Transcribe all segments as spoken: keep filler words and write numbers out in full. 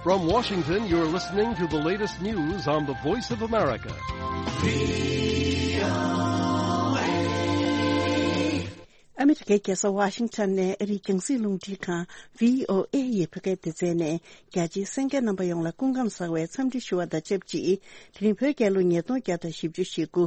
From Washington, you're listening to the latest news on the Voice of America. ཨ་མི་རི་ཀའི་རྒྱལ་ས་ཝ་ཤིང་ཊོན་ནས་ཨ་རིའི་རྒྱང་སྲིང་རླུང་འཕྲིན་ཁང་བྷི་ཨོ་ཨེ་ཡི་བོད་སྐད་སྡེ་ཚན་ནས་རྒྱ་ཆེའི་གསན་མཁན་རྣམ་པ་ཡོངས་ལ་སྐུ་ཁམས་བཟང་བའི་འཚམས་འདྲི་ཞུ་བ་དང་ཆབས་ཅིག་དེ་རིང་བོད་རྒྱལ་ལོ་ཉིས་སྟོང་བརྒྱ་དང་བཞི་བཅུ་ཞེ་དགུ་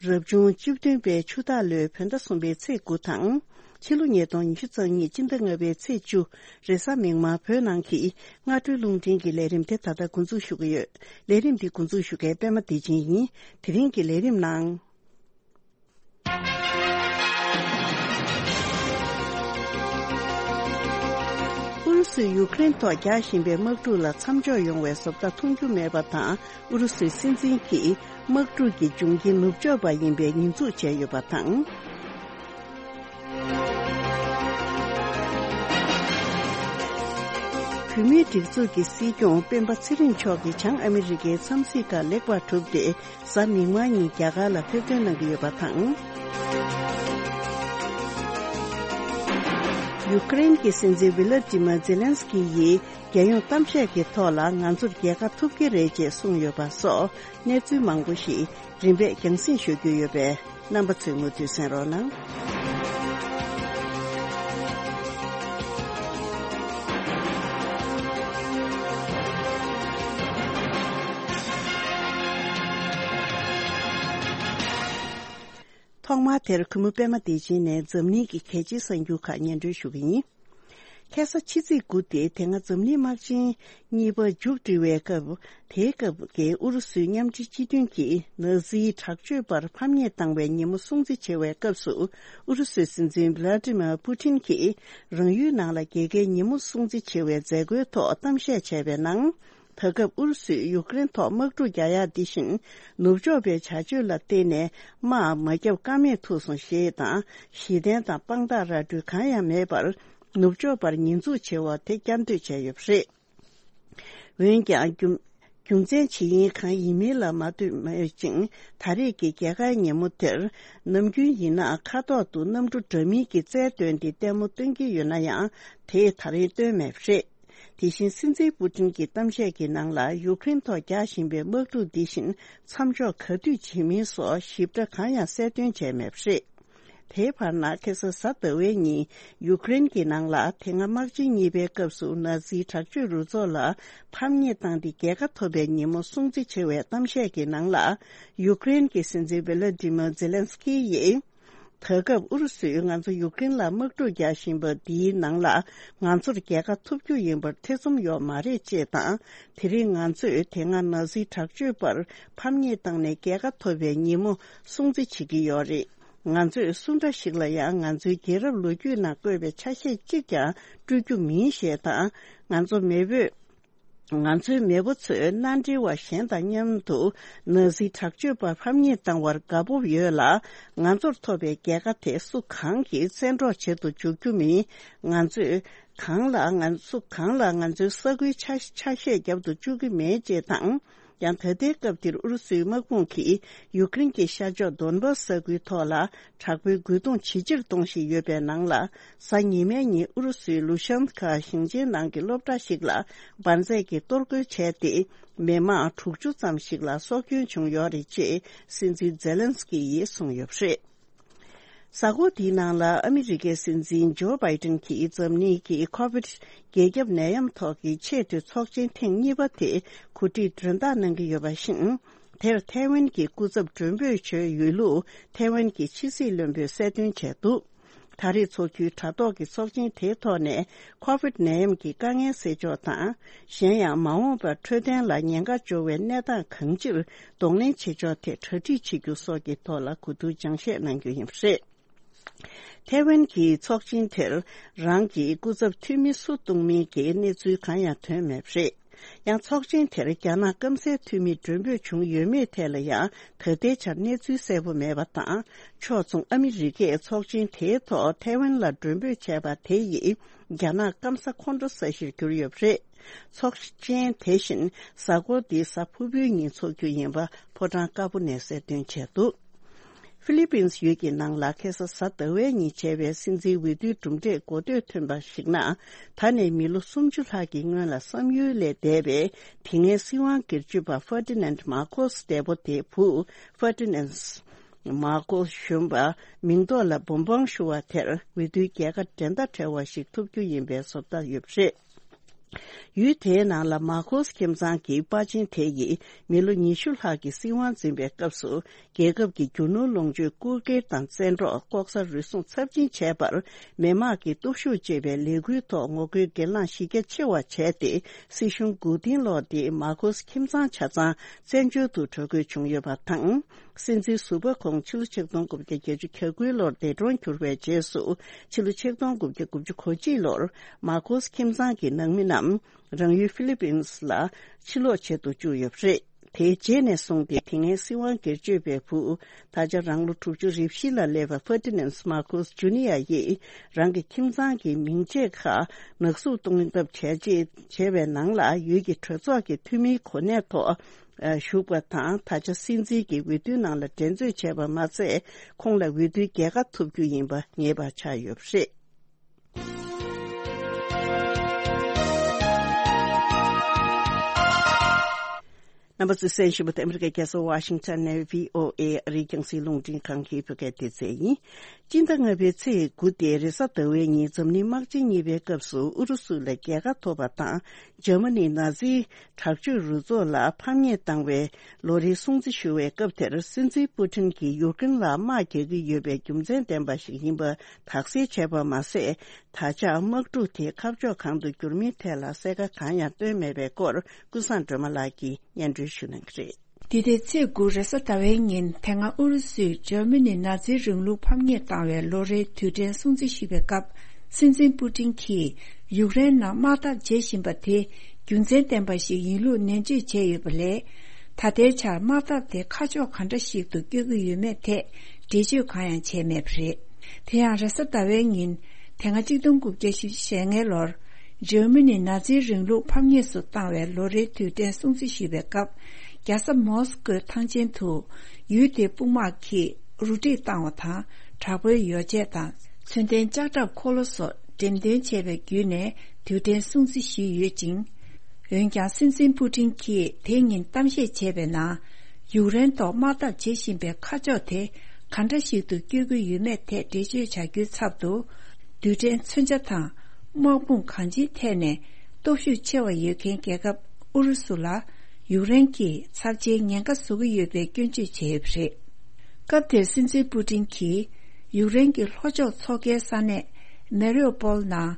རབ་བྱུང་བཅུ་བདུན་པའི་ཆུ་སྟག་ལོའི་བོད་ཟླ་གསུམ་པའི་ཚེས་དགུ་དང་། ཕྱི་ལོ་ཉིས་སྟོང་ཉི་ཤུ་རྩ་གཉིས་སྤྱི་ཟླ་ལྔ་པའི་ཚེས་བཅུ། རེས་གཟའ་མིག་དམར་བོད་ནང་གི་སྔ་དྲོའི་རླུང་འཕྲིན་གྱི་ལས་རིམ་དེ་ད་ལྟ་འགོ་འཛུགས་ཞུ་གི་ཡོད། ལས་རིམ་འདི་འགོ་འཛུགས་ཞུ་མཁན་པད་མ་བདེ་ཆེན་ཡིན། དེ་རིང་གི་ལས་རིམ་ནང་། ཨུ་རུ་སུས་ཡུ་ཀེ་རེན་ཐོག་རྒྱག་བཞིན་པའི་དམག་འཁྲུག་ལ་མཚམས་འཇོག་ཡོང་བའི་བཟོ་ལྟ་མཐོང་རྒྱུ་མེད་པ་དང་། ཨུ་རུ་སུའི་སྲིད་འཛིན་གྱིས་དམག་འཁྲུག་གི་འབྱུང་རྐྱེན་ནུབ་ཕྱོགས་པ་ཡིན་པའི་ཉེས་འཛུགས་བྱས་ཡོད་པ་དང་། བོད་མིའི་སྒྲིག་འཛུགས་ཀྱི་སྲིད་སྐྱོང་སྤེན་པ་ཚེ་རིང་མཆོག་གིས་བྱང་ཨ་མི་རི་ཀའི་འཚམས་གཟིགས་ཁག་ལེགས་པར་གྲུབ་སྟེ། གཟའ་མིག་དམར་ཉིན་རྒྱ་གར་ལ་ཕེབས་ཐོན་གནང་གི་ཡོད་པ་དང་། ཡུ་ཀེ་རེན་གྱི་སྲིད་འཛིན་ཝི་ལ་ཏི་མ་ཛེ་ལན་སི་ཀི་ཡིས་རྒྱལ་ཡོངས་གཏམ་བཤད་ཀྱི་ཐོག་ལ་ང་ཚོར་རྒྱལ་ཁ་ཐོབ་ཀྱི་རེད་ཅེས་གསུངས་ཡོད་པ་སོགས་གནས་ཚུལ་མང་པོ་ཞིག་རིམ་པས་རྒྱང་སྲིང་ཞུ་རྒྱུ་ཡོད་པས། རྣམ་པ་ཚོས་མུ་མཐུད་གསན་རོགས་གནང་། ཐོག་མར་དེར་གུས་མོ་པད་མ་བདེ་ཆེན་ནས་འཛམ་གླིང་གི་གལ་ཆེའི་གསར་འགྱུར་ཁག་སྙན་སྒྲོན་ཞུ་གི་ཡིན། ཁ་སང་ཕྱི་ཚེས་དགུ་སྟེ་དེ་སྔ་འཛམ་གླིང་དམག་ཆེན་གཉིས་པ་མཇུག་སྒྲིལ་བའི་སྐབས། དེའི་སྐབས་ཀྱི་ཨུ་རུ་སུའི་མཉམ་འབྲེལ་སྤྱི་མཐུན་གྱིས་ནཱ་ཛིའི་དྲག་སྤྱོད་པར་ཕམ་ཉེས་བཏང་བའི་ཉིན་མོ་སྲུང་བརྩི་བྱེད་པའི་སྐབས་སུ། ཨུ་རུ་སུའི་སྲིད་འཛིན་ཝི་ལ་ཏི་མར་པུ་ཏིན་གྱིས་རང་ཡུལ་ནང་ལ་རྒྱལ་ཁའི་ཉིན་མོ་སྲུང་བརྩི་བྱེད་པའི་མཛད་སྒོའི་ཐོག་གཏམ་བཤད་བྱས་པའི་ནང་། ད་སྐབས་ཨུ་རུ་སུས་ཡུཀ་རེན་ཐོག་དམག་འཁྲུག་རྒྱག་ཡག་འདི་བཞིན་ནུབ་ཕྱོགས་པའི་བྱ་སྤྱོད་ལ་བརྟེན་ནས་དམག་མ་བརྒྱབ་ཀ་མེད་ཐུག་སོང་ཞེས་དང་། གཞི་རྟེན་དང་དཔང་རྟགས་ར་སྤྲོད་གང་ཡང་མེད་པར་ནུབ་ཕྱོགས་པར་ཉེས་འཛུགས་བྱེད་པ་དེ་བསྐྱར་ཟློས་བྱས་ཡོད་པ་རེད། འོན་ཀྱང་རྒྱུ་རྒྱུ་མཚན་ཇི་ཡིན་གང་ཡིན་མིན་ལ་མ་ལྟོས་མེད་ཅིང་། ད་རེས་ཀྱི་རྒྱལ་ཁའི་ཉིན་མོ་དེར་ནམ་རྒྱུན་ཡིན་ན་ཁ་ཐོག་ཏུ་གནམ་གྲུ་འདྲ་མིན་གྱི་རྩལ་བཏོན་ཏེ་ལྟད་མོ་སྟོན་གྱི་ཡོད་ན་ཡང་། དེས་ད་རེས་སྟོན་མེད་པ་རེད། དེ་བཞིན་སྲིད་འཛིན་པུ་ཏིན་གྱི་གཏམ་བཤད་ཀྱི་ནང་ལ་ཡུཀ་རེན་ཐོག་རྒྱག་བཞིན་པའི་དམག་འཁྲུག་འདི་བཞིན་མཚམས་འཇོག་ག་དུས་བྱེད་མིན་སོགས་ཞིབ་ཕྲ་གང་ཡང་གསལ་སྟོན་བྱས་མེད་པ་རེད། དེའི་བར་ན་ཁ་སང་གཟའ་ཟླ་བའི་ཉིན་ཡུཀ་རེན་གྱི་ནང་ལ་དེ་སྔ་དམག་ཆེན་གཉིས་པའི་སྐབས་སུ་ནཱ་ཛིའི་དྲག་སྤྱོད་རུ་ཚོགས་ལ་ཕམ་ཉེས་བཏང་སྟེ་རྒྱལ་ཁ་ཐོབ་པའི་ཉིན་མོ་སྲུང་བརྩི་བྱེད་པའི་གཏམ་བཤད་ཀྱི་ནང་ལ། ཡུཀ་རེན་གྱི་སྲིད་འཛིན་ཝི་ལ་ཏི་མར་ཛེ་ལན་སི་ཀི་ཡིས། ད་སྐབས་ཨུ་རུ་སུས་ང་ཚོ་ཡུཀ་རེན་ལ་དམག་འཁྲུག་རྒྱག་བཞིན་པ་འདིའི་ནང་ལ་ང་ཚོར་རྒྱལ་ཁ་ཐོབ་རྒྱུ་ཡིན་པར་ཐེ་ཚོམ་ཡོད་མ་རེད་ཅེས་དང་། དེ་རིང་ང་ཚོས་དེ་སྔ་ནཱ་ཛིའི་དྲག་སྤྱོད་པར་ཕམ་ཉེས་བཏང་ནས་རྒྱལ་ཁ་ཐོབ་པའི་ཉིན་མོ་སྲུང་བརྩི་བྱེད་ཀྱི་ཡོད་རེད། ང་ཚོས་སུ་འདྲ་ཞིག་ལ་ཡང་ང་ཚོའི་རྒྱལ་རབས་ལོ་རྒྱུས་ནང་བཀོད་པའི་ཆ་ཤས་གཅིག་ཀྱང་སྤྲོད་རྒྱུ་མིན་ཞེས་དང་། ང་ཚོ་མེས་པོས། ང་ཚོའི་མེས་པོ་ཚོས་མནའ་འབྲེལ་བ་གཞན་དང་མཉམ་དུ་ནཱ་ཛི་དྲག་སྤྱོད་པ་ཕམ་ཉེས་བཏང་བར་དགའ་སྤོབས་ཡོད་ལ། ང་ཚོར་ཐོབ་པའི་རྒྱལ་ཁ་དེ་སུ་གང་གིས་བཙན་འཕྲོག་བྱེད་དུ་འཇུག་རྒྱུ་མིན། ང་ཚོས་གང་ལ་ང་སུ་གང་ལ་ང་ཚོའི་ས་ཁུལ་ཆ་ཆ་ཤས་རྒྱབ་ཏུ་བཅུག་གི་མེད་ཅེས་དང་། ཡང་ད་ལྟའི་སྐབས་འདིར་ཨུ་རུ་སུའི་དམག་དཔུང་གིས་ཡུཀ་རེན་གྱི་ཤར་ཕྱོགས་དོན་བྷ་སི་ས་ཁུལ་ཐོག་ལ་དྲག་པོའི་རྒོལ་རྡུང་ཇེ་ཆེར་གཏོང་བཞིན་ཡོད་པའི་ནང་ལ། གཟའ་ཉི་མའི་ཉིན་ཨུ་རུ་སུའི་ལུ་ཤན་ཁ་ཞིང་ཆེན་ནང་གི་སློབ་གྲྭ་ཞིག་ལ་འབར་རྫས་ཀྱིས་གཏོར་རྒོལ་བྱས་ཏེ། མི་མང་དྲུག་ཅུ་ཙམ་ཞིག་ལ་སྲོག་སྐྱོན་བྱུང་ཡོད་རེད་ཅེས་སྲིད་འཛིན་ཛེ་ལན་སི་ཀི་ཡིས་གསུངས་ཡོད་པ་རེད། གཟའ་འཁོར་འདིའི་ནང་ལ་ཨ་མི་རི་ཀའི་སྲིད་འཛིན་ཇོ་བྷའི་ཏིན་གྱིས་འཛམ་གླིང་གི་ཁོ་བིད་རྒྱལ་ཁྱབ་ནད་ཡམས་ཐོག་གི་ཆེས་མཐོའི་ཚོགས་ཆེན་ཐེངས་གཉིས་པ་དེ་གོ་སྒྲིག་མགྲོན་བདག་གནང་གི་ཡོད་པ་བཞིན། དེར་ཐའེ་ཝན་གྱི་སྐུ་ཚབ་མགྲོན་འབོད་བྱས་ཡོད་ལུགས་ཐའེ་ཝན་གྱི་ཕྱི་སྲིད་བློན་པོས་གསལ་སྟོན་བྱས་འདུག་ད་རེས་འཚོགས་རྒྱུའི་དྲ་ཐོག་གི་ཚོགས་ཆེན་དེའི་ཐོག་ནས་ཁོ་བིད་ནད་ཡམས་ཀྱི་དཀའ་ངལ་སེལ་ཕྱོགས་དང་། གཞན་ཡང་མ་འོངས་པར་འཕྲོད་བསྟེན་ལ་ཉེན་ཁ་འབྱོར་བའི་གནས་སྟངས་གང་ཅིར་གདོང་ལེན་བྱེད་ཕྱོགས་ཐད་གྲ་སྒྲིག་བྱེད་རྒྱུ་སོགས་ཀྱི་ཐོག་ལ་གོ་བསྡུར་སྦྱང་བཤད་གནང་རྒྱུ་ཡིན་པ་རེད། ཐའེ་ཝན་གྱི་ཚོགས་ཆེན་དེར་རང་གི་སྐུ་ཚབ་འཐུས་མི་སུ་གཏོང་མིན་གྱི་གནས་ཚུལ་གང་ཡང་ཐོན་མེད་པ་རེད། ཡང་ཚོགས་ཆེན་དེར་རྒྱ་ནག་སྐམ་སའི་འཐུས་མི་མགྲོན་འབོད་བྱུང་ཡོད་མེད་ཐད་ལ་ཡང་ད་ལྟའི་ཆར་གནས་ཚུལ་གསལ་པོ་མེད་པ་དང་། ཕྱོགས་མཚུངས་ཨ་མི་རི་ཀས་ཚོགས་ཆེན་དེའི་ཐོག་ཐའེ་ཝན་ལ་མགྲོན་འབོད་བྱས་པ་དེ་ཡིས་རྒྱ་ནག་སྐམ་ས་ཁོང་ཁྲོ་ས་གཞིར་གྱུར་ཡོད་པ་རེད། ཚོགས་ཆེན་དེ་བཞིན་གཟའ་འཁོར་འདིའི་གཟའ་ཕུར་བུའི་ཉིན་འཚོགས་རྒྱུ་ཡིན་པ་ཕོ་བྲང་དཀར་པོ་ནས་གསལ་སྟོན་བྱས་འདུག་ཧྥི་ལི་པིན་ཡུལ་གྱི་ནང་ལ་ཁ་སང་གཟའ་ཟླ་བའི་ཉིན་བྱས་པའི་སྲིད་འཛིན་འོས་བསྡུའི་གྲུབ་འབྲས་འགོ་སྟོད་ཐོན་པར་གཞིགས་ན། ད་ནས་མི་ལོ་སུམ་ཅུ་ལྷག་གི་སྔོན་ལ་བསམ་ཡུལ་ལས་འདས་པའི་དེ་སྔའི་སྲིད་དབང་སྒེར་གཅོད་པ་ཧྥར་ཏི་ནན་མར་ཁོ་སི་འདས་པོ་དེའི་བུ་ཧྥར་ཏི་ནན་མར་ཁོ་གཞོན་པ་མིང་ཐོག་ལ་འབུམ་དབང་ཞུ་བ་དེར་འོས་བསྡུའི་རྒྱལ་ཁ་འགྲན་ཟླ་བྲལ་བ་ཞིག་ཐོབ་རྒྱུ་ཡིན་པའི་བཟོ་ལྟ་ཡོད་པ་རེད། ཡུལ་དེའི་ནང་ལ་མར་ཁོ་སི་ཁྱིམ་ཚང་གི་པར་ཆེན་དེ་ཡིས་མི་ལོ་ཉི་ཤུ་ལྷག་གི་སྲིད་དབང་འཛིན་པའི་སྐབས་སུ། རྒྱལ་ཁབ་ཀྱི་རྒྱུ་ནོར་ལོངས་སྤྱོད་རྐུ་འཁྱེར་དང་བཙན་འཕྲོག་ལྐོག་ཟ་རུལ་སུངས་ཚབས་ཆེན་བྱས་པར། མི་དམངས་ཀྱི་སྟོབས་ཤུགས་བཅས་པའི་ལས་འགུལ་ཐོག་ངོ་རྒོལ་སྒེར་ལངས་གཞི་རྒྱ་ཆེ་བ་བྱས་ཏེ། སྲིད་གཞུང་མགོ་རྟིང་སློག་སྟེ་མར་ཁོ་སི་ཁྱིམ་ཚང་ཆ་ཚང་བཙན་བྱོལ་དུ་འགྲོ་དགོས་བྱུང་ཡོད་པ་དང་། སྲིད་འཛིན་ཟུར་པ་ཁོང་ཕྱི་ལོ་ཆིག་སྟོང་དགུ་བརྒྱ་བརྒྱད་ཅུ་གྱ་དགུའི་ལོར་འདས་གྲོངས་གྱུར་བའི་རྗེས་སུ། ཕྱི་ལོ་ཆིག་སྟོང་དགུ་བརྒྱ་དགུ་བཅུ་གོ་གཅིག་ལོར་མར་ཁོ་སི་ཁྱིམ་ཚང་གི་ནང་མི་རྣམས་རང་ཡུལ་ཧྥི་ལི་པིན་ལ་ཕྱིར་ལོག་བྱེད་དུ་བཅུག་ཡོད་པ་རེད། དེའི་རྗེས་ནས་བཟུང་སྟེ་དེ་སྔའི་སྲིད་དབང་སྒེར་གཅོད་པའི་བུ། ད་ཆ་རང་ལོ་དྲུག་ཅུ་རེ་བཞི་ལ་སླེབས་པ་ཧྥར་ཏི་ནན་མར་ཁོ་སི་ཇུ་ནི་ཡ་ཡིས་རང་གི་ཁྱིམ་ཚང་གི་མིང་ཆད་ཁག་ནག་གསུབ་གཏོང་ཐབས་བྱས་རྗེས་བྱས་པའི་ནང་ལ་ཡུལ་གྱི་གྲོས་ཚོགས་ཀྱི་འཐུས་མིའི་གོ་གནས་ཐོག་ཞུགས་པ་དང་། ད་ཆ་སྲིད་འཛིན་གྱི་འོས་བསྡུའི་ནང་ལ་འགྲན་རྩོད་བྱས་པ་མ་ཟད། ཁོང་ལ་འོས་བསྡུའི་རྒྱལ་ཁ་ཐོབ་རྒྱུ་ཡིན་པ་ངེས་པ་ཆགས་ཡོད་པ་རེད། རྣམ་པ་ཚོས་གསན་བཞིན་པ་དེ་ཨ་མི་རི་ཀའི་རྒྱལ་ས་ཝ་ཤིང་ཊོན་ནས་བྷི་ཨོ་ཨེ་ཨ་རིའི་རྒྱང་སྲིང་རླུང་འཕྲིན་ཁང་གི་བོད་སྐད་སྡེ་ཚན་ཡིན། སྤྱི་ཟླ་ལྔ་པའི་ཚེས་དགུ་སྟེ་རེས་གཟའ་ཟླ་བའི་ཉིན་འཛམ་གླིང་དམག་ཆེན་གཉིས་པའི་སྐབས་སུ་ཨུ་རུ་སུ་ལ་རྒྱལ་ཁ་ཐོབ་པ་དང་། འཇར་མ་ནི་ནཱ་ཛིའི་དྲག་སྤྱོད་རུ་ཚོགས་ལ་ཕམ་ཉེས་བཏང་བའི་ལོ་རེའི་སྲུང་བརྩི་ཞུ་བའི་སྐབས་དེར། སྲིད་འཛིན་པུ་ཊིན་གྱིས་ཡུཀ་རེན་ལ་དམག་རྒྱག་གི་ཡོད་པའི་རྒྱུ་མཚན་ལྡན་པ་ཞིག་ཡིན་པ་དག་སེལ་བྱས་པ་མ་ཟད། ད་ཆ་དམག་འཁྲུག་དེ་ཁ་ཕྱོགས་གང་དུ་འགྱུར་མིན་ཐད་ལ་གསལ་ཁ་གང་ཡང་བཏོན་མེད་པའི་སྐོར། ཀུན་བཟང་སྒྲོལ་མ་ལགས་ཀྱིས་སྙན་སྒྲོན་ཞུ་གནང་གི་རེད། འདི་ཟླའི་ཚེས་དགུ་རེས་གཟའ་ཟླ་བའི་ཉིན། དེ་སྔ་ཨུ་རུ་སུས་འཇར་མ་ནི་ནཱ་ཛིའི་རིང་ལུགས་ཕམ་ཉེས་བཏང་བའི་ལོ་རེའི་དུས་དྲན་སྲུང་བརྩི་ཞུས་པའི་སྐབས། སྲིད་འཛིན་པུ་ཏིན་གྱིས་ཡུཀ་རེན་ནང་དམག་འཐབ་བྱེད་བཞིན་པ་དེ་རྒྱུ་མཚན་ལྡན་པ་ཞིག་ཡིན་ལུགས་ནན་བརྗོད་བྱས་ཡོད་པ་ལས། ད་ལྟའི་ཆར་དམག་འཐབ་དེ་ཁ་ཕྱོགས་ག་འདྲ་ཞིག་ཏུ་བསྐྱོད་ཀྱི་ཡོད་མེད་ཐད་འགྲེལ་བརྗོད་གང་ཡང་བྱས་མེད་པ་རེད། དེ་ཡང་རེས་གཟའ་ཟླ་བའི་ཉིན། དེ་སྔ་གཅིག་སྟོང་དགུ་བརྒྱ་བཞི་བཅུ་ཞེ་ལྔའི་ལོར། འཇར་མ་ནི་ནཱ་ཛིའི་རིང་ལུགས་ཕམ་ཉེས་སུ་བཏང་བའི་ལོ་རེའི་དུས་དྲན་སྲུང་བརྩི་ཞུས་པའི་སྐབས། རྒྱལ་ས་མོ་སི་ཀོའི་ཐང་ཆེན་དུ། ཡུལ་དེའི་དཔུང་དམག་གིས་རུ་སྒྲིག་བཏང་བ་དང་། དྲག་པོའི་ཡོ་བྱད་དང་། མཚོན་ལྡན་ལྕགས་ཁྲབ་འཁོར་ལོ་སོགས་འགྲེམས་སྟོན་བྱས་པའི་བརྒྱུད་ནས་དུས་དྲན་སྲུང་བརྩི་ཞུས་ཡོད་ཅིང་། འོན་ཀྱང་། སྲིད་འཛིན་པུ་ཏིན་གྱིས་དེ་ཉིན་གཏམ་བཤད་བྱས་པའི་ནང་། ཡུཀ་རེན་ཐོག་དམག་འཐབ་བྱེད་བཞིན་པའི་ཁ་ཕྱོགས་དེ་ག་འདྲ་ཞིག་ཏུ་བསྐྱོད་ཀྱི་ཡོད་མེད་ཐད་འགྲེལ་བརྗོད་བྱ་རྒྱུའི་ཚབ་ཏུ། རྡུལ་ཕྲན་མཚོན་ཆ་དང་། དམག་དཔུང་གང་ཅིའི་ཐད་ནས་སྟོབས་ཤུགས་ཆེ་བ་ཡོད་མཁན་རྒྱལ་ཁབ་ཨུ་རུ་སུ་ལ། ཡུཀ་རེན་གྱིས་ཚབས་ཆེའི་ཉེན་ཁ་བཟོ་གི་ཡོད་པའི་སྐྱོན་བརྗོད་བྱས་ཡོད་པ་རེད། སྐབས་དེར་སྲིད་འཛིན་པུ་ཏིན་གྱིས། ཡུཀ་རེན་གྱི་ལྷོ་ཕྱོགས་མཚོ་ཁའི་ས་གནས་མེ་རིའུ་པོལ་ནང་།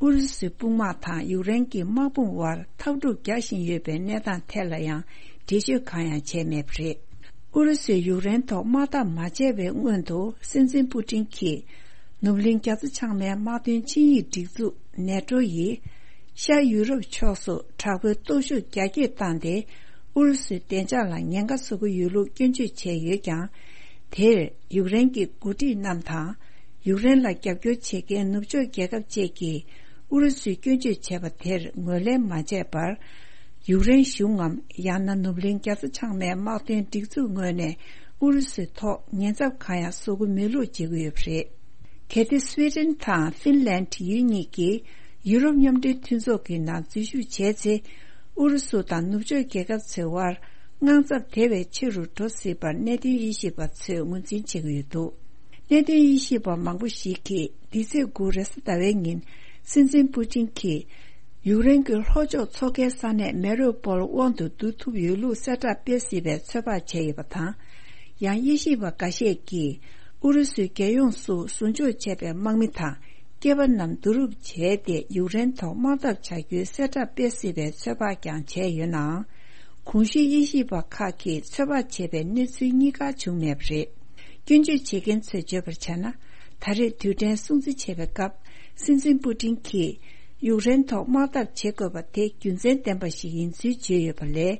ཨུ་རུ་སུའི་དཔུང་དམག་དང་ཡུཀ་རེན་གྱི་དམག་དཔུང་དབར་འཐབ་འཁྲུག་རྒྱག་བཞིན་ཡོད་པའི་གནས་སྟངས་ཐད་ལ་ཡང་འགྲེལ་བརྗོད་གང་ཡང་བྱས་མེད་པ་རེད། ཨུ་རུ་སུས་ཡུཀ་རེན་ཐོག་དམག་འཐབ་མ་བྱས་པའི་སྔོན་དུ། སྲིད་འཛིན་པུ་ཏིན་གྱིས། ནུབ་གླིང་རྒྱ་མཚོ་བྱང་མའི་དམག་དོན་ཆིངས་ཡིག་སྒྲིག་འཛུགས་ནེ་ཏྲོ་ཡིས། ཤར་ཡུ་རོབ་ཕྱོགས་སུ་དྲག་པོའི་སྟོབས་ཤུགས་རྒྱ་སྐྱེད་བཏང་སྟེ། ཨུ་རུ་སུའི་བདེ་འཇགས་ལ་ཉེན་ཁ་བཟོ་གི་ཡོད་ལུགས་སྐྱོན་བརྗོད་བྱས་ཡོད་ཀྱང་། དེར་ཡུཀ་རེན་གྱི་འགོ་ཁྲིད་རྣམས་དང་། ཡུཀ་རེན་ལ་རྒྱབ་སྐྱོར་བྱེད་མཁན་ནུབ་ཕྱོགས་རྒྱལ་ཁབ་བཅས་ཀྱིས་ཨུ་རུ་སུའི་སྐྱོན་བརྗོད་བྱས་པ་དེར་ངོས་ལེན་མ་བྱས་པར། ཡུཀ་རེན་གཞུང་ངམ། ཡང་ན་ནུབ་གླིང་རྒྱ་མཚོ་བྱང་མའི་དམག་དོན་སྒྲིག་འཛུགས་ངོས་ནས་ཨུ་རུ་སུའི་ཐོག་ཉེན་ཚབས་གང་ཡང་བཟོ་གི་མེད་ལུགས་བརྗོད་ཀྱི་ཡོད་པ་རེད། གལ་ཏེ་སུའེ་ཏེན་དང་ཧྥིན་ལན་ཡུལ་གཉིས་ཀྱིས་ཡུ་རོབ་མཉམ་འབྲེལ་མཐུན་ཚོགས་ཀྱི་ནང་འཛུལ་ཞུགས་བྱས་ཚེ། ཨུ་རུ་སུ་དང་ནུབ་ཕྱོགས་རྒྱལ་ཁབ་ཚོའི་དབར་དངངས་འཚབ་དེ་བས་ཆེ་རུ་འགྲོ་སྲིད་པར་གནད་དོན་དབྱེ་ཞིབ་པ་ཚོས་ངོས་འཛིན་བྱེད་ཀྱི་ཡོད་འདུག་གནད་དོན་དབྱེ་ཞིབ་པ་མང་པོ་ཞིག་གིས། འདི་ཚེས་དགུ་རེས་གཟའ་ཟླ་བའི་ཉིན། སྲིད་འཛིན་པུ་ཏིན་གྱིས། ཡུཀ་རེན་གྱི་ལྷོ་ཕྱོགས་མཚོ་ཁའི་ས་གནས་མེ་རིའུ་པོལ་དབང་དུ་བསྡུ་ཐུབ་ཡོད་ལུགས་གསལ་བསྒྲགས་སྤེལ་སྲིད་པའི་ཚོད་དཔག་བྱས་ཡོད་པ་དང་། ཡང་དབྱེ་ཞིབ་པ་འགའ་ཤས་ཀྱིས། ཨུ་རུ་སུའི་རྒྱལ་ཡོངས་སུ་ཟུར་འཇོག་བྱས་པའི་དམག་མི་དང་། སྐྱེས་པ་རྣམས་བསྡུ་རུབ་བྱས་ཏེ། ཡུཀ་རེན་ཐོག་དམག་འཐབ་བྱ་རྒྱུའི་གསལ་བསྒྲགས་སྤེལ་སྲིད་པའི་ཚོད་དཔག་ཀྱང་བྱས་ཡོད་ནའང་། གོང་ཞུས་དབྱེ་ཞིབ་པ་ཁག་གིས་ཚོད་དཔག་བྱས་པའི་གནས་ཚུལ་གཉིས་ཀ་བྱུང་མེད་པ་རེད། སྐྱོན་བརྗོད་བྱེད་མཁན་ཚོས་བརྗོད་པར་བྱས་ན། ད་རེས་དུས་དྲན་སྲུང་བརྩི་བྱེད་པའི་སྐབས། སྲིད་འཛིན་པུ་ཏིན་གྱིས། ཡུཀ་རེན་ཐོག་དམག་འཐབ་བྱེད་དགོས་པ་དེ་རྒྱུ་མཚན་ལྡན་པ་ཞིག་ཡིན་ཚུལ་བརྗོད་ཡོད་པ་ལས།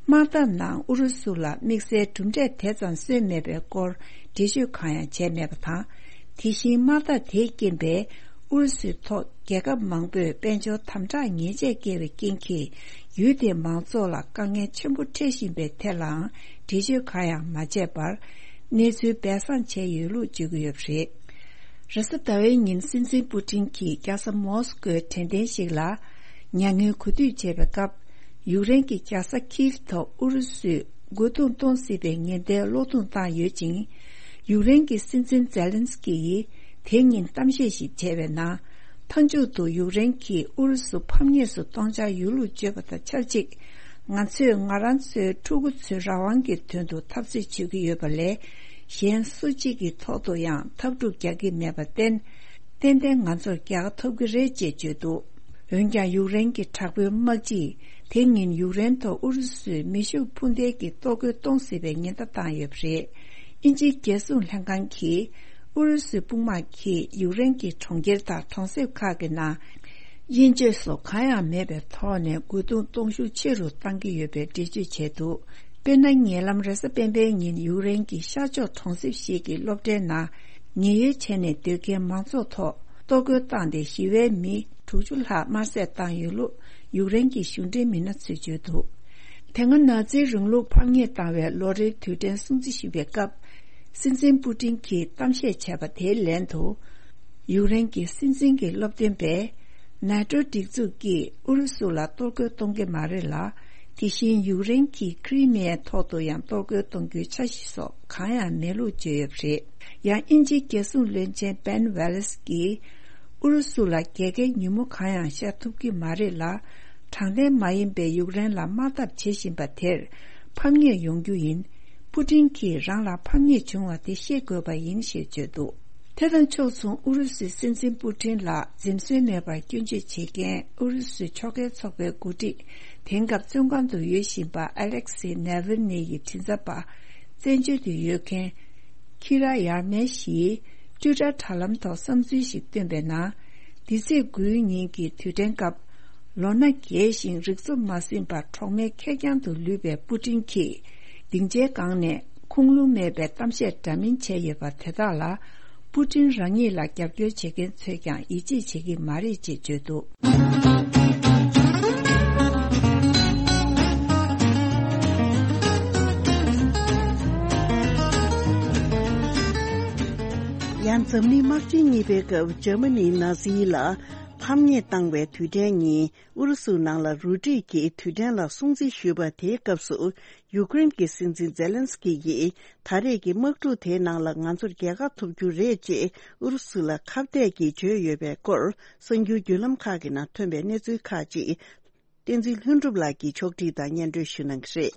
དམག་འཐབ་ནང་ཨུ་རུ་སུ་ལ་དམིགས་བསལ་གྲུབ་འབྲས་དེ་ཙམ་སོན་མེད་པའི་སྐོར་འགྲེལ་བརྗོད་གང་ཡང་བྱས་མེད་པ་དང་། དེ་བཞིན་དམག་འཐབ་དེའི་རྐྱེན་པས། ཨུ་རུ་སུའི་ཐོག་རྒྱལ་ཁབ་མང་པོས་དཔལ་འབྱོར་དམ་དྲག་ཉེས་ཆད་བཀལ་བའི་རྐྱེན་གྱིས། ཡུལ་དེའི་མང་ཚོགས་ལ་དཀའ་ངལ་ཆེན་པོ་འཕྲད་བཞིན་པའི་ཐད་ལའང་འགྲེལ་བརྗོད་གང་ཡང་མ་བྱས་པར། གནས་ཚུལ་སྦས་གསང་བྱས་ཡོད་ལུགས་བརྗོད་ཀྱི་ཡོད་པ་རེད། རེས་གཟའ་ཟླ་བའི་ཉིན་སྲིད་འཛིན་པུ་ཏིན་གྱིས་རྒྱལ་ས་མོ་སི་ཀོའི་དྲན་རྟེན་ཞིག་ལ་མྱ་ངན་གུས་འདུད་བྱེད་པའི་སྐབས། ཡུཀ་རེན་གྱི་རྒྱལ་ས་ཁིབ་ཐོག་ཨུ་རུ་སུས་རྒོལ་རྡུང་གཏོང་སྲིད་པའི་ཉེན་བརྡའི་གློག་རྡུང་བཏང་ཡོད་ཅིང་། ཡུཀ་རེན་གྱི་སྲིད་འཛིན་ཛེ་ལན་སི་ཀི་ཡིས་དེ་ཉིན་གཏམ་བཤད་ཞིག་བྱས་པའི་ནང་། མཐའ་མཇུག་ཏུ་ཡུཀ་རེན་གྱིས་ཨུ་རུ་སུ་ཕམ་ཉེས་སུ་གཏོང་འཆར་ཡོད་ལུགས་བརྗོད་པ་དང་ཆབས་ཅིག། ང་ཚོས་ང་རང་ཚོའི་ཕྲུ་གུ་ཚོའི་རང་དབང་གི་དོན་དུ་འཐབ་རྩོད་བྱེད་ཀྱི་ཡོད་པ་ལས། གཞན་སུ་གཅིག་གི་ཐོག་ཏུ་ཡང་འཐབ་འཁྲུག་རྒྱག་གི་མེད་པར་བརྟེན། ཏན་ཏན་ང་ཚོར་རྒྱལ་ཁ་ཐོབ་ཀྱི་རེད་ཅེས་བརྗོད་འདུག། འོན་ཀྱང་ཡུཀ་རེན་གྱི་དྲག་པོའི་དམག་སྤྱིས་དེ་ཉིན་ཡུཀ་རེན་ཐོག་ཨུ་རུ་སུས་མེ་ཤུགས་འཕུར་མདེལ་གྱི་གཏོར་རྒོལ་གཏོང་སྲིད་པའི་ཉེན་བརྡ་བཏང་ཡོད་པ་རེད། དབྱིན་ཇིའི་རྒྱལ་སྲུང་ལྷན་ཁང་གིས་ཨུ་རུ་སུའི་དཔུང་དམག་གིས་ཡུཀ་རེན་གྱི་གྲོང་ཁྱེར་དང་གྲོང་གསེབ་ཁག་གི་ནང་། དབྱེ་འབྱེད་སོགས་གང་ཡང་མེད་པའི་ཐོག་ནས་རྒོལ་རྡུང་གཏོང་ཤུགས་ཆེ་རུ་གཏང་གི་ཡོད་པའི་འགྲེལ་བརྗོད་བྱས་འདུག། དཔེར་ན། ཉེ་ལམ་རེས་གཟའ་སྤེན་པའི་ཉིན་ཡུཀ་རེན་གྱི་ཤར་ཕྱོགས་གྲོང་གསེབ་ཞིག་གི་སློབ་གྲྭའི་ནང་ཉེན་གཡོལ་བྱས་ནས་སྡོད་མཁན་མང་ཚོགས་ཐོག་གཏོར་རྒོལ་བཏང་སྟེ་ཞི་བའི་མི་དྲུག་ཅུ་ལྷག་དམར་བསད་བཏང་ཡོད་ལུགས་ཡུཀ་རེན་གྱི་གཞུང་འབྲེལ་མི་སྣ་ཚོས་བརྗོད་འདུག། དེ་སྔ་ནཱ་ཛིའི་རིང་ལུགས་ཕམ་ཉེས་བཏང་བའི་ལོ་རེའི་དུས་དྲན་སྲུང་བརྩི་ཞུ་བའི་སྐབས། སྲིད་འཛིན་པུ་ཏིན་གྱིས་གཏམ་བཤད་བྱས་པ་དེའི་ལན་དུ། ཡུཀ་རེན་གྱི་སྲིད་འཛིན་གྱི་སློབ་སྟོན་པས། ནེ་ཏྲོ་སྒྲིག་འཛུགས་ཀྱིས་ཨུ་རུ་སུ་ལ་གཏོར་རྒོལ་གཏོང་གི་མ་རེད་ལ། དེ་བཞིན་ཡུཀ་རེན་གྱིས་ཁི་རི་མི་ཡའི་ཐོག་ཏུ་ཡང་གཏོར་རྒོལ་གཏོང་རྒྱུའི་འཆར་གཞི་སོགས་གང་ཡང་མེད་ལུགས་བརྗོད་ཡོད་པ་རེད། ཡང་དབྱིན་ཇིའི་རྒྱལ་སྲུང་བློན་ཆེན་བན་ཝེ་ལེས་ཀྱིས། ཨུ་རུ་སུ་ལ་རྒྱལ་ཁའི་ཉིན་མོ་གང་ཡང་ཤར་ཐུབ་ཀྱི་མ་རེད་ལ། དྲང་བདེན་མ་ཡིན་པའི་ཡུཀ་རེན་ལ་དམག་འཐབ་བྱེད་བཞིན་པ་དེར་ཕམ་ཉེས་ཡོང་རྒྱུ་ཡིན། པུ་ཏིན་གྱིས་རང་ལ་ཕམ་ཉེས་བྱུང་བ་དེ་ཤེས་དགོས་པ་ཡིན་ཞེས་བརྗོད་འདུག། དེ་དང་ཕྱོགས་མཚུངས་ཨུ་རུ་སུའི་སྲིད་འཛིན་པུ་ཏིན་ལ་འཛེམ་ཟོན་མེད་པར་སྐྱོན་བརྗོད་བྱེད་མཁན་ཨུ་རུ་སུའི་ཕྱོགས་འགལ་ཚོགས་པའི་འགོ་ཁྲིད། དེང་སྐབས་བཙོན་ཁང་དུ་ཡོད་བཞིན་པ་ཨ་ལེག་སི་ནེ་ཝིལ་ནི་ཡི་མགྲིན་ཚབ་པ། བཙན་བྱོལ་དུ་ཡོད་མཁན། ཁི་ར་ཡར་མེ་ཤིས་ཊུ་ཊར་དྲ་ལམ་ཐོག་བསམ་ཚུལ་ཞིག་བཏོན་པའི་ནང་། འདི་ཚེས་དགུའི་ཉིན་གྱི་དུས་དྲན་སྐབས། ལོ་ན་རྒས་ཤིང་རིག་ཚོ་མ་ཟིན་པར་གྲོགས་མེད་ཁེར་རྐྱང་དུ་ལུས་པའི་པུ་ཏིན་གྱིས། སྡིངས་ཆའི་སྒང་ནས་ཁུངས་ལུང་མེད་པའི་གཏམ་བཤད་འདྲ་མིན་བྱས་ཡོད་པ་དེ་དག་ལ། པུ་ཏིན་རང་ཉིད་ལ་རྒྱབ་སྐྱོར་བྱེད་མཁན་ཚོས་ཀྱང་ཡིད་ཆེས་བྱེད་ཀྱི་མ་རེད་ཅེས་བརྗོད་འདུག། ཡང་འཛམ་གླིང་དམག་ཆེན་གཉིས་པའི་སྐབས་འཇར་མ་ནིའི་ནཱ་ཛི་ལ་ཕམ་ཉེས་བཏང་བའི་དུས་དྲན་ཉིན། ཨུ་རུ་སུའི་ནང་ལ་རུ་སྒྲིག་གིས་དུས་དྲན་ལ་སྲུང་བརྩི་ཞུས་པ་དེའི་སྐབས་སུ། ཡུཀ་རེན་གྱི་སྲིད་འཛིན་ཛེ་ལན་སི་ཀི་ཡིས། ད་རེས་ཀྱི་དམག་འཁྲུག་དེའི་ནང་ལ་ང་ཚོར་རྒྱལ་ཁ་ཐོབ་རྒྱུ་རེད་ཅེས་ཨུ་རུ་སུ་ལ་ཁ་གཏད་ཀྱིས་བརྗོད་ཡོད་པའི་སྐོར། གསར་འགྱུར་བརྒྱུད་ལམ་ཁག་གི་ནང་ཐོན་པའི་གནས་ཚུལ་ཁག་ཅིག། བསྟན་འཛིན་ལྷུན་གྲུབ་ལགས་ཀྱིས་ཕྱོགས་སྒྲིག་དང་སྙན་སྒྲོན་ཞུ་གནང་གི་རེད།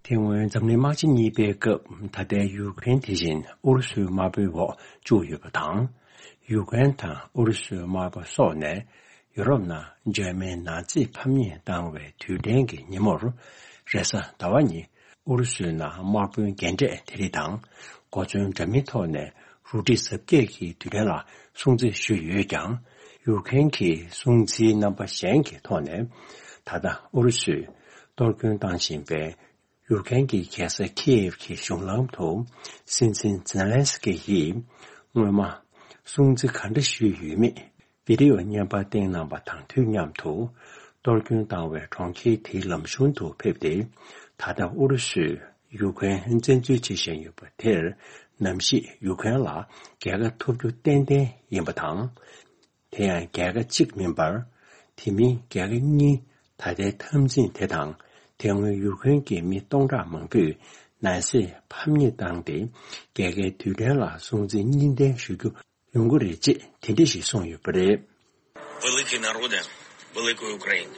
དེ་སྔོན་འཛམ་གླིང་དམག་ཆེན་གཉིས་པའི་སྐབས་ད་ལྟའི་ཡུཀ་རེན་དེ་བཞིན་ཨུ་རུ་སུའི་དམར་པོའི་འོག་བཅུག་ཡོད་པ་དང་། ཡུཀ་རེན་དང་ཨུ་རུ་སུའི་དམར་པོ་སོགས་ནས་ཡུ་རོབ་ནང་འཇར་མན་ནཱ་ཛི་ཕམ་ཉེས་བཏང་བའི་དུས་དྲན་གྱི་ཉིན་མོར། རེས་གཟའ་ཟླ་བ་ཉིན་ཨུ་རུ་སུའི་ནང་དམག་དཔོན་རྒན་གྲས་དེ་རིགས་དང་གོ་མཚོན་འདྲ་མིན་ཐོག་ནས་རུ་སྒྲིག་གཟབ་རྒྱས་ཀྱིས་དུས་དྲན་ལ་སྲུང་བརྩི་ཞུས་ཡོད་ཀྱང་། ཡུཀ་རེན་གྱིས་སྲུང་བརྩིའི་རྣམ་པ་གཞན་གྱི་ཐོག་ནས་ད་ལྟ་ཨུ་རུ་སུས་གཏོར་སྐྱོན་བཏང་བཞིན་པའི་ཡུཀ་རེན་གྱི་རྒྱལ་ས་ཁིའེབ་ཀྱི་གཞུང་ལམ་དུ་སྲིད་འཛིན་ཛེ་ལན་སི་ཀི་ཡིས་སྔོན་མ་སྲུང་བརྩི་ག་འདྲ་ཞུས་ཡོད་མེད་བི་ཌི་ཡོ་བརྙན་པར་བཏིང་གནང་བ་དང་དུས་མཉམ་དུ། གཏོར་སྐྱོན་བཏང་བའི་གྲོང་ཁྱེར་དེའི་ལམ་གཞུང་དུ་ཕེབས་ཏེ། ད་ལྟ་ཨུ་རུ་སུས་ཡུཀ་རེན་བཙན་འཛུལ་བྱེད་བཞིན་ཡོད་པ་དེར། ནམ་ཞིག་ཡུཀ་རེན་ལ་རྒྱལ་ཁ་ཐོབ་རྒྱུ་ཏན་ཏན་ཡིན་པ་དང་། དེ་ཡང་རྒྱལ་ཁ་གཅིག་མིན་པར། དེ་མིན་རྒྱལ་ཁ་གཉིས། ད་ལྟའི་འཐབ་འཛིང་དེ་དང་། དེ་སྔོན་ཡུཀ་རེན་གྱི་མི་སྟོང་ཕྲག་མང་པོས་ནཱ་ཛི་ཕམ་ཉེས་བཏང་སྟེ། རྒྱལ་ཁའི་དུས་དྲན་ལ་སྲུང་བརྩི་གཉིས་ལྡན་ཞུ་རྒྱུ་ཡོང་གི་རེད་ཅེས་དེ་འདྲ་ཞིག་གསུངས་ཡོད་པ་རེད། Великий народе великої України.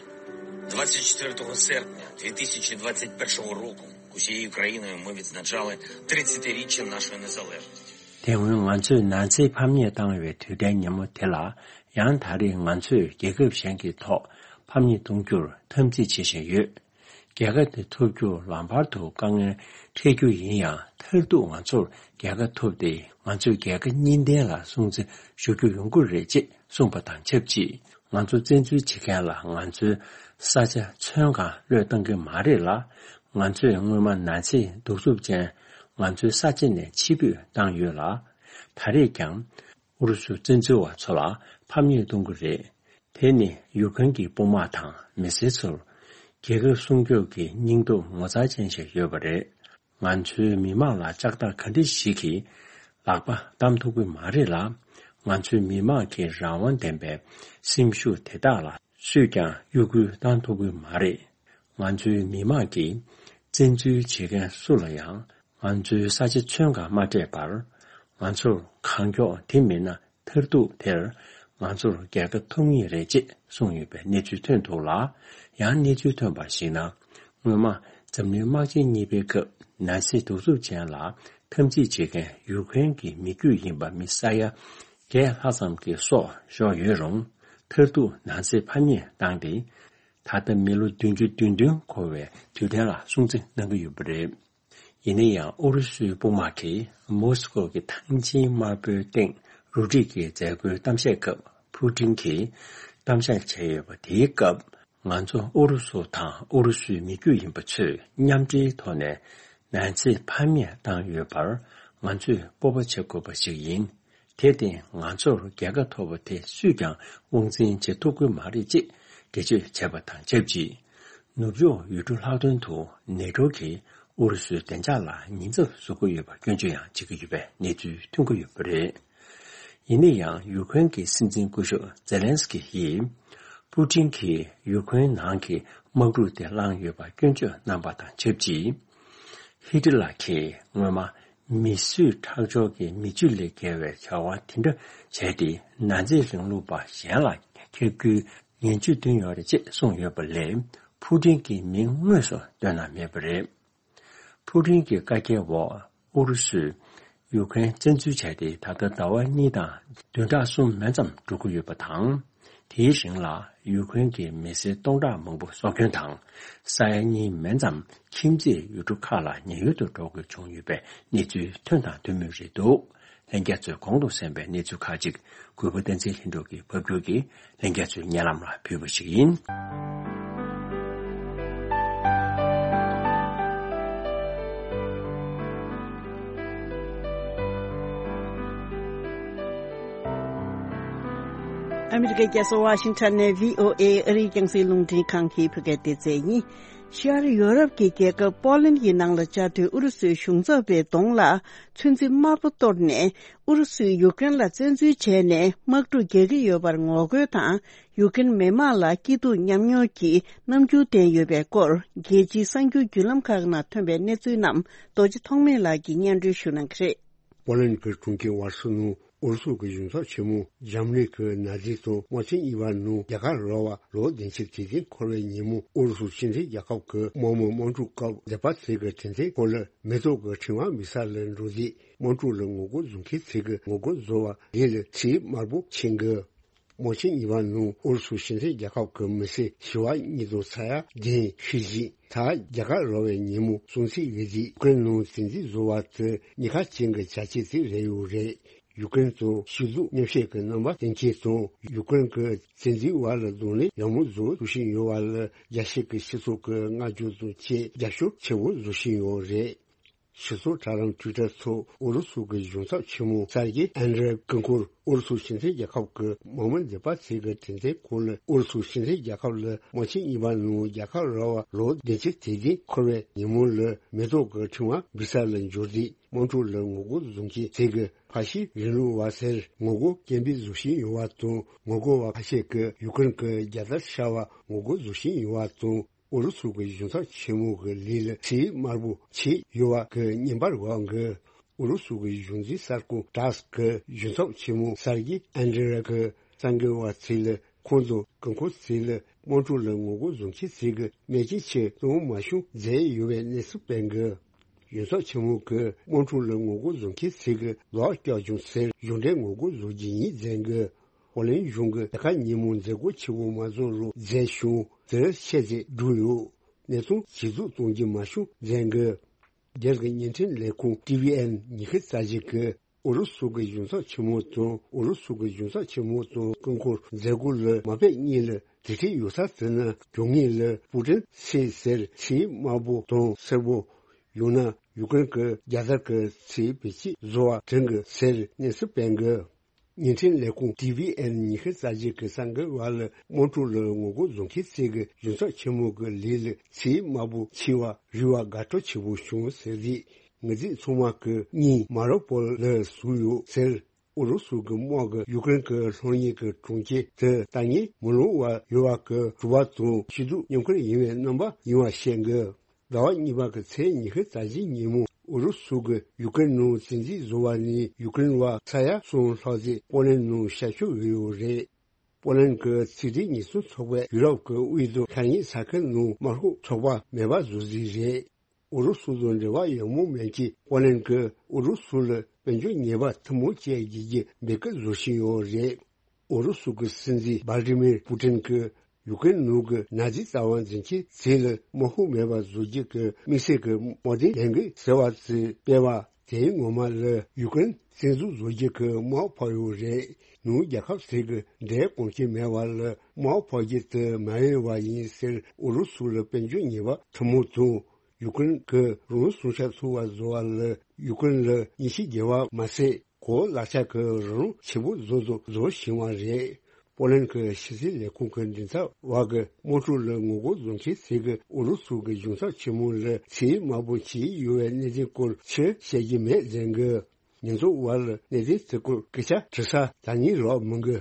двадцять четвертого серпня дві тисячі двадцять першого року усією країною ми відзначали тридцятиріччя нашої незалежності. དེ་སྔོན་ང་ཚོས་ནཱ་ཛི་ཕམ་ཉེས་བཏང་བའི་དུས་དྲན་ཉིན་མོ་དེ་ལ། ཡང་ད་རེས་ང་ཚོས་རྒྱལ་ཁབ་གཞན་གྱི་ཐོག་ཕམ་ཉེས་གཏོང་རྒྱུར་འཐབ་འཛིང་བྱེད་བཞིན་ཡོད། རྒྱལ་ཁ་དེ་ཐོབ་རྒྱུར་ལམ་བར་དུ་དཀའ་ངལ་འཕྲད་རྒྱུ་ཡིན་ཡང་། མཐར་ཐུག་ང་ཚོར་རྒྱལ་ཁ་ཐོབ་སྟེ། ང་ཚོས་རྒྱལ་ཁ་གཉིས་ལྡན་ལ་སྲུང་བརྩི་ཞུ་རྒྱུ་ཡོང་གི་རེད་ཅེས་གསུངས་པ་དང་ཆབས་ཅིག། ང་ཚོ་བཙན་འཛུལ་བྱེད་མཁན་ལ་ང་ཚོའི་ས་ཆ་མཚོན་གང་བློས་གཏོང་གི་མ་རེད་ལ། ང་ཚོས་སྔོན་མ་ནཱ་ཛི་གདུག་རྩུབ་ཅན་ང་ཚོའི་ས་ཆ་ནས་ཕྱིར་འབུད་བཏང་ཡོད་ལ། ད་རེས་ཀྱང་ཨུ་རུ་སུ་བཙན་འཛུལ་བ་ཚོ་ལ་ཕམ་ཉེས་གཏོང་གི་རེད། དེ་ནི་ཡུཀ་རེན་གྱི་དཔུང་དམག་དང་མི་སེར་ཚོར་རྒྱལ་ཁབ་སྲུང་སྐྱོབ་ཀྱི་སྙིང་སྟོབས་ངོ་མཚར་ཅན་ཞིག་ཡོད་པ་རེད། ང་ཚོའི་མི་མང་ལ་ལྕགས་ཐག་ག་འདྲ་ཞིག་གིས་ལག་པ་བསྡམས་ཐུབ་ཀྱི་མ་རེད་ལ། ང་ཚོའི་མི་མང་གི་རང་དབང་ལྡན་པའི་སེམས་ཤུགས་དེ་དག་ལ་སུས་ཀྱང་གཡོ་འགུལ་བཏང་ཐུབ་ཀྱི་མ་རེད། ང་ཚོའི་མི་མང་གིས་བཙན་འཛུལ་བྱེད་མཁན་སུ་ལ་ཡང་ང་ཚོའི་ས་ཆ་མཚོན་གང་མ་སྤྲད་པར། ང་ཚོར་གང་མགྱོགས་དེ་མིན་ན་མཐར་ཐུག་དེར་ང་ཚོར་རྒྱལ་ཁ་ཐོབ་ངེས་རེད་ཅེས་གསུངས་ཡོད་པའི་གནས་ཚུལ་ཐོན་འདུག་ལ། ཡང་གནས་ཚུལ་ཐོན་པར་གཞིགས་ན། སྔོན་མ་འཛམ་གླིང་དམག་ཆེན་གཉིས་པའི་སྐབས་ནཱ་ཛི་གདུག་རྩུབ་ཅན་ལ་འཐབ་འཛིང་བྱེད་མཁན་ཡུ་ཁུ་རེན་གྱི་མི་རྒྱུད་ཡིན་པ་མི་ས་ཡ་བརྒྱད་ལྷག་ཙམ་གྱི་སྲོག་ཤོར་ཡོད་རུང་། མཐར་ཐུག་ནཱ་ཛི་ཕམ་ཉེས་བཏང་སྟེ། ད་ལྟ་མི་ལོ་བདུན་ཅུ་དོན་བདུན་འཁོར་བའི་དུས་དྲན་ལ་སྲུང་བརྩི་གནང་གི་ཡོད་པ་རེད། ཡིན་ན་ཡང་ཨུ་རུ་སུའི་དཔུང་དམག་གིས་མོ་སི་ཀོ་གི་ཐང་ཆེན་དམར་པོའི་སྟེང་རུ་སྒྲིག་གི་མཛད་སྒོའི་གཏམ་བཤད་སྐབས་ཕུ་ཀྲིན་གྱིས་གཏམ་བཤད་བྱས་ཡོད་པ། དེའི་སྐབས་ང་ཚོ་ཨུ་རུ་སུ་དང་ཨུ་རུ་སུའི་མི་རྒྱུད་ཡིན་པ་ཚོས་མཉམ་འབྲེལ་ཐོག་ནས་ནཱ་ཛི་ཕམ་ཉེས་བཏང་ཡོད་པར་ང་ཚོས་སྤོབས་པ་བྱེད་དགོས་པ་ཞིག་ཡིན། དེར་བརྟེན་ང་ཚོར་རྒྱལ་ཁ་ཐོབ་པ་དེ་སུས་ཀྱང་དབང་འཛིན་བྱེད་ཐུབ་ཀྱི་མ་རེད་ཅེས་འགྲེལ་བརྗོད་བྱས་པ་དང་ཆབས་ཅིག་ནུབ་ཕྱོགས་ཡུལ་གྲུ་ལྷག་དོན་དུ་ནེ་ཊོ་གིས་ཨུ་རུ་སུའི་བདེ་འཇགས་ལ་ཉེན་ཚབས་བཟོ་གི་ཡོད་པར་སྐྱོན་བརྗོད་ཡང་བྱེད་ཀྱི་ཡོད་པའི་གནས་ཚུལ་ཐོན་གྱི་ཡོད་པ་རེད། ཡིན་ན་ཡང་ཡུ་ཁུ་རེན་གྱི་སྲིད་འཛིན་སྐུ་ཞབས་ཛེ་ལན་སི་ཀི་ཡིས་ཕུ་ཀྲིན་གྱིས་ཡུ་ཁུ་རེན་ནང་གི་དམག་འཁྲུག་དེ་བསླངས་ཡོད་པར་སྐྱོན་བརྗོད་གནང་པ་དང་ཆབས་ཅིག་ཧི་ཏི་ལ་གིས་སྔོན་མ་མི་གསོད་ཁྲག་སྦྱོར་གྱི་མི་སྤྱོད་ལས་བརྒལ་བའི་བྱ་བ་དེ་འདྲ་བྱས་ཏེ་ནཱ་ཛི་རིང་ལུགས་པ་གཞན་ལ་ཁྱབ་རྒྱུའི་ངན་ཇུས་བཏོན་ཡོད་རེད་ཅེས་གསུངས་ཡོད་པ་ལས་ཕུ་ཀྲིན་གྱི་མིང་དངོས་སུ་བཏོན་གནང་མེད་པ་རེད། ཕུ་ཀྲིན་གྱི་བཀའ་རྒྱའི་འོག་ཨུ་རུ་སུས་ཡུ་ཁུ་རེན་བཙན་འཛུལ་བྱས་ཏེ་ད་ལྟ་ཟླ་བ་གཉིས་དང་བདུན་ཕྲག་གསུམ་མན་ཙམ་འགྲོ་གི་ཡོད་པ་དང་། དེའི་རིང་ལ་ཡུ་ཁུ་རེན་གྱི་མི་སེར་སྟོང་ཕྲག་མང་པོ་སྲོག་སྐྱོན་དང་། ས་ཡ་གཉིས་མན་ཙམ་ཁྱིམ་མཚེས་ཡུལ་གྲུ་ཁག་ལ་ཉེན་གཡོལ་དུ་འགྲོ་དགོས་བྱུང་ཡོད་པའི་གནས་ཚུལ་ཐོན་དང་ཐོན་མུས་རེད་འདུག་ལྷན་རྒྱས་ཚོས་གོང་དུ་གསན་པའི་གནས་ཚུལ་ཁག་ཅིག་གུས་པ་བསྟན་འཛིན་ལྷུན་གྲུབ་ཀྱིས་ཕབ་སྒྱུར་གྱིས་ལྷན་རྒྱས་ཚོའི་སྙན་ལམ་ལ་ཕུལ་བ་ཞིག་ཡིན། ཨ་མི་རི་ཀའི་རྒྱལ་ས་ཝ་ཤིང་ཊོན་ནས་བྷི་ཨོ་ཨེ་ཨ་རིའི་རྒྱང་སྲིང་རླུང་འཕྲིན་ཁང་གི་བོད་སྐད་སྡེ་ཚན་ཡིན། ཤར་ཡོ་རོབ་ཀྱི་རྒྱལ་ཁབ་པོ་ལན་གྱི་ནང་ལ་བཅའ་སྡོད་ཨུ་རུ་སུའི་གཞུང་ཚབ་པའི་གདོང་ལ་ཚོན་རྩི་དམར་པོ་གཏོར་ནས་ཨུ་རུ་སུས་ཡུཀ་རེན་ལ་བཙན་འཛུལ་བྱས་ནས་དམག་འཁྲུག་རྒྱག་གི་ཡོད་པར་ངོ་རྒོལ་དང་། ཡུཀ་རེན་མི་དམངས་ལ་སྐྱིད་སྡུག་མཉམ་མྱོང་གི་རྣམ་འགྱུར་བསྟན་ཡོད་པའི་སྐོར། རྒྱལ་སྤྱིའི་གསར་འགྱུར་བརྒྱུད་ལམ་ཁག་ནང་ཐོན་པའི་གནས་ཚུལ་རྣམས་རྡོ་རྗེ་ཐོགས་མེད་ལགས་ཀྱིས་སྙན་སྒྲོན་ཞུ་གནང་གི་རེད། པོ་ལན་གྱི་གྲོང་ཁྱེར་ཝར་སོ་ནང་ཨུ་རུ་སུ་གི་གཞུང་ཚབ་ཆེན་མོ་འཇར་མ་ནི་གི་ནཱ་ཛི་དང་དམག་ཆེན་གཉིས་པ་ནང་རྒྱལ་ཁ་རག་པ་ལོ་བདུན་ཅུ་དོན་བདུན་འཁོར་བའི་ཉིན་མོ་ཨུ་རུ་སུ་སྤྱི་མཐུན་རྒྱལ་ཁབ་ཀྱི་དམག་མི་དམག་འཁྲུག་སྐབས་མཛད་པ་ཚིག་གི་དྲན་རྟེན་སྐོར་ལ་མེ་ཏོག་གི་ཕྲེང་བ་འབུད་ས་ལ་འགྲོ་དུས་དམག་འཁྲུག་ལ་ངོ་རྒོལ་བཟོ་མཁན་ཚོས་ཀྱི་ངོ་རྒོལ་བཟོ་བ་ལས་ལ་ཚིག་དམར་པོ་ཕྱིན་གི། དམག་ཆེན་གཉིས་པ་ནང་ཨུ་རུ་སུ་སྤྱི་མཐུན་རྒྱལ་ཁབ་ཀྱི་མི་སེར་བྱེ་བ་གཉིས་དང་ས་ཡ་བདུན་ཤི་ཞིང་། ད་རྒྱལ་ཁ་རག་པའི་ཉིན་མོ་སྲུང་བརྩི་ཡོད་དུས་ཡུཀ་རེན་ནང་བཙན་འཛུལ་བཟོ་བ་དེ་ཉེན་ཁ་ཅན་གྱི་བྱ་སྤྱོད་ཅིག་རེད་ཡོད་རེད། ཡུཀ་རེན་དང་ཕྱི་སྡོད་མཉམ་བཤད་ཀྱི་རྣམ་པ་སྟོན་མཁན་དང་ཡུཀ་རེན་གྱི་བཙན་འཛུལ་བ་ལ་གདོང་ལེན་ཡག་མོ་བཟོ་ཐུབ་བཞིན་ཡོད་པ་ལ་རྒྱལ་སྤྱི་གི་སྤྱི་ཚོགས་ཀྱི་བསྔགས་བརྗོད་དང་བཅས་རྒྱབ་སྐྱོར་ཆེ་བོ་བཟོ་བཞིན་ཡོད་རེད། སྤྱི་ཚོགས་དྲ་ལམ་ཊུའི་ཊར་ཐོག་ཨུ་རུ་སུ་གི་གཞུང་ཚབ་ཆེན་མོ་སར་གྱི་ཨན་ཌྲེ་སྐུ་འཁོར་ཨུ་རུ་སུ་སྤྱི་མཐུན་རྒྱལ་ཁབ་ཀྱི་དམག་མི་མཛད་པ་ཚིག་གི་དྲན་རྟེན་སྐོར་ལ་ཨུ་རུ་སུ་སྤྱི་མཐུན་རྒྱལ་ཁབ་ལ་དམག་ཆེན་གཉིས་པ་ནང་རྒྱལ་ཁ་རག་པ་ལོ་བདུན་ཅུ་དོན་བདུན་འཁོར་བའི་ཉིན་མོ་ལ་མེ་ཏོག་གི་ཕྲེང་བ་འབུད་ས་ལ་འབྱོར་དུས་དམག་འཁྲུག་ལ་ངོ་རྒོལ་བཟོ་མཁན་ཚོས་ཀྱི་ཕ་ཤི་རིང་ལུགས་པ་ཟེར་ངོ་རྒོལ་སྐད་འབོད་བཟོ་བཞིན་ཡོད་པ་དང་། ངོ་རྒོལ་བ་ཁ་ཤས་ཀྱིས་ཡུཀ་རེན་གྱི་རྒྱལ་དར་ཤར་བ་ངོ་རྒོལ་བཟོ་བཞིན་ཡོད་པ་དང་། ཨུ་རུ་སུ་གི་གཞུང་ཚབ་ཆེན་མོ་གི་ལས་ལ་ཚིག་དམར་པོ་ཕྱེས་ཡོད་པ་གི་བརྙན་པར་འགོད་གི། ཨུ་རུ་སུ་གི་གཞུང་འཛིན་གསར་ཁང་ཊཱས་གི་གཞུང་ཚབ་ཆེན་མོ་སར་གྱི་ཨན་ཌྲེ་ར་གི་གསར་འགོད་པ་ཚོ་ལ་ཁོང་ཚོ་སྐུ་འཁོར་ཚོ་ལ་དམག་འཁྲུག་ལ་ངོ་རྒོལ་བཟོ་མཁན་ཚོས་ཀྱི་མེ་ལྕེ་ཆེ་གཏོང་མ་བྱུང་མཛད་ཡོད་པའི་གནས་ཚུལ་སྤེལ་གི། གཞུང་ཚབ་ཆེན་མོ་གི་དམག་འཁྲུག་ལ་ངོ་རྒོལ་བཟོ་མཁན་ཚོས་ཀྱི་ལོག་སྐྱོག་བྱུང་ཟེར་གཞུང་འབྲེལ་ངོ་རྒོལ་བཟོ་རྒྱུ་ཡིན་མཛད་གི། ཧོ་ལན་གཞུང་གི་རྒྱལ་ཁ་ཉིན་མོ་མཛད་སྒོ་ཆེ་བོ་མ་བཟོ་རུ་མཛད་བྱུང་དེར་ཆེད་དུ་བསྒྲུབས་ཡོད། གནས་སྟངས་ཇེ་སྡུག་གཏོང་རྒྱུ་མ་བྱུང་མཛད་འགོད། རྒྱལ་གྱི་བརྙན་འཕྲིན་ལས་ཁུངས་ཊི་ཝི་ཨེན་ཉི་ཤུ་རྩ་བཞི་གིས་ཨུ་རུ་སུ་གི་གཞུང་ཚབ་ཆེན་མོ་དང་ཨུ་རུ་སུ་གི་གཞུང་ཚབ་ཆེན་མོ་དང་སྐུ་འཁོར་མཛད་སྒོ་ལ་མ་ཕེབས་གཉིས་ལ་དེ་འཕྲད་ཡོད་ས་དེ་ན་གྱོང་ངེས་ལ་པུ་ཀྲིན་ཚེ་ཟེར་ཚིག་དམར་པོ་དང་སེར་པོ། ཡང་ན་ཡུཀ་རེན་གྱི་རྒྱལ་དར་གྱི་ཚིག་བེད་སྤྱོད་བཟོ་བ་དྲན་གི་ཟེར་གནས་ཚུལ་སྤེལ་གི། བརྙན་འཕྲིན་ལས་ཁུངས་ཊི་བི་ཨེན་ཉི་ཤུ་རྩ་བརྒྱད་ཀྱི་གསར་འགོད་པ་ལ་དམངས་ཁྲོད་ལ་ངོ་རྒོལ་བཟོ་མཁན་ཚོས་གཞུང་ཚབ་ཆེན་མོ་གི་ལས་ལ་ཚད་དམའ་པོ་ཕྱེ་བ་རིགས་པ་དགའ་སྤྲོ་ཆེ་པོ་བྱུང་ཟེར་རེད། ངེས་ཚིག་ཚང་མ་གི་གཉིས་མ་རོ་པོལ་ལ་ཟུག་ཡོད་ཟེར། ཨུ་རུ་སུ་གི་དམག་གི་ཡུཀ་རེན་གི་ལྷོ་ཉེ་གི་གྲོང་ཁྱེར་དེ་ལྟ་ངན་མི་ལོང་བ་ཡོད་པ་གི་གྲུ་པ་དང་སྐྱིད་སྡུག་མཉམ་ཁུར་ཡིན་པའི་རྣམ་པ་ཡིན་པ་བཤད་གི། ཟླ་བ་གཉིས་པ་གི་ཚེས་ཉི་ཤུ་རྩ་བཞི་ཉིན་མོ་ཨུ་རུ་སུ་གི་ཡུཀ་རེན་ནང་བཙན་འཛུལ་བཟོ་བ་ནས་ཡུཀ་རེན་བ་ས་ཡ་གསུམ་ལྷག་ཙམ་པོ་ལན་ནང་ཤར་བསྐྱོད་ཡོད་རེད། པོ་ལན་གྱི་ཚིག་འབྲེལ་ཉེས་སྲུང་ཚོགས་པས་ཡུ་རོབ་ཀྱི་དབུས་དང་ཤར་ཉེ་ས་ཁུལ་ནང་དམག་ཤོག་ཚོགས་པ་མེད་པ་བཟོ་རྩིས་རེད། ཨུ་རུ་སུ་དང་འབྲེལ་བ་ཡག་མོ་མེད་ཀྱི་པོ་ལན་གྱིས་ཨུ་རུ་སུ་ལ་དཔལ་འབྱོར་ཉེས་པ་ཐུན་མོང་བཅས་བགྱིད་རྒྱུ་འབོད་སྐུལ་བཟོ་བཞིན་ཡོད་རེད། ཨུ་རུ་སུ་གྱི་སྲིད་འཛིན་ཝ་ལ་ཏི་མིར་པུ་ཏིན་གྱིས་ཡུཀ་རེན་ནང་གི་ན་ཛི་ལྟ་བ་འཛིན་མཁན་ཚོ་ལ་དམག་ཤོག་མེད་པ་བཟོ་རྒྱུ་གི་དམིགས་བསལ་གྱི་དམག་དོན་ལས་འགུལ་ཟེར་བ་ཚོ་སྤེལ་བ་དེའི་ངོ་མ་ལ་ཡུཀ་རེན་བཙན་འཛུལ་བཟོ་རྒྱུ་གི་དམག་འཕར་ཡོད་རེད། ནུབ་རྒྱལ་ཁབ་ཚོ་གི་འབྲས་དཀོན་སྐྱེ་མེད་པ་ལ་དམག་འཕར་རྒྱུ་དེ་མ་ཡིན་པ་ཡིན་ཟེར། ཨུ་རུ་སུ་ལ་དཔལ་འབྱོར་ཉེས་པ་ཐུན་མོང་དང་། ཡུཀ་རེན་གྱི་རང་སྲུང་ཤ་ཚུགས་པ་བཟོ་བ་ལ་ཡུཀ་རེན་ལ་ཉེས་ཆད་འཇལ་བ་མ་ཟད། གོ་ལག་ཆ་གི་རང་དབང་ཆེན་པོ་བཟོ་དང་བཟོ་བཞིན་པ་རེད། པོ་ལན་གྱི་ཕྱི་སྲིད་ལས་ཁུངས་ཀྱི་མགྲིན་ཚབ་པ་གིས་དམངས་ཁྲོད་ལ་ངོ་རྒོལ་བཟོ་མཁན་ཚོས་ཀྱིས་ཨུ་རུ་སུ་གི་གཞུང་ཚབ་ཆེན་མོ་ལ་ཚད་དམའ་པོ་བྱས་ཡོད་པའི་གནད་དོན་སྐོར་ཕྱིར་བཤད་ཀྱི་མེད་ཟེར་གི། ཉེས་འཛུགས་པ་ལ་གནད་དོན་དེ་སྐོར་སྐད་ཆ་དྲི་ས་ད་ནི་རག་མི་འགི།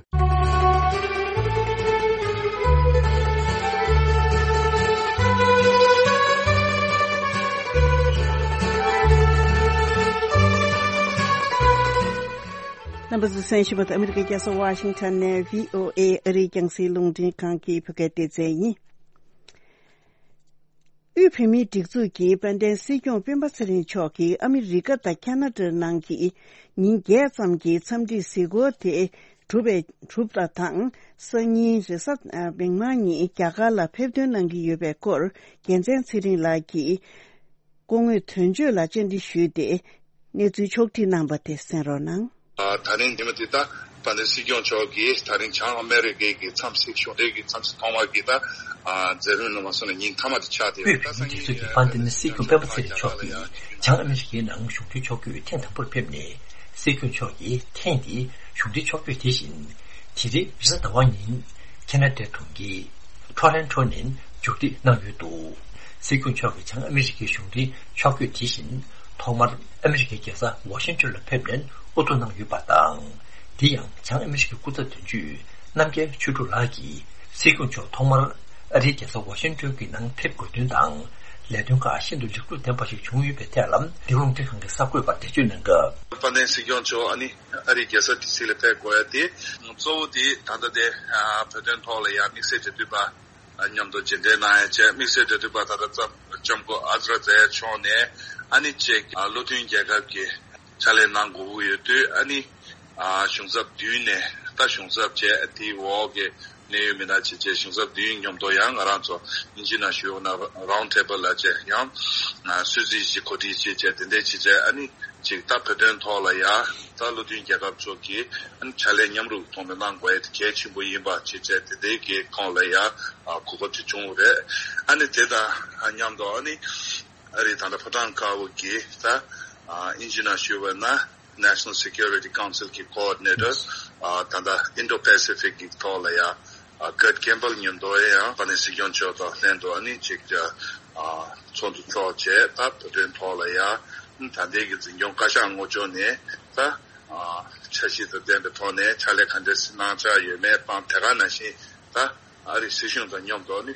རྣམ་པ་ཚོས་གསན་བཞིན་པ་དེ་ཨ་མི་རི་ཀའི་རྒྱལ་ས་ཝ་ཤིང་ཊོན་ནས་བྷི་ཨོ་ཨེ་ཨ་རིའི་རྒྱང་སྲིང་རླུང་འཕྲིན་ཁང་གི་བོད་སྐད་སྡེ་ཚན་ཡིན། དབུས་བོད་མིའི་སྒྲིག་འཛུགས་ཀྱི་དཔལ་ལྡན་སྲིད་སྐྱོང་སྤེན་པ་ཚེ་རིང་མཆོག་གིས་ཨ་མི་རི་ཀ་དང་ཁ་ན་ཌ་ནང་གི་ཉིན་བརྒྱད་ཙམ་གྱི་འཚམས་འདྲིའི་གཟིགས་སྐོར་དེ་གྲུབ་པའི་གྲུབ་པ་དང་། སང་ཉིན་རེས་གཟའ་མིག་དམར་ཉིན་རྒྱ་གར་ལ་ཕེབས་ཐོན་གནང་གི་ཡོད་པའི་སྐོར་རྒྱལ་མཚན་ཚེ་རིང་ལགས་ཀྱིས་སྐུ་ངོའི་དོན་གཅོད་ལ་བཅར་འདྲི་ཞུས་ཏེ་གནས་ཚུལ་ཕྱོགས་བསྒྲིགས་གནང་པ་དེ་གསན་རོགས་གནང་། ཨ། ད་རིང་ཉི་མ་འདི་ད་དཔལ་ལྡན་སྲིད་སྐྱོང་མཆོག་གིས་ད་རིང་བྱང་ཨ་མེ་རི་ཀའི་གི་འཚམས་གཟིགས་གཞུང་འབྲེལ་གྱི་འཚམས་གཟིགས་ཐོག་མ་གི་ད་ཨ་མཛད་རིམ་ནང་མ་སོང་ན་ཉིན་མཐའ་མ་དེ་ཆགས་བསྡད་ཡོད། དབུས་བོད་མིའི་སྒྲིག་འཛུགས་ཀྱི་དཔལ་ལྡན་སྲིད་སྐྱོང་སྤེན་པ་ཚེ་རིང་མཆོག་གིས་བྱང་ཨ་མེ་རི་ཀའི་ནང་གཞུང་འབྲེལ་ཕྱོགས་བསྐྱོད་ཐེངས་དང་པོར་ཕེབས་ནས། སྲིད་སྐྱོང་མཆོག་གིས་ཐེངས་འདིའི་གཞུང་འབྲེལ་ཕྱོགས་བསྐྱོད་དེ་བཞིན། དེ་རིང་རེས་གཟའ་ཟླ་བ་ཉིན་ཁ་ན་ཌའི་གྲོང་ཁྱེར་ཊོ་རོན་ཊོ་ནས་མཇུག་སྒྲིལ་གནང་ཡོད་འདུག། སྲིད་སྐྱོང་མཆོག་གི་བྱང་ཨ་མེ་རི་ཀའི་གཞུང་འབྲེལ་ཕྱོགས་བསྐྱོད་དེ་བཞིན། ཐོག་མར་ཨ་མེ་རི་ཀའི་རྒྱལ་ས་ཝ་ཤིང་ཊོན་ལ་ཕེབས་ནས་དབུ་གཏོང་གནང་ཡོད་པ་དང་། དེ་ཡང་བྱང་ཨ་མེ་རི་ཀའི་སྐུ་ཚབ་དོན་གཅོད་རྣམ་རྒྱལ་ཆོས་དྲུག་ལགས་ཀྱིས་སྲིད་སྐྱོང་མཆོག་ཐོག་མར་ཨ་རིའི་རྒྱལ་ས་ཝ་ཤིང་ཊོན་གྱི་ནང་ཕེབས་དགོས་དོན་དང་། ལས་དོན་ཁག་ཤིན་ཏུ་ལེགས་གྲུབ་ལྡན་པ་ཞིག་བྱུང་ཡོད་པའི་ཐད་ལ་འདི་རླུང་འཕྲིན་ཁང་གི་གསར་འགོད་པར་འགྲེལ་བརྗོད་གནང་སྐབས། དཔལ་ལྡན་སྲིད་སྐྱོང་མཆོག་ཨ་ནི་ཨ་རིའི་རྒྱལ་ས་ཌི་སི་ལ་ཕེབས་དགོས་ཡ་དེ་གཙོ་བོ་དེ་ད་ལྟ་དེ་བོད་དོན་ཐོག་ལ་ཡ་དམིགས་བསལ་འབྲེལ་མཐུད་པ་མཉམ་དུ་མཇལ་འཕྲད་གནང་ཡ་བཅས། དམིགས་བསལ་འབྲེལ་མཐུད་པ་ད་ལྟ་ལྕམ་སྐུ་ཨ་ཛི་ར་ཛ་ཡ་མཆོག་ནས་ཨ་ནི་ཅིག་བློ་མཐུན་རྒྱལ་ཁབ་ཀྱི་ཕྱག་ལས་གནང་དགོས་ཀྱི་ཡོད་དུས། ཨ་ནི་གཞུང་ཚབ་བདུན་ནས་ད་གཞུང་ཚབ་བཅས་དེའི་འོག་གི་གནད་ཡོད་མི་སྣ་བྱས་བྱས་གཞུང་ཚབ་བདུན་མཉམ་དུ་ཡང་ང་རང་ཚོ་དབྱིན་ཇི་ནང་ཞུས་ན་རའུན་ཌི་ཊེ་བལ་ལ་བཅས་ཡང་སྲིད་བྱུས་ཀྱི་གོ་སྒྲིག་བྱས་བྱས་དེ་འདྲ་བྱས་བྱས། ཨ་ནི་ཅིག་ད་བོད་དོན་ཐོག་ལ་ཡ་ད་བློ་མཐུན་རྒྱལ་ཁབ་ཚོ་གི་ཨ་ནི་ཕྱག་ལས་མཉམ་རུབ་ཐོག་ནས་གནང་དགོས་ཡ་དེ་གལ་ཆེན་པོ་ཡིན་པ་བྱས་བྱས་དེ་འདྲའི་གི་ཁོངས་ལ་ཡ་གོ་སྐབས་ཅིག་བྱུང་བ་རེད། ཨ་ནི་དེ་དང་མཉམ་དུ་ཨ་ནི་ཨ་རི་ད་ལྟ་ཕོ་བྲང་དཀར་པོ་གི་ད་དབྱིན་ཇི་ནང་ཞུས་པ་ན། National Security Council གི་ཀོ་ཨོ་ཌི་ནེ་ཊར། ཨ། ད་ལྟ་ཨིན་ཌོ་པེ་སི་ཕིག་གི་ཐོག་ལ་ཡ། ཨ། ཀར་ཊི་ཀེམ་པལ་མཉམ་དུ་ཡང་དཔལ་ལྡན་སྲིད་སྐྱོང་མཆོག་དང་ལྷན་དུ་ཨ་ནི་ཅིག་ཨ། ཚོགས་འདུ་ཚོགས་བྱས། ད་བོད་དོན་ཐོག་ལ་ཡ། ད་ལྟའི་གི་འཛིན་སྐྱོང་བཀའ་ཤག་ངོས་ཕྱོགས་ནས་ད། ཨ། འཆར་གཞི་དང་ལྡན་པའི་ཐོག་ནས་ཕྱག་ལས་ག་འདྲ་གནང་འཆར་ཡོད་མེད་དང་། དེ་ག་ནང་བཞིན་ད་ཨ་རིའི་སྲིད་གཞུང་དང་མཉམ་དུ་ཨ་ནི།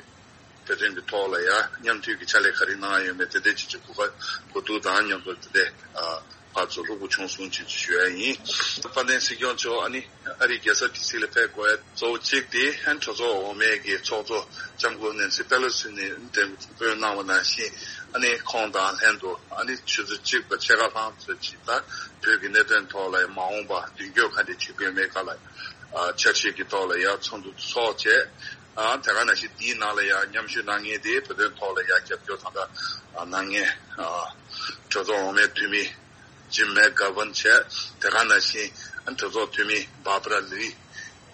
བོད་དོན་གྱི་ཐོག་ལ་ཡང་མཉམ་མཐུད་ཀྱི་ཕྱག་ལས་ག་རེ་གནང་ཡོད་མེད་དེ་འདྲའི་ཅིག་ཅིག་གོ་སྐབས་གོ་བསྡུར་དང་མཉམ་དུ་དེ་འདྲའི་ཨ་ཕར་ཚུར་ལྷུག་པོ་བྱུང་སོང་ཅིག་ཅིག་ཞུ་ཡ་ཡིན། དཔལ་ལྡན་སྲིད་སྐྱོང་མཆོག་ཨ་ནི་ཨ་རིའི་རྒྱལ་ས་ཌི་སི་ལ་ཕེབས་དགོས་ཡ་གཙོ་བོ་གཅིག་དེ་ཨ་ནི་གྲོས་ཚོགས་འོག་མའི་གི་ཚོགས་གཙོ་ལྕམ་སྐུ་ནེན་སི་ཕེ་ལོ་སི་ནས་འདེམས་དཔོན་གནང་བ་ནང་བཞིན། ཨ་ནི་ཁོང་དང་ལྷན་དུ་ཨ་ནི་ཆུ་ཚོད་གཅིག་དང་ཕྱེད་ཀ་ལྷག་ཙམ་ཅིག་ད་བོད་ཀྱི་གནད་དོན་ཐོག་ལ་མ་འོངས་པ་མདུན་སྐྱོད་ག་འདྲ་བྱེད་དགོས་མེད་སྐོར་ལ་ཨ་འཆར་གཞི་གི་ཐོག་ལ་ཡ་ཚོགས་འདུ་ཚོགས་བྱས། ཨ། དེ་ག་ནང་བཞིན་དེའི་ནང་ལ་ཡང་མཉམ་ཞུགས་གནང་མཁན་དེ་བོད་དོན་ཐོག་ལ་ཡང་རྒྱབ་སྐྱོར་དང་། ད་ཨ་གནང་མཁན། ཨ། གྲོས་ཚོགས་འོག་མའི་འཐུས་མི་ཇིམ་མེག་གྷ་ཝན་བྱས། དེ་ག་ནང་བཞིན་ཨ་གྲོས་ཚོགས་འཐུས་མི་བྷར་བྷ་ར་ལི།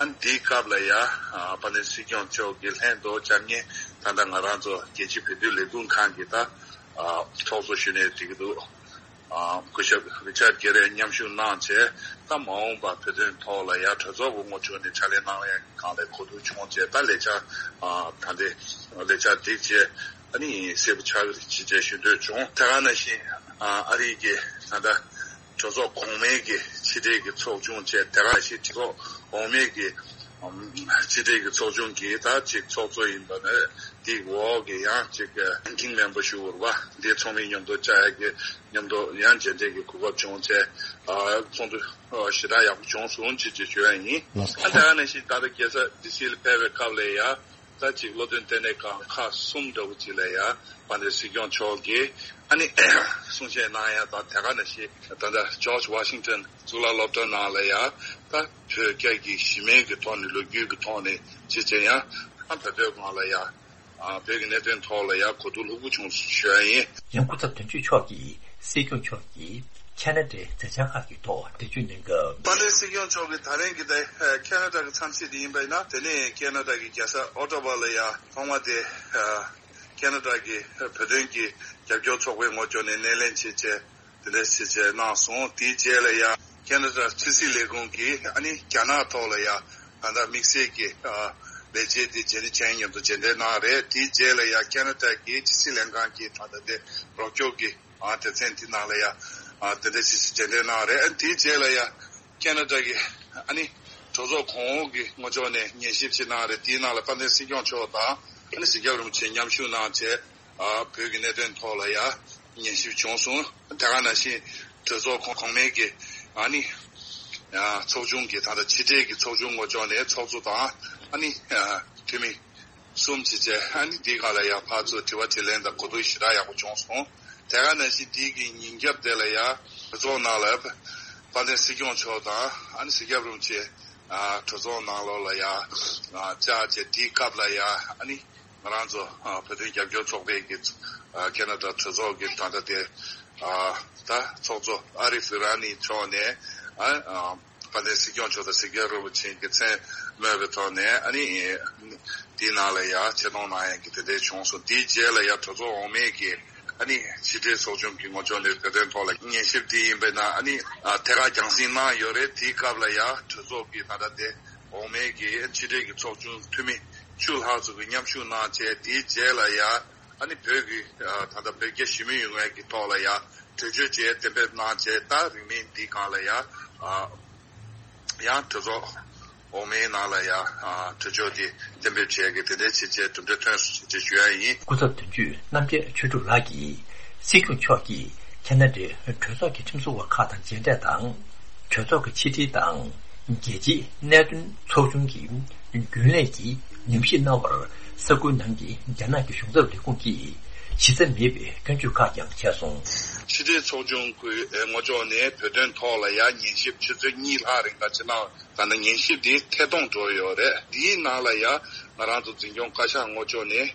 ཨ་འདིའི་སྐབས་ལ་ཡང་ཨ་དཔལ་ལྡན་སྲིད་སྐྱོང་མཆོག་གི་ལྷན་དུ་བཅར་མཁན་ད་ལྟ་ང་རང་ཚོ་རྒྱལ་སྤྱིའི་བོད་དོན་ལས་འགུལ་ཁང་གི་ད་ཨ་ཚོགས་གཙོ་གཞོན་ནུ་འགྲིག་གི་འདུག། སྐུ་ཞབས་རི་ཅར་གྷེ་རེ་མཉམ་ཞུགས་གནང་བྱས། ད་མ་འོངས་པ་བོད་དོན་ཐོག་ལ་ཡ་གྲོས་ཚོགས་ཀྱི་ངོ་ཕྱོགས་ནས་ཕྱག་ལས་གནང་ཡ་གང་ལས་གོ་བསྡུར་བྱུང་བྱས། ད་ལས་འཆར་ད་ལྟའི་ལས་འཆར་སྒྲིག་བྱས། ཨ་ནི་གསལ་པོ་ཆགས་ཀྱི་རེད་ཅེས་ཞུ་འདོད་བྱུང་། དེ་ག་ནང་བཞིན་ཨ་རི་གི་ད་ལྟ་གྲོས་ཚོགས་གོང་མའི་གི་ཕྱི་འབྲེལ་གྱི་ཚོགས་ཆུང་བཅས། དེ་ག་ནང་བཞིན་གྲོས་ཚོགས་འོག་མའི་གི་ཕྱི་འབྲེལ་གྱི་ཚོགས་ཆུང་གི་ད་ཅིག་ཚོགས་གཙོ་ཡིན་པ་ནི་དེའི་འོག་གི་ཡང་ཅིག་ranking member ཞུ་བར་བ་འདི་ཚང་མའི་མཉམ་དུ་བཅར་ཡ་གི་མཉམ་དུ་ཡང་མཇལ་འཕྲད་ཀྱི་གོ་སྐབས་བྱུང་བྱས། ཚོགས་འདུ་ཞེ་དྲག་ཡག་པོ་བྱུང་སོང་ཅེས་ཅེས་ཞུ་ཡ་ཡིན། ཨ་དེ་ག་ནང་བཞིན་ད་ལྟ་རྒྱལ་ས་ཌི་སི་ལ་ཕེབས་པའི་སྐབས་ལ་ཡ། ད་ཅིག་བློ་མཐུན་ལྟེ་གནས་ཁང་ཁག་གསུམ་འདྲ་བོ་ཅིག་ལ་ཡ་དཔལ་ལྡན་སྲིད་སྐྱོང་མཆོག་གིས་ཨ་ནི་གསུང་བཤད་གནང་ཡ་དང་། དེ་ག་ནང་བཞིན་ད་ལྟ་ཇོརྗ་ཝ་ཤིང་ཊོན་གཙུག་ལག་སློབ་གྲྭ་ནང་ལ་ཡ་ད་བོད་རྒྱ་གི་གཞི་མེད་ཀྱི་ཐོག་ནས་ལོ་རྒྱུས་ཀྱི་ཐོག་ནས་ཅིག་ཅིག་ཡང་ཨ་བོད་དོན་སྒང་ལ་ཡ་བོད་ཀྱི་གནད་དོན་ཐོག་ལ་ཡ་གོ་བསྡུར་ལྷུག་པོ་བྱུང་ཞུ་ཡ་ཡིན། ཡང་སྐུ་ཚབ་དོན་གཅོད་མཆོག་གིས་སྲིད་སྐྱོང་མཆོག་གིས་ཁེ་ན་ཌའི་མཛད་འཆར་ཁག་གི་ཐོག་འགྲེལ་བརྗོད་གནང་སྐབས། དཔལ་ལྡན་སྲིད་སྐྱོང་མཆོག་གིས་ད་རིང་གི་ད་ཁེ་ན་ཌ་གི་འཚམས་གཟིགས་དེ་ཡིན་པ་ཡིན་ན། དེ་ནས་ཁེ་ན་ཌ་གི་རྒྱལ་ས་ཨོ་ཊ་ཝ་ལ་ཡ་ཐོག་མ་དེ་ཁེ་ན་ཌ་གི་བོད་དོན་གྱི་རྒྱབ་སྐྱོར་ཚོགས་པའི་ངོས་ཕྱོགས་ནས་སྣེ་ལེན་བྱས་བྱས། དེ་འདྲ་ཞིག་བྱས་གནང་སོང་། དེའི་རྗེས་ལ་ཡང་ཁེ་ན་ཌ་ཕྱི་སྲིད་ལས་ཁུངས་ཀྱིས་ཨ་ནི་རྒྱ་ནག་ཐོག་ལ་ཡང་ད་ལྟ་དམིགས་བསལ་གྱི་ལས་བྱེད་དེ་རྗེས་ནས་ཅན་མཉམ་དུ་མཇལ་འཕྲད་གནང་རེད། དེའི་རྗེས་ལ་ཡང་ཁེ་ན་ཌ་གི་ཕྱི་སྲིད་ལྷན་ཁང་གི་ད་ལྟ་དེ་རོགས་སྐྱོར་གྱི་སྡེ་ཚན་དེ་ནང་ལ་ཡང་དེ་འདྲ་ཞིག་མཇལ་འཕྲད་གནང་རེད། ཨ་ནི་དེའི་རྗེས་ལ་ཡང་ཁེ་ན་ཌ་གི་ཨ་ནི་གྲོས་ཚོགས་གོང་འོག་གི་ངོས་ཕྱོགས་ནས་ཉན་ཞིབ་ཅིག་གནང་རེད། དེའི་ནང་ལ་དཔལ་ལྡན་སྲིད་སྐྱོང་མཆོག་དང་ཨ་ནི་སྲིད་སྐྱོང་རིན་པོ་ཆེ་མཉམ་ཞུགས་གནང་བྱས། ཨ་བོད་ཀྱི་གནད་དོན་ཐོག་ལ་ཡ་ཉན་ཞིབ་བྱུང་སོང་། དེ་ག་ནང་བཞིན་གྲོས་ཚོགས་གོང་གོང་མའི་གི་ཨ་ནི་ཨ་ཚོགས་ཆུང་གི་ད་ལྟ་ཕྱི་འབྲེལ་གྱི་ཚོགས་ཆུང་ངོས་ཕྱོགས་ནས་ཚོགས་གཙོ་དང་ཨ་ནི་ཨ་འཐུས་མི་གསུམ་བྱས་བྱས། ཨ་ནི་འདིའི་སྒང་ལ་ཡ་ཕར་ཚུར་དྲི་བ་དྲིས་ལན་དང་གོ་བསྡུར་ཞེ་དྲག་ཡག་པོ་བྱུང་སོང་། དེ་ག་ནང་བཞིན་འདི་གི་ཉིན་རྒྱབ་དེ་ལ་ཡ་གྲོས་ཚོགས་ནང་ལ་དཔལ་ལྡན་སྲིད་སྐྱོང་མཆོག་དང་ཨ་ནི་སྲིད་སྐྱོང་རིན་པོ་ཆེ་ཨ་གྲོས་ཚོགས་ནང་ལོགས་ལ་ཡ་ཨ་བཅར་བྱས། དེའི་སྐབས་ལ་ཡ་ཨ་ནི་ང་རང་ཚོ་ཨ་བོད་དོན་རྒྱབ་སྐྱོར་ཚོགས་པའི་གི་ཨ་ཁེ་ན་ཌ་གྲོས་ཚོགས་ཀྱི་ད་ལྟ་དེ་ཨ་ད་ཚོགས་གཙོ་ཨ་རིབ་ཨི་ར་ནི་མཆོག་ནས་ཨ་ཨ་དཔལ་ལྡན་སྲིད་སྐྱོང་མཆོག་དང་སྲིད་སྐྱོང་རིན་པོ་ཆེ་གི་མཚན་སྨོས་པའི་ཐོག་ནས་ཨ་ནི་དེའི་ནང་ལ་ཡ་ཆེ་མཐོང་གནང་ཡ་གི་དེ་འདྲ་བྱུང་སོང་། དེའི་རྗེས་ལ་ཡ་གྲོས་ཚོགས་འོག་མའི་གི་ཨ་ནི་ཕྱི་འབྲེལ་ཚོགས་ཆུང་གི་ངོས་ཕྱོགས་ནས་བོད་དོན་ཐོག་ལ་ཉན་ཞིབ་དེ་ཡིན་པས་ན་ཨ་ནི་ཨ་ཐད་ཀར་རྒྱང་སྲིང་གནང་ཡོད་རེད། དེའི་སྐབས་ལ་ཡ་གྲོས་ཚོགས་ཀྱི་ད་ལྟ་དེ་འོག་མའི་གི་ཕྱི་འབྲེལ་གྱི་ཚོགས་ཆུང་འཐུས་མི་བཅུ་ལྷག་ཙམ་གྱིས་མཉམ་ཞུགས་གནང་བྱས། དེའི་རྗེས་ལ་ཡ་ཨ་ནི་བོད་ཀྱི་ཨ་ད་ལྟ་བོད་རྒྱ་ཞི་མོལ་ཡོང་ཡ་གི་ཐོག་ལ་ཡ་གྲོས་ཆོད་བཅས་གཏན་འབེབས་གནང་བྱས། ད་རིང་མིན་འདིའི་སྒང་ལ་ཡ་ཨ་ཡང་གྲོས་ཚོགས་འོག་མའི་ནང་ལ་ཡ་ཨ་གྲོས་ཆོད་དེ་གཏན་འབེབས་བྱས་ཀྱི་དེ་འདྲའི་བྱས་བྱས་གྲུབ་འབྲས་ཐོན་སོང་ཞེས་ཞུ་ཡ་ཡིན། སྐུ་ཚབ་དོན་གཅོད་རྣམ་རྒྱལ་ཆོས་གྲུབ་ལགས་ཀྱིས་སྲིད་སྐྱོང་མཆོག་གིས་ཁེ་ན་ཌའི་གྲོས་ཚོགས་ཀྱི་ཁྲིམས་བཟོ་བ་ཁག་དང་མཇལ་འཕྲད་དང་། གྲོས་ཚོགས་ཀྱི་ཕྱི་དྲིལ་དང་རྒྱལ་སྤྱིའི་གནད་དོན་ཚོགས་ཆུང་གི་རྒྱུན་ལས་ཀྱིས་ནུས་ཤུགས་གནང་བར་ས་ཁུལ་ནང་གི་རྒྱ་ནག་གི་གཞུང་ཚབ་ལས་ཁུངས་ཀྱིས་གཞི་རྩ་མེད་པའི་སྐྱོན་བརྗོད་ཁག་ཀྱང་བྱས་སོང་། ཕྱི་དྲིལ་ཚོགས་ཆུང་གི་ངོས་ཕྱོགས་ནས་བོད་དོན་ཐོག་ལ་ཡ་ཉན་ཞིབ་ཆུ་ཚོད་གཉིས་ལྷག་རིང་ལ་ཅིག་གནང་། ད་ནི་ཉན་ཞིབ་འདི་ཐད་གཏོང་འགྲོ་ཡོད་རེད། འདིའི་ནང་ལ་ཡ་ང་རང་ཚོ་འཛིན་སྐྱོང་བཀའ་ཤག་ངོས་ཕྱོགས་ནས་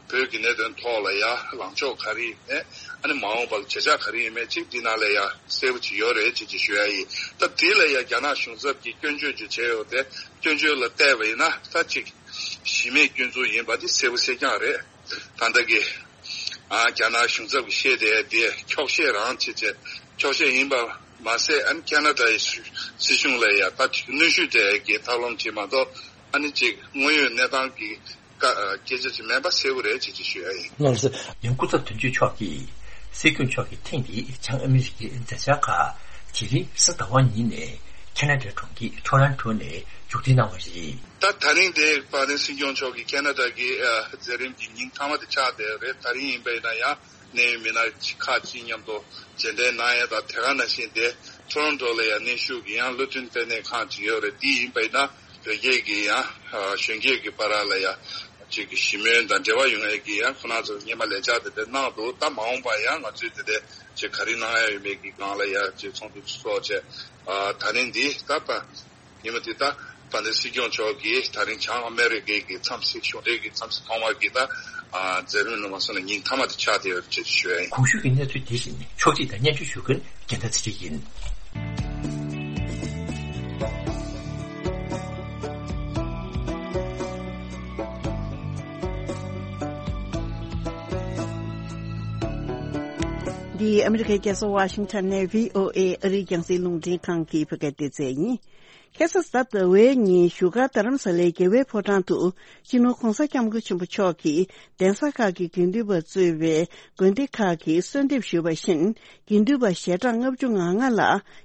བོད་ཀྱི་གནད་དོན་ཐོག་ལ་ཡ་ལངས་ཕྱོགས་ག་རེ་ཡིན་མེད། ཨ་ནི་མ་འོངས་པ་ལ་བྱེད་ཕྱོགས་ག་རེ་ཡིན་མེད་ཅིག་འདི་ནང་ལ་ཡ་གསལ་པོ་ཅིག་ཡོད་རེད་ཅེས་ཅིག་ཞུ་ཡ་ཡིན། ད་དེ་ལ་ཡ་རྒྱ་ནག་གཞུང་ཚབ་ཀྱིས་སྐྱོན་བརྗོད་ཅིག་བྱས་ཡོད་དེ། སྐྱོན་བརྗོད་ལ་བལྟས་པ་ཡིན་ན་ད་ཅིག་གཞི་མེད་སྐྱོན་འཛུགས་ཡིན་པ་འདི་གསལ་པོ་གསལ་རྐྱང་རེད། ད་ལྟ་གི་ཨ་རྒྱ་ནག་གཞུང་ཚབ་ཀྱིས་བཤད་བསྡད་དེ་འཁྱོག་བཤད་རང་བྱེད་བྱས། འཁྱོག་བཤད་ཡིན་པ་མ་ཟད། ཨ་ནི་ཁེ་ན་ཌའི་སྲིད་གཞུང་ལ་ཡ་ད་གནོན་ཤུགས་སྤྲད་ཀྱི་ཐབས་ལམ་ཅིག་མ་གཏོགས། ཨ་ནི་ཅིག་དངོས་ཡོད་གནས་སྟངས་ཀྱི་སྐད་ཆ་ཅིག་མིན་པ་གསལ་པོ་རེད་ཅེས་ཅིག་ཞུ་ཡ་ཡིན། ལགས་སོ། ཡང་སྐུ་ཚབ་དོན་གཅོད་མཆོག་གིས་སྲིད་སྐྱོང་མཆོག་གིས་ཐེངས་འདིའི་བྱང་ཨ་མི་རི་ཀའི་མཛད་འཆར་ཁག་དེ་རིང་གཟའ་ཟླ་བ་ཉིན་ནས་ཁེ་ན་ཌའི་གྲོང་ཁྱེར་ཊོ་རོན་ཊོ་ནས་མཇུག་སྒྲིལ་གནང་བ་རེད། ད་ད་རིང་དེ་དཔལ་ལྡན་སྲིད་སྐྱོང་མཆོག་གིས་ཁེ་ན་ཌ་གི་ཨ་མཛད་རིམ་གྱི་ཉིན་མཐའ་མ་དེ་ཆགས་བསྡད་ཡོད་རེད། ད་རིང་ཡིན་པ་ཡིན་ན་ཡང་གནད་ཡོད་མི་སྣ་ཁག་ཅིག་མཉམ་དུ་མཇལ་འཕྲད་གནང་ཡ་དང་། དེ་ག་ནང་བཞིན་དེ་ཊོ་རོན་ཊོ་ལ་ཡང་གནོན་ཤུགས་ཀྱི་ཡང་བློ་མཐུན་ལྟེ་གནས་ཁང་ཅིག་ཡོད་རེད། དེ་ཡིན་པ་ཡིན་ན་བོད་རྒྱ་གི་ཡང་གཞོན་སྐྱེས་ཀྱི་བར་ལ་ཡང་ཅིག་གི་ཞི་མོལ་དང་འབྲེལ་བ་ཡོང་ཡ་གི་ཡང་ཁོ་རང་ཚོ་སྔོན་མ་ལས་འཆར་དེ་འདྲ་གནང་འདུག་ད་མ་འོངས་པ་ཡང་ང་ཚོས་དེ་འདྲ་ཅིག་ག་རེ་གནང་ཡ་ཡོད་མེད་ཀྱི་སྒང་ལ་ཡང་ཅིག་ཚོགས་འདུ་ཚོགས་བྱས། ཨ་ད་རིང་འདི་ད་ད་ཉི་མ་འདི་ད་དཔལ་ལྡན་སྲིད་སྐྱོང་མཆོག་གིས་ད་རིང་བྱང་ཨ་མེ་རི་ཀའི་གི་འཚམས་གཟིགས་གཞུང་འབྲེལ་གྱི་འཚམས་གཟིགས་ཐོག་མ་གི་ད་ཨ་མཛད་རིམ་ནང་མ་སོང་ལ་ཉིན་མཐའ་མ་དེ་ཆགས་བསྡད་ཡོད་ཅེས་ཞུ་ཡ་ཡིན། གོང་ཞུས་ཀྱི་གནས་ཚུལ་དེ་བཞིན་ཕྱོགས་སྒྲིག་དང་སྙན་སྒྲོན་ཞུ་མཁན་རྒྱལ་མཚན་ཚེ་རིང་ཡིན། ཨ་མི་རི་ཀའི་རྒྱལ་ས་ཝ་ཤིང་ཊོན་ནས་བྷི་ཨོ་ཨེ་ཨ་རིའི་རྒྱང་སྲིང་རླུང་འཕྲིན་ཁང་གི་བོད་སྐད་སྡེ་ཚན་ཡིན། ཁ་སང་གཟའ་ཟླ་བའི་ཉིན་བཞུགས་སྒར་རྡ་རམ་ས་ལའི་རྒྱལ་བའི་ཕོ་བྲང་དུ་སྤྱི་ནོར་༸གོང་ས་༸སྐྱབས་མགོན་ཆེན་པོ་མཆོག་གིས་གདན་ས་ཁག་གི་དགེ་འདུན་པ་གཙོས་པའི་དགོན་སྡེ་ཁག་གིས་གསོལ་འདེབས་ཞུས་པ་བཞིན། དགེ་འདུན་པ་ཞལ་གྲངས་ལྔ་བཅུ་ང་ལྔ་ལ་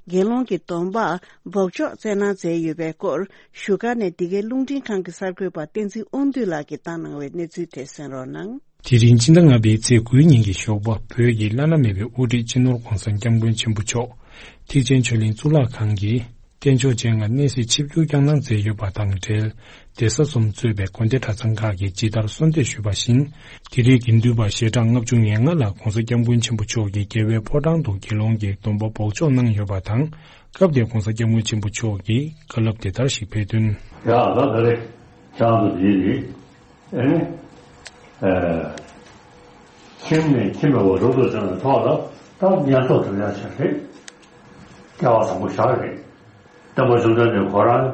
དགེ་སློང་གི་སྡོམ་པ་འབོགས་ཆོག་སྩལ་གནང་མཛད་ཡོད་པའི་སྐོར། བཞུགས་སྒར་ནས་འདི་གའི་རླུང་འཕྲིན་ཁང་གི་གསར་འགོད་པ་བསྟན་འཛིན་དབང་འདུས་ལགས་ཀྱིས་བཏང་གནང་བའི་གནས་ཚུལ་དེ་གསན་རོགས་གནང་། དེ་རིང་སྤྱི་ཟླ་ལྔ་པའི་ཚེས་དགུའི་ཉིན་གྱི་ཞོགས་པ། བོད་ཀྱི་བླ་ན་མེད་པའི་དབུ་ཁྲིད་སྤྱི་ནོར་༸གོང་ས་༸སྐྱབས་མགོན་ཆེན་པོ་མཆོག་ཐེག་ཆེན་ཆོས་གླིང་གཙུག་ལག་ཁང་གི་རྟེན་མཆོག་མཇལ་ཁར་གནས་གཟིགས་ཆིབས་བསྒྱུར་བསྐྱངས་གནང་མཛད་ཡོད་པ་དང་འབྲེལ། སྡེ་ས་གསུམ་གཙོས་པའི་དགོན་སྡེ་གྲྭ་ཚང་ཁག་གིས་ཇི་ལྟར་གསོལ་འདེབས་ཞུས་པ་བཞིན། དེ་རིང་དགེ་འདུན་པ་ཞལ་གྲངས་ལྔ་བཅུ་ང་ལྔ་ལ་༸གོང་ས་༸སྐྱབས་མགོན་ཆེན་པོ་མཆོག་གིས་རྒྱལ་བའི་ཕོ་བྲང་དུ་དགེ་སློང་གི་སྡོམ་པ་འབོགས་ཆོག་གནང་ཡོད་པ་དང་། སྐབས་དེར་༸གོང་ས་༸སྐྱབས་མགོན་ཆེན་པོ་མཆོག་གིས་བཀའ་སློབ་དེ་ལྟར་ཞིག་ཕེབས་དོན། ཡ་ད་ད་རེད། ཁྱེད་རང་ཚོ་དེ་རེད། ཨེ་ནི། ཨེ། ཁྱིམ་ནས་ཁྱིམ་མེད་པར་རོ་ཏོ་ཅན་ལ་ཐོག་ལ་ད་ཉན་ཐོག་གྲུབ་ཡག་ཆེད་རེད། སྐལ་བ་བཟང་པོ་ཞག་རེད། སྟོན་པ་བཅོམ་ལྡན་འདས་ཁོ་རང་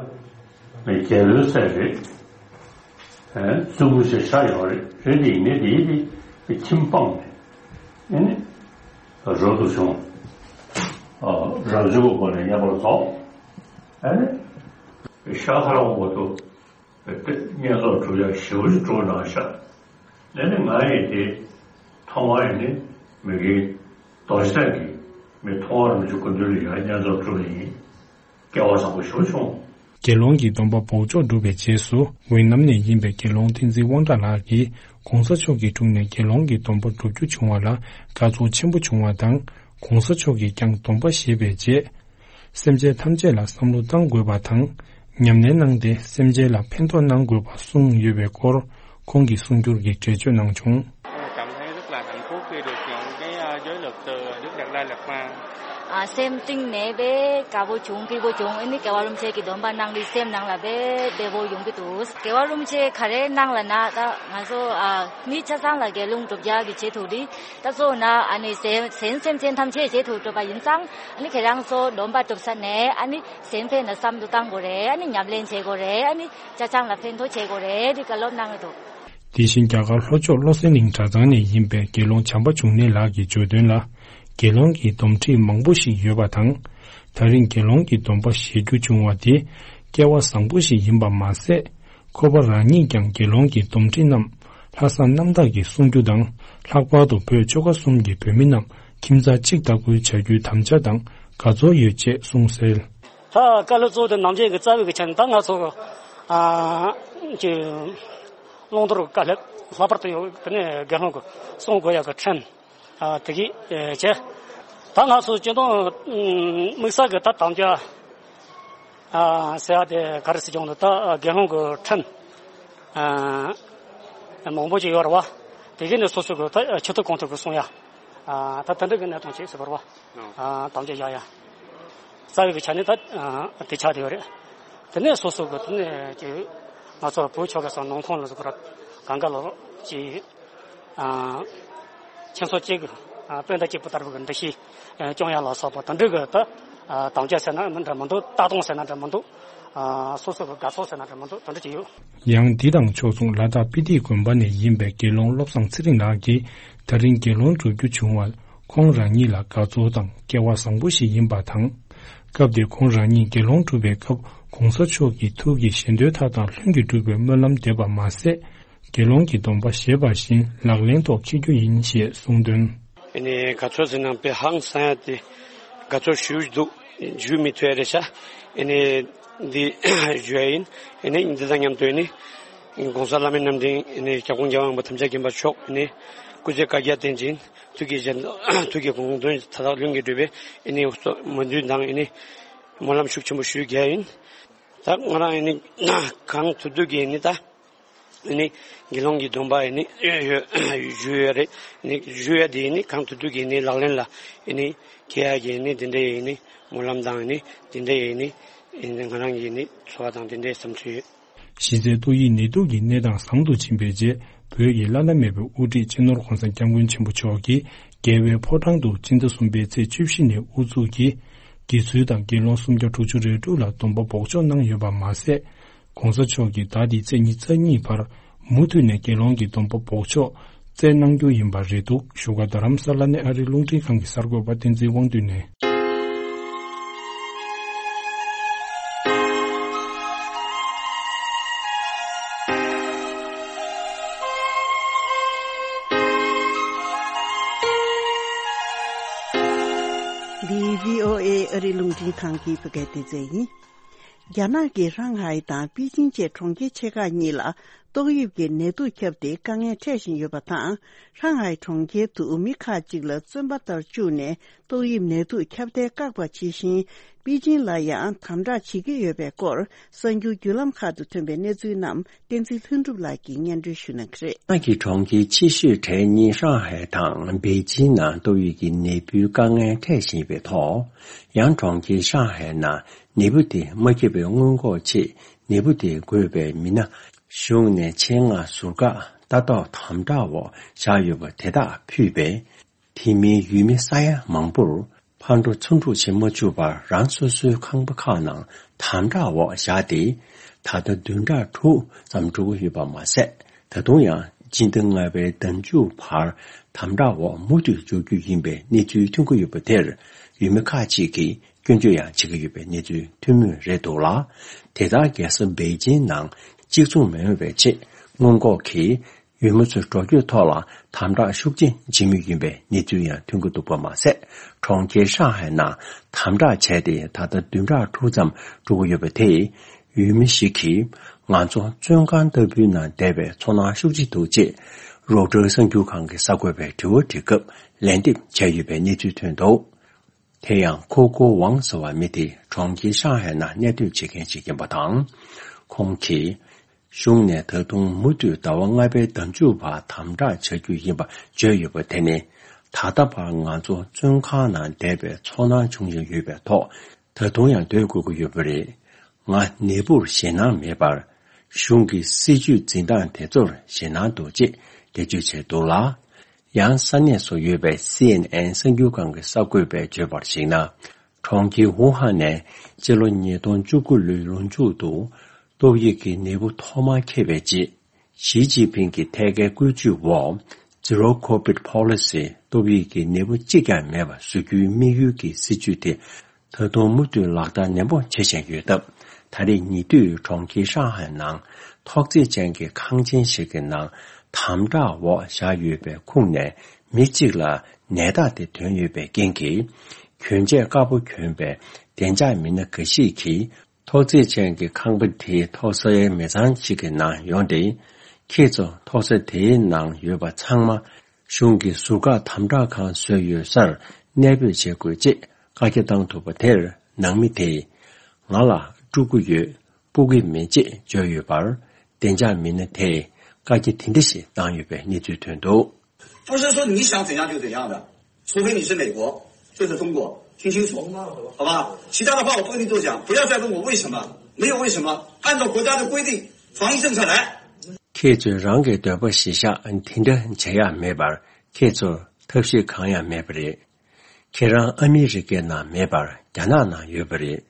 ནི་རྒྱལ་པོའི་སྲས་རེད། ཨེ། བཙུན་མོ་ཞིག་ཤ་ཡོད་རེད། རེད་དེ་ཡིན་ནའི་དེ་ཡིན་དེ་ཁྱིམ་སྤངས་ནས་ཨེ་ནི་རོ་ཏོ་བྱུང་། ཨ། རབ་བྱུང་གི་སྒོ་ནས་མཉམ་པར་རྫོགས། ཨེ་ནི་ཤ་ཁ་ར་འོ་དོ། བསྙེན་རྫོགས་སྒྲུབ་ཡག་ཞེ་པོ་ཅིག་སྤྲོ་གནང་ཤག་ཨེ་ནི་ང་ཡིས་དེ་མཐོང་བ་ཡིན་ནི་མི་དགེ་རྡོ་རྗེ་གདན་གྱི་མི་མཐོང་བ་རིན་པོ་ཆེ་སྐུ་མདུན་ལ་ཡང་བསྙེན་རྫོགས་སྒྲུབ་པ་ཡིན། སྐལ་བ་བཟང་པོ་ཞེ་པོ་བྱུང་། དགེ་སློང་གི་སྡོམ་པ་འབོགས་ཆོག་བསྒྲུབས་པའི་རྗེས་སུ། ཝེ་ནམ་ནས་ཡིན་པའི་དགེ་སློང་བསྟན་འཛིན་དབང་གྲགས་ལགས་ཀྱིས་༸གོང་ས་མཆོག་གི་དྲུང་ནས་དགེ་སློང་གི་སྡོམ་པ་བསྒྲུབ་རྒྱུ་བྱུང་བ་ལ་དགའ་ཚོར་ཆེན་པོ་བྱུང་བ་དང་། ༸གོང་ས་མཆོག་གིས་ཀྱང་སྡོམ་པ་བཞེས་པའི་རྗེས། སེམས་ཅན་ཐམས་ཅད་ལ་བསམ་བློ་གཏང་དགོས་པ་དང་། ཉམས་ལེན་གནང་སྟེ་སེམས་ཅན་ལ་ཕན་ཐོགས་གནང་དགོས་པ་གསུངས་ཡོད་པའི་སྐོར། ཁོང་གིས་གསུང་སྒྱུར་གྱིས་འགྲེལ་བརྗོད་གནང་བྱུང་། Cảm thấy rất là hạnh phúc khi được nhận cái, à, giới luật từ Đức Đạt Lai Lạt Ma. ཨ། སེམས་གཏིང་ནས་དཔེ་དགའ་པོ་བྱུང་། སྐྱིད་པོ་བྱུང་། ཨ་ནི་རྒྱལ་བ་རིན་པོ་ཆེ་གི་སྡོམ་པ་གནང་དུས་སེམས་ནང་ལ་དཔེ་བདེ་པོ་ཡོང་གི་འདུག་རྒྱལ་བ་རིན་པོ་ཆེ་ག་རེ་གནང་ལབ་ན། ད་ང་ཚོ། ཨ། མི་ཆ་ཚང་ལ་དགེ་སློང་སྒྲུབ་ཡག་གི་ཆེད་དུ་རེད། ད་གཙོ་བོ་ན་ཨ་ནི་གཞན་གཞན་སེམས་ཅན་ཐམས་ཅད་ཆེད་དུ་སྒྲུབ་པ་ཡིན་ཙང་། ཨ་ནི་ཁྱེད་རང་ཚོ་སྡོམ་པ་སྒྲུབ་ས་ནས་ཨ་ནི་གཞན་ཕན་ལ་བསམ་བློ་གཏང་དགོས་རེད། ཨ་ནི་ཉམས་ལེན་བྱེད་དགོས་རེད། ཨ་ནི་ཅ་ཆང་ལ་ཕན་ཐོགས་བྱེད་དགོས་རེད། དེ་བཀའ་སློབ་གནང་གི་འདུག་དེ་བཞིན་རྒྱ་གར་ལྷོ་ཕྱོགས་བློ་གསལ་གླིང་གྲྭ་ཚང་ནས་ཡིན་པའི་དགེ་སློང་བྱམས་པ་འབྱུང་གནས་ལགས་ཀྱིས་བརྗོད་དོན་ལ། དགེ་སློང་གི་སྡོམ་ཁྲིད་མང་པོ་ཞིག་ཡོད་པ་དང་། ད་རིང་དགེ་སློང་གི་སྡོམ་པ་བཞེས་རྒྱུ་བྱུང་བ་དེ་སྐལ་བ་བཟང་པོ་ཞིག་ཡིན་པ་མ་ཟད། ཁོ་པ་རང་ཉིད་ཀྱང་དགེ་སློང་གི་སྡོམ་ཁྲིད་རྣམས་ལྷག་བསམ་རྣམ་དག་གིས་སྲུང་རྒྱུ་དང་། ལྷག་པར་དུ་བོད་ཆོལ་ཁ་གསུམ་གྱི་བོད་མི་རྣམས་ཁྱིམ་ཚང་གཅིག་ལྟ་བུའི་བྱ་རྒྱུའི་དམ་བཅའ་དང་དགའ་ཚོར་ཡོད་ཅེས་གསུངས་གསལ། ད་བཀའ་སློབ་གཙོ་བོ་དེ་ནམ་རྒྱུན་གྱི་རྩ་བའི་གི་ཆ་ནས་ད་ང་ཚོ་གི་ཨ་ཀྱི་བླང་དོར་བཀའ་སློབ་ལྷག་པར་དུ་ཡོད་དེ་ནས་དགེ་སློང་གི་སྲུང་དགོས་ཡག་གི་ཁྲིམས། ཨ། དེ་གི་ཨེ་བྱས། ད་ང་ཚོ་སྤྱི་བཏང་དམིགས་བསལ་གྱི་ད་དམ་བཅའ། ཨ། ཟེར་ཡ་དེ་ག་རེ་ཟེར་ཀྱང་འདུག་ད་དགེ་སློང་གི་ཁྲིམས། ཨ། མང་པོ་ཅིག་ཡོད་རེད་བ། དེ་གི་ནས་སོ་སོ་གི་ད་ཆོས་ཐོག་གོང་ཐོག་གི་གསུང་ཡ། ཨ། ད་དེ་འདྲ་གི་གནས་སྟངས་ཅིག་ཟེར་བ་རེད་བ། ཨ། དམ་བཅའ་བཞག་ཡ། རྩ་བའི་གི་ཆ་ནས་ད་དེ་ཆགས་བསྡད་ཡོད་རེད། དེ་ནས་སོ་སོ་གི་དེ་ནས་ཀྱི་ང་ཚོ་བོད་ཆོལ་ཁ་གསུམ་ནང་ཁོངས་ལ་ཟེར་དགོས་རེད། གང་ག་ལོ་ཅིག་ཨ། ཁྱིམ་ཚང་གཅིག་གི། ཨ། སྤུན་ཟླ་གཅིག་པུ་ལྟ་བུ་གི་འདུ་ཤེས་སྐྱོང་ཡ་ལ་སོགས་པ་དེ་འདྲ་གི་ད་དམ་བཅའ་ཟེར་ན་འདྲ་མི་འདུག་ལྟ་སྟངས་ཟེར་ན་འདྲ་མི་འདུག་ཨ། སོ་སོ་གི་དགའ་ཚོར་ཟེར་ན་འདྲ་མི་འདུག་དེ་འདྲ་ཅིག་ཡོད། ཡང་འདི་དང་ཕྱོགས་མཚུངས་ལ་དྭགས་སྤི་ཏི་དགོན་པ་ནས་ཡིན་པའི་དགེ་སློང་བློ་བཟང་ཚེ་རིང་ལགས་ཀྱིས་ད་རིང་དགེ་སློང་སྒྲུབ་རྒྱུ་བྱུང་བ་ཁོང་རང་ཉིད་ལ་དགའ་ཚོར་དང་སྐལ་བ་བཟང་པོ་ཞིག་ཡིན་པ་དང་། སྐབས་དེར་ཁོང་རང་ཉིད་དགེ་སློང་སྒྲུབ་པའི་སྐབས་༸གོང་ས་མཆོག་གི་ཐུགས་ཀྱི་བཞེད་དོན་མཐའ་དག་ལྷུན་གྱིས་གྲུབ་པའི་སྨོན་ལམ་འདེབས་པ་མ་ཟད། དགེ་སློང་གི་སྡོམ་པ་བཞེས་པ་བཞིན་ལག་ལེན་ཐོག་འཁྱོལ་རྒྱུ་ཡིན་ཞེས་གསུངས་དོན། ཨ་ནི་དགའ་ཚོར་ཟེར་ན་དཔེ་ཧང་སང་ཡ་དེ་དགའ་ཚོར་ཞེ་པོ་འདུག་ཞུ་མི་ཐུབ་ཡ་རེད་ཤག་ཨ་ནི་འདི་ཞུ་ཡ་ཡིན། ཨ་ནི་འདི་དང་མཉམ་དུ་ཨ་ནི་༸གོང་ས་བླ་མའི་རྣམ་འདྲེན་ཨ་ནི་སྐྱབས་མགོན་རྒྱལ་བ་དབང་པོ་དམ་བཅའ་མཁྱེན་པ་མཆོག་ཨ་ནི་སྐུ་ཚེ་བསྐལ་བརྒྱར་བརྟན་ཅིང་ཐུགས་ཀྱི་བཞེད་ཐུགས་ཀྱི་དགོངས་དོན་མཐའ་དག་ལྷུན་གྱིས་གྲུབ་པའི་ཨ་ནི་སྨོན་འདུན་དང་ཨ་ནི་སྨོན་ལམ་ཤུགས་ཆེན་པོ་ཞུ་རྒྱུ་ཡིན། ད་ང་རང་ཨ་ནི་གང་ཐུབ་ཐུབ་ཀྱིས་ཨ་ནི་ད། ཨ་ནི་དགེ་སློང་གི་སྡོམ་པ་ཨ་ནི་ཞུ་ཡོད་རེད། ཨ་ནི་ཞུ་ཡ་དེ་ཨ་ནི་གང་ཐུབ་ཐུབ་ཀྱིས་ཨ་ནི་ལག་ལེན་ལ་ཨ་ནི་འཁེལ་ཡ་གི་ཨ་ནི་དེ་འདྲའི་ཨ་ནི་སྨོན་ལམ་དང་ཨ་ནི་དེ་འདྲའི་ཨ་ནི་ཨ་ནི་ང་རང་གི་ཨ་ནི་འཚོ་བ་དང་དེ་འདྲའི་བསམ་ཚུལ་ཡོད། གཞི་རྩའི་ཏོག་དབྱིབས་ནད་དུག་གི་གནས་སྟངས་བཟང་དུ་ཕྱིན་པའི་རྗེས། བོད་ཀྱི་བླ་ན་མེད་པའི་དབུ་ཁྲིད་སྤྱི་ནོར་༸གོང་ས་༸སྐྱབས་མགོན་ཆེན་པོ་མཆོག་གིས་རྒྱལ་བའི་ཕོ་བྲང་དུ་སྤྱི་ཟླ་གསུམ་པའི་ཚེས་བཅུ་བཞི་ནས་དབུ་འཛུགས་ཀྱིས་དགེ་ཚུལ་དང་དགེ་སློང་སུམ་བརྒྱ་དྲུག་ཅུ་རེ་དྲུག་ལ་སྡོམ་པ་འབོགས་ཆོག་གནང་ཡོད་པ་མ་ཟད། ༸གོང་ས་མཆོག་གིས་ཟླ་འདིའི་ཚེས་ཉི་ཤུ་རྩ་གཉིས་བར་མུ་མཐུད་ནས་དགེ་སློང་གི་སྡོམ་པ་འབོགས་ཆོག་ བསྩལ་གནང་རྒྱུ་ཡིན་པ་རེད་འདུག་བཞུགས་སྒར་རྡ་རམ་ས་ལ་ནས་ཨ་རིའི་རླུང་འཕྲིན་ཁང་གི་གསར་འགོད་པ་བསྟན་འཛིན་དབང་འདུས་ནས། འདི་བྷི་ཨོ་ཨེ་ཨ་རིའི་རླུང་འཕྲིན་ཁང་གི་བོད་སྐད་སྡེ་ཚན་ཡིན། རྒྱ་ནག་གི་ཧྲང་ཧའེ་དང་པེ་ཅིང་བཅས་གྲོང་ཁྱེར་ཆེ་ཁག་གཉིས་ལ་ཏོག་དབྱིབས་ཀྱི་ནད་དུག་ཁྱབ་སྟེ་དཀའ་ངལ་འཕྲད་བཞིན་ཡོད་པ་དང་། ཧྲང་ཧའེ་གྲོང་ཁྱེར་དུ་མི་ཁག་ཅིག་ལ་བཙོན་པ་ལྟར་བཅུག་ནས་ཏོག་དབྱིབས་ནད་དུག་ཁྱབ་གདལ་བཀག་པ་ཇི་བཞིན། པེ་ཅིང་ལ་ཡང་དམ་དྲག་བྱེད་ཀྱི་ཡོད་པའི་སྐོར་གསར་འགྱུར་བརྒྱུད་ལམ་ཁག་ཏུ་ཐོན་པའི་གནས་ཚུལ་རྣམས་བསྟན་འཛིན་ལྷུན་གྲུབ་ལགས་ཀྱིས་སྙན་སྒྲོན་ཞུ་གནང་གི་རེད། ནག་གི་གྲོང་ཁྱེར་ཆེ་ཤོས་གྲས་གཉིས་ཧྲང་ཧའེ་དང་པེ་ཅིང་ནང་ཏོག་དབྱིབས་ཀྱི་ནད་འབུའི་དཀའ་ངལ་འཕྲད་བཞིན་ཡོད་པའི་ཐོག་ཡང་གྲོང་ཁྱེར་ཧྲང་ཧའེ་ནང་ནད་འབུ་དེ་མ་ཁྱབ་པའི་སྔོན་འགོག་ཆེད་ནད་འབུ་དེ་འགོས་པའི་མི་སྣ་གཞུང་ནས་ཆེད་མངགས་ཟུར་བཀག་ལྟ་རྟོག་དམ་དྲག་འོག་བཞག་ཡོད་པ་དེ་དག་ཕུད་པས། དེ་མིན་ཡུལ་མི་ས་ཡ་མང་པོར་ཕར་འགྲོ་ཚུར་འགྲོ་བྱེད་མ་བཅུག་པར་རང་སོ་སོའི་ཁང་པ་ཁག་ནང་དམ་དྲག་འོག་བཞག་སྟེ། ད་ལྟ་བདུན་ཕྲག་དྲུག་ཙམ་འགྲོ་གི་ཡོད་པ་མ་ཟད། ད་དུང་ཡང་སྤྱི་ཟླ་ལྔ་པའི་ཟླ་མཇུག་བར་དམ་དྲག་འོག་མུ་མཐུད་འཇོག་རྒྱུ་ཡིན་པའི་གནས་ཚུལ་ཐོན་གྱི་ཡོད་པ་དེར་ཡུལ་མི་ཁག་ཅིག་གིས་སྐྱོན་བརྗོད་ཡང་བྱེད་ཀྱི་ཡོད་པའི་གནས་ཚུལ་ཐོན་མུས་རེད་འདུག་ལ། དེ་དག་རྒྱལ་ས་པེ་ཅིང་ནང་གཅིག་མཚུངས་མེད་པའི་ཆེད་སྔོན་འགོག་གིས། ཡུལ་མི་ཚོའི་འགྲོ་སྐྱོད་ཐོག་ལ་དམ་དྲག་ཤུགས་ཆེན་བྱེད་མུས་ཡིན་པའི་གནས་ཚུལ་ཡང་ཐོན་གྱི་འདུག་པ་མ་ཟད། གྲོང་ཁྱེར་ཧྲང་ཧའེ་ནང་དམ་དྲག་བྱས་ཏེ་ད་ལྟ་བདུན་ཕྲག་དྲུག་ཙམ་འགྲོ་གི་ཡོད་པ་དེས། ཡུལ་མི་ཞིག་གིས་ང་ཚོ་བཙོན་ཁང་ལྟ་བུའི་ནང་བསྡད་པའི་ཚོར་སྣང་ཤུགས་ཆེ་འདུག་ཅེས་རོའི་ཊར་གསར་འགྱུར་ཁང་གི་གསར་འགོད་པའི་དྲི་བ་དྲི་སྐབས་ལན་འདེབས་བྱས་ཡོད་པའི་གནས་ཚུལ་ཐོན་འདུག་དེ་ཡང་ཁོ་ཁོ་ཝང་ཟེར་བ་མི་དེ་གྲོང་ཁྱེར་ཧྲང་ཧའེ་ནང་གནས་སྡོད་བྱེད་མཁན་ཞིག་ཡིན་པ་དང་། ཁོང་གིས། གཞུང་ནས་ད་དུང་མུ་མཐུད་ཟླ་བ་ལྔ་པའི་ཟླ་མཇུག་བར་དམ་དྲག་བྱ་རྒྱུ་ཡིན་པ་བརྗོད་ཡོད་པ་དེ་ནི། ད་ལྟ་བར་ང་ཚོ་བཙོན་ཁང་ནང་བསྡད་པའི་ཚོར་སྣང་བྱུང་བཞིན་ཡོད་པའི་ཐོག་ད་དུང་ཡང་སྡོད་དགོས་ཀྱི་ཡོད་པ་རེད། ང་ནད་འབུར་ཞེད་སྣང་མེད་པར། གཞུང་གི་སྲིད་བྱུས་འཛིན་སྟངས་དེ་ཚོར་ཞེད་སྣང་འདུག་ཅེས་འགྲེལ་བརྗོད་བྱས་འདུག་ལ། ཡང་ས་གནས་སུ་ཡོད་པའི་སི་ཨེན་ཨེན་གསར་འགྱུར་ཁང་གི་གསར་འགོད་པས་བརྗོད་པར་གཞིགས་ན། གྲོང་ཁྱེར་ཝུ་ཧན་ནས་སྤྱི་ལོ་ཉིས་སྟོང་བཅུ་དགུ་ལོའི་ལོ་མཇུག་ཏུ་ཏོག་དབྱིབས་ཀྱི་ནད་འབུ་ཐོག་མར་ཁྱབ་པའི་རྗེས། ཞི་ཅིན་ཕིང་གི་ཐད་ཀའི་བཀོད་ཇུས་འོག Zero COVID Policy ཏོག་དབྱིབས་ཀྱི་ནད་འབུ་གཅིག་ཀྱང་མེད་པ་བཟོ་རྒྱུའི་དམིགས་ཡུལ་གྱི་སྲིད་བྱུས་དེ། ད་དུང་མུ་མཐུད་ལག་བསྟར་ནན་པོ་བྱེད་བཞིན་ཡོད་སྟབས། ད་རེས་ཉེ་དུས་གྲོང་ཁྱེར་ཧྲང་ཧའེ་ནང་ཐོག་བརྩེགས་ཅན་གྱི་ཁང་ཆེན་ཞིག་གི་ནང་དམ་དྲག་འོག་བཞག་ཡོད་པའི་ཁོངས་ནས་མི་གཅིག་ལ་ནད་རྟགས་དེ་ཐོན་ཡོད་པའི་རྐྱེན་གྱིས། གྱོན་ཆས་དཀར་པོ་གྱོན་པའི་བདེ་འཇགས་མི་སྣ་འགའ་ཞིག་གིས་ཐོག་བརྩེགས་ཅན་གྱི་ཁང་པ་དེའི་ཐོག་སའི་མི་ཚང་ཞིག་གི་ནང་ཡོང་སྟེ། ཁྱེད་ཚོ་ཐོག་ས་དེའི་ནང་ཡོད་པ་ཚང་མ། གཞུང་གིས་ཟུར་བཀག་དམ་དྲག་ཁང་བཟོས་ཡོད་སར་གནས་སྤོས་བྱེད་དགོས་ཅེས་བཀའ་རྒྱ་བཏང་ཐུབ་པ་དེར། ནང་མི་དེས་ང་ལ་སྤྲུག་གི་ཡོད། སྤོ་གི་མེད་ཅེས་བརྗོད་ཡོད་པར། བདེ་འཇགས་མི་སྣ་དེས་བཀའ་རྒྱ་དེ་འདྲ་ཞིག་བཏང་ཡོད་པའི་གནས་ཚུལ་ཐོན་འདུག 不是说你想怎样就怎样的，除非你是美国，这是中国，听清楚，好吧？其他的话我不跟你多讲，不要再问我为什么，没有为什么，按照国家的规定，防疫政策来。 ཁྱེད་ཚོས་རང་གི་འདོད་པ་གཞིར་བཞག་དེ་འདྲ་བྱེད་ཡག་མེད་པར། ཁྱེད་ཚོར་ཐབས་ཤེས་གང་ཡང་མེད་པ་རེད། ཁྱེད་རང་ཨ་མི་རི་ཀའི་ནང་མེད་པར་རྒྱ་ནག་ནང་ཡོད་པ་རེད།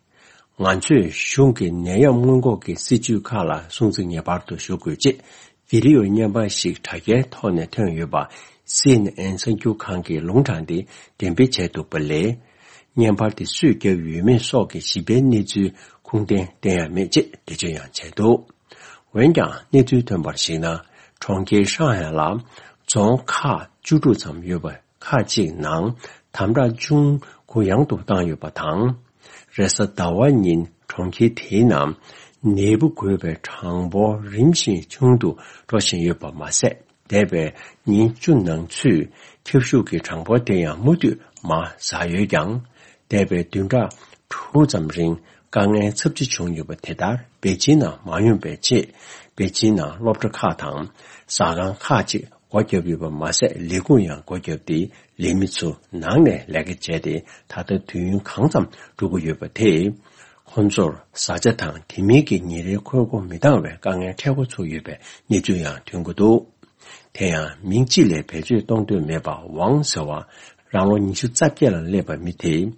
ང་ཚོས་གཞུང་གི་ནད་ཡམས་སྔོན་འགོག་གི་སྲིད་བྱུས་ཁག་ལ་སྲུང་བརྩི་ངེས་པར་དུ་ཞུ་དགོས་ཅེས་བི་ཌི་ཡོ་བརྙན་པར་ཞིག་དྲ་རྒྱའི་ཐོག་ནས་ཐོན་ཡོད་པ་སི་ཨེན་ཨེན་གསར་འགྱུར་ཁང་གིས་ལུང་དྲངས་ཏེ་འགྲེམས་སྤེལ་བྱས་འདུག་པ་ལས། བརྙན་པར་དེ་སུས་བརྒྱབ་ཡོད་མེད་སོགས་ཀྱི་ཞིབ་ཕྲའི་གནས་ཚུལ་ཁུངས་ལྡན་གཏན་ཡང་མེད་ཅེས་འགྲེལ་བརྗོད་ཡང་བྱས་འདུག་འོན་ཀྱང་གནས་ཚུལ་ཐོན་པར་གཞིགས་ན། གྲོང་ཁྱེར་ཧྲང་ཧའེ་ལ་རྫོང་ཁག་བཅུ་དྲུག་ཙམ་ཡོད་པ་ཁག་ཅིག་ནང་དམ་དྲག་ཅུང་གུ་ཡངས་དུ་བཏང་ཡོད་པ་དང་། རེས་གཟའ་ཟླ་བ་ཉིན་གྲོང་ཁྱེར་དེའི་ནང་ནད་འབུ་འགོས་པའི་གྲངས་འབོར་རིམ་བཞིན་ཆུང་དུ་འགྲོ་བཞིན་ཡོད་པ་མ་ཟད། འདས་པའི་ཉིན་བཅུ་ནང་ཚུད་ཁྱབ་ཤུགས་ཀྱི་གྲངས་འབོར་དེ་ཡང་མུ་མཐུད་མར་ཟག་ཡོད་ཀྱང་། འདས་པའི་བདུན་ཕྲག་དྲུག་ཙམ་རིང་དཀའ་ངལ་ཚབས་ཆེ་བྱུང་ཡོད་པ་དེ་ལྟར་པེ་ཅིན་ནང་མ་ཡོང་པའི་ཆེད། པེ་ཅིན་ནང་སློབ་གྲྭ་ཁག་དང་ཟ་ཁང་ཁག་ཅིག་སྒོ་བརྒྱབ་ཡོད་པ་མ་ཟད། ལས་ཁུངས་ཡང་སྒོ་བརྒྱབ་སྟེ། ལས་མི་ཚོ་ནང་ནས་ལས་ཀ་བྱས་ཏེ་ད་ལྟ་དུས་ཡུན་གང་ཙམ་འགྲོ་གི་ཡོད་པ་དེས། ཁོང་ཚོར་བཟའ་བཅའ་དང་དེ་མིན་གྱི་ཉིན་རེའི་ཁོལ་སྒོ་མི་འདང་བའི་དཀའ་ངལ་འཕྲད་འགོ་ཚུགས་ཡོད་པའི་གནས་ཚུལ་ཡང་ཐོན་གྱི་འདུག་དེ་ཡང་མིང་ཅིག་ལས་བེད་སྤྱོད་གཏོང་འདོད་མེད་པ་ཝང་ཟེར་བ་རང་ལོ་ཉི་ཤུ་རྩ་བརྒྱད་ལ་སླེབས་པ་མི་དེས།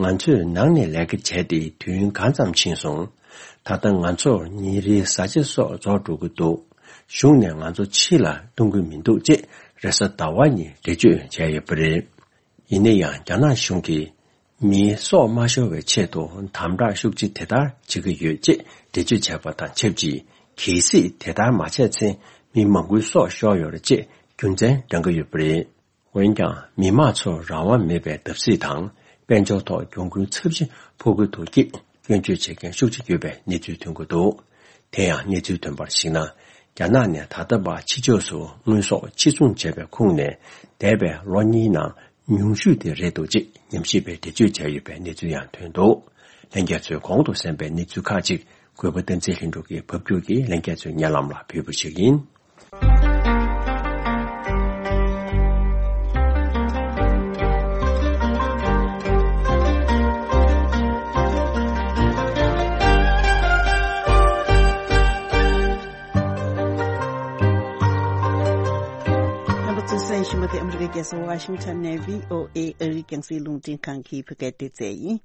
ང་ཚོས་ནང་ནས་ལས་ཀ་བྱས་ཏེ་དུས་ཡུན་གང་ཙམ་ཕྱིན་སོང་། ད་ལྟ་ང་ཚོར་ཉིན་རེའི་བཟའ་བཅའ་སོགས་རྫོགས་འགྲོ་གི་འདུག་གཞུང་ནས་ང་ཚོ་ཕྱི་ལ་གཏོང་གི་མི་འདུག་ཅེས་ རེས་གཟའ་ཟླ་བ་ཉིན་འགྲེལ་བརྗོད་བྱས་ཡོད་པ་རེད། ཡིན་ན་ཡང་རྒྱ་ནག་གཞུང་གིས་མིའི་སྲོག་མ་ཤོར་བའི་ཆེད་དུ་དམ་དྲག་ཤུགས་ཆེ་དེ་ལྟར་བྱེད་ཀྱི་ཡོད་ཅེས་འགྲེལ་བརྗོད་བྱས་པ་དང་ཆབས་ཅིག་གལ་སྲིད་དེ་ལྟར་མ་བྱས་ཚེ་མི་མང་པོའི་སྲོག་ཤོར་ཡོད་རེད་ཅེས་རྒྱུ་མཚན་བགྲང་གི་ཡོད་པ་རེད། འོན་ཀྱང་མི་མང་ཚོར་རང་དབང་མེད་པའི་བརྡབ་གསིག་དང་དཔལ་འབྱོར་ཐོག་གྱོང་གུན་ཚབས་ཆེ་ཕོག་གི་འདུག་ཅེས་སྐྱོན་བརྗོད་བྱེད་མཁན་ཤུགས་ཆེ་ཡོད་པའི་གནས་ཚུལ་ཐོན་གྱི་འདུག་དེ་ཡང་གནས་ཚུལ་ཐོན་པར་གཞིགས་ན། རྒྱ་ནག་ནས་ད་ལྟ་བར་ཕྱི་ཕྱོགས་སུ་དངོས་ཟོག་ཕྱིར་ཚོང་བྱས་པའི་ཁུངས་ནས་འདས་པའི་ལོ་གཉིས་ནང་ཉུང་ཤོས་དེ་རེད་འདུག་ཅེས་ཉམས་ཞིབ་པས་འགྲེལ་བརྗོད་བྱས་ཡོད་པའི་གནས་ཚུལ་ཡང་ཐོན་འདུག་ལྷན་རྒྱས་ཚོས་གོང་དུ་གསན་པའི་གནས་ཚུལ་ཁག་ཅིག་གུས་པ་བསྟན་འཛིན་ལྷུན་གྲུབ་ཀྱིས་ཕབ་སྒྱུར་གྱིས་ལྷན་རྒྱས་ཚོའི་སྙན་ལམ་ལ་ཕུལ་བ་ཞིག་ཡིན། རྣམ་པ་ཚོས་གསན་བཞིན་པ་དེ་ཨ་མི་རི་ཀའི་རྒྱལ་ས་ཝ་ཤིང་ཊོན་ནས་བྷི་ཨོ་ཨེ་ཨ་རིའི་རྒྱང་སྲིང་རླུང་འཕྲིན་ཁང་གི་བོད་སྐད་སྡེ་ཚན་ཡིན།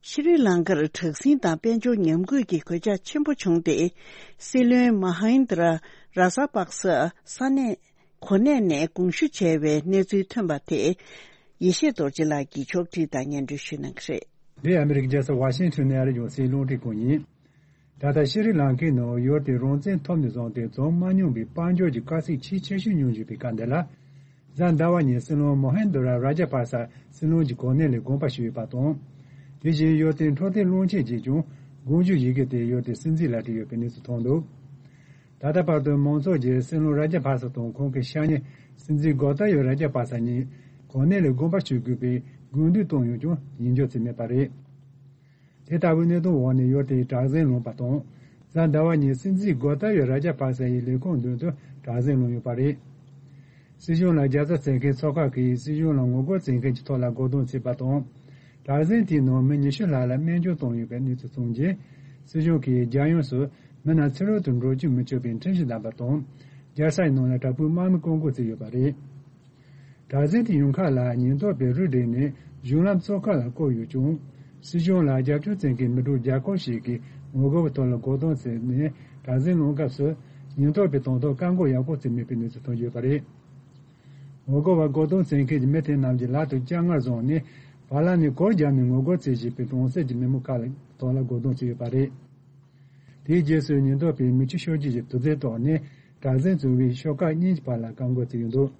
ཤྲི་ལང་ཀར་དྲག་ཟིང་དང་དཔལ་འབྱོར་ཉམས་རྒུད་ཀྱི་གོད་ཆག་ཆེན་པོ་བྱུང་སྟེ། སྲིད་བློན་མ་ཧིན་དྲ་ར་ས་པག་ས་ས་གནས་གོ་གནས་ནས་དགོངས་ཞུ་བྱས་པའི་གནས་ཚུལ་ཐོན་པ་དེ། ཡེ་ཤེས་རྡོ་རྗེ་ལགས་ཀྱིས་ཕྱོགས་བསྒྲིགས་དང་སྙན་སྒྲོན་ཞུ་གནང་གི་རེད། འདི་ཨ་མི་རི་ཀའི་རྒྱལ་ས་ཝ་ཤིང་ཊོན་ནས་ཨ་རིའི་རྒྱང་སྲིང་རླུང་འཕྲིན་ཁང་ཡིན། ད་ལྟ་ཤྲི་ལང་ཀའི་ནང་ཡུལ་དེ་རང་བཙན་ཐོབ་ནས་བཟུང་སྟེ་བྱུང་མ་མྱོང་པའི་དཔལ་འབྱོར་གྱི་དཀའ་ཚེགས་ཆེས་ཆེ་ཤོས་མྱོང་བཞིན་པའི་སྐབས་འདི་ལ། གཟའ་ཟླ་བ་ཉིན་སྲིད་བློན་མོ་ཧན་དོ་ར་ར་ཇ་པ་ས་སྲིད་བློན་གྱི་གོ་གནས་ལས་དགོངས་པ་ཞུས་ཡོད་པ་དང་། དེ་བཞིན་ཡུལ་དེའི་འཕྲོད་བསྟེན་བློན་ཆེན་གྱིས་ཀྱང་དགོངས་ཞུ་ཡི་གེ་དེ་ཡུལ་དེའི་སྲིད་འཛིན་ལ་བྲིས་ཡོད་པའི་གནས་ཚུལ་ཐོན་འདུག་ད་ལྟ་བར་དུ་མང་ཚོགས་ཀྱིས་སྲིད་བློན་ར་ཇ་པ་ས་དང་ཁོང་གི་ཤ་ཉེ་སྲིད་འཛིན་གོ་ཏཱ་ཡོ་ར་ཇ་པ་ས་གཉིས་གོ་གནས་ལས་དགོངས་པ་ཞུ་དགོས་པའི་དགོས་འདུན་བཏོན་ཡོད་ཀྱང་ཡིད་འཇོག་བྱས་མེད་པ་རེད། དེ་ལྟ་བུའི་གནད་དོན་འོག་ནས་ཡུལ་དེའི་དྲག་ཟིང་ལངས་པ་དང་། གཟའ་ཟླ་བ་ཉིན་སྲིད་འཛིན་གོ་ཏཱ་ཡོ་ར་ཇ་པ་ས་ཡི་ལས་ཁུངས་མདུན་དུ་དྲག་ཟིང་ལངས་ཡོད་པ་རེད། སྲིད་གཞུང་ལ་རྒྱབ་རྩ་བྱེད་མཁན་ཚོགས་ཁག་གིས་སྲིད་གཞུང་ལ་ངོ་རྒོལ་བྱེད་མཁན་གྱི་ཐོག་ལ་རྒོལ་རྡུང་བྱས་པ་དང་། དྲག་ཟིང་དེའི་ནང་མི་ཉི་ཤུ་ལྷག་ལ་རྨས་སྐྱོན་བཏང་ཡོད་པའི་གནས་ཚུལ་ཐོན་རྗེས། སྲིད་གཞུང་གིས་རྒྱལ་ཡོངས་སུ་མི་སྣ་ཕྱི་རོལ་དུ་འགྲོ་རྒྱུ་མི་ཆོག་པའི་ཁྲིམས་གཞི་བསྡམས་པ་དང་། རྒྱལ་ས་ཡི་ནང་ལ་དྲག་པོའི་དམག་མི་བཀག་འགོག་བྱས་ཡོད་པ་རེད། དྲག་ཟིང་དེ་ཡོང་ཁག་ལ་ཉེན་རྟོག་པས་རུ་བསྒྲིགས་ནས་གཞུང་ལམ་ཚོ་ཁག་ལ་བསྐོར་ཡོད་ཀྱང་། སྲིད་གཞུང་ལ་རྒྱབ་སྐྱོར་བྱེད་མཁན་མི་གྲངས་བརྒྱ་སྐོར་ཞིག་གིས་ངོ་རྒོལ་བའི་ཐོག་ལ་རྒོལ་རྡུང་བྱས་ནས་དྲག་ཟིང་སློང་སྐབས་སུ། ཉེན་རྟོག་པས་དང་ཐོག་བཀག་འགོག་ཡག་པོ་བྱས་མེད་པའི་གནས་ཚུལ་ཐོན་ཡོད་པ་རེད། ངོ་རྒོལ་བ་རྒོལ་རྡུང་བྱེད་མཁན་གྱི་མི་དེ་རྣམས་ཀྱི་ལག་ཏུ་ལྕགས་ངར་བཟུང་ནས་བར་ལམ་ནས་གུར་བརྒྱབ་ནས་ངོ་རྒོལ་བྱེད་བཞིན་པའི་གྲོང་གསེབ་ཀྱི་མི་མང་ཁག་ལ་ཐོག་ལ་རྒོལ་རྡུང་བྱས་ཡོད་པ་རེད། དེའི་རྗེས་སུ་ཉེན་རྟོག་པས་མི་ཆོས་ཤོག་སྒྲིལ་གྱི་དུག་རྫས་བཏོགས་ནས་དྲག་ཟིང་བྱུང་བའི་ཤོག་ཁག་གཉིས་ཀྱི་བར་ལ་བཀག་འགོག་བྱས་ཡོད་འདུག་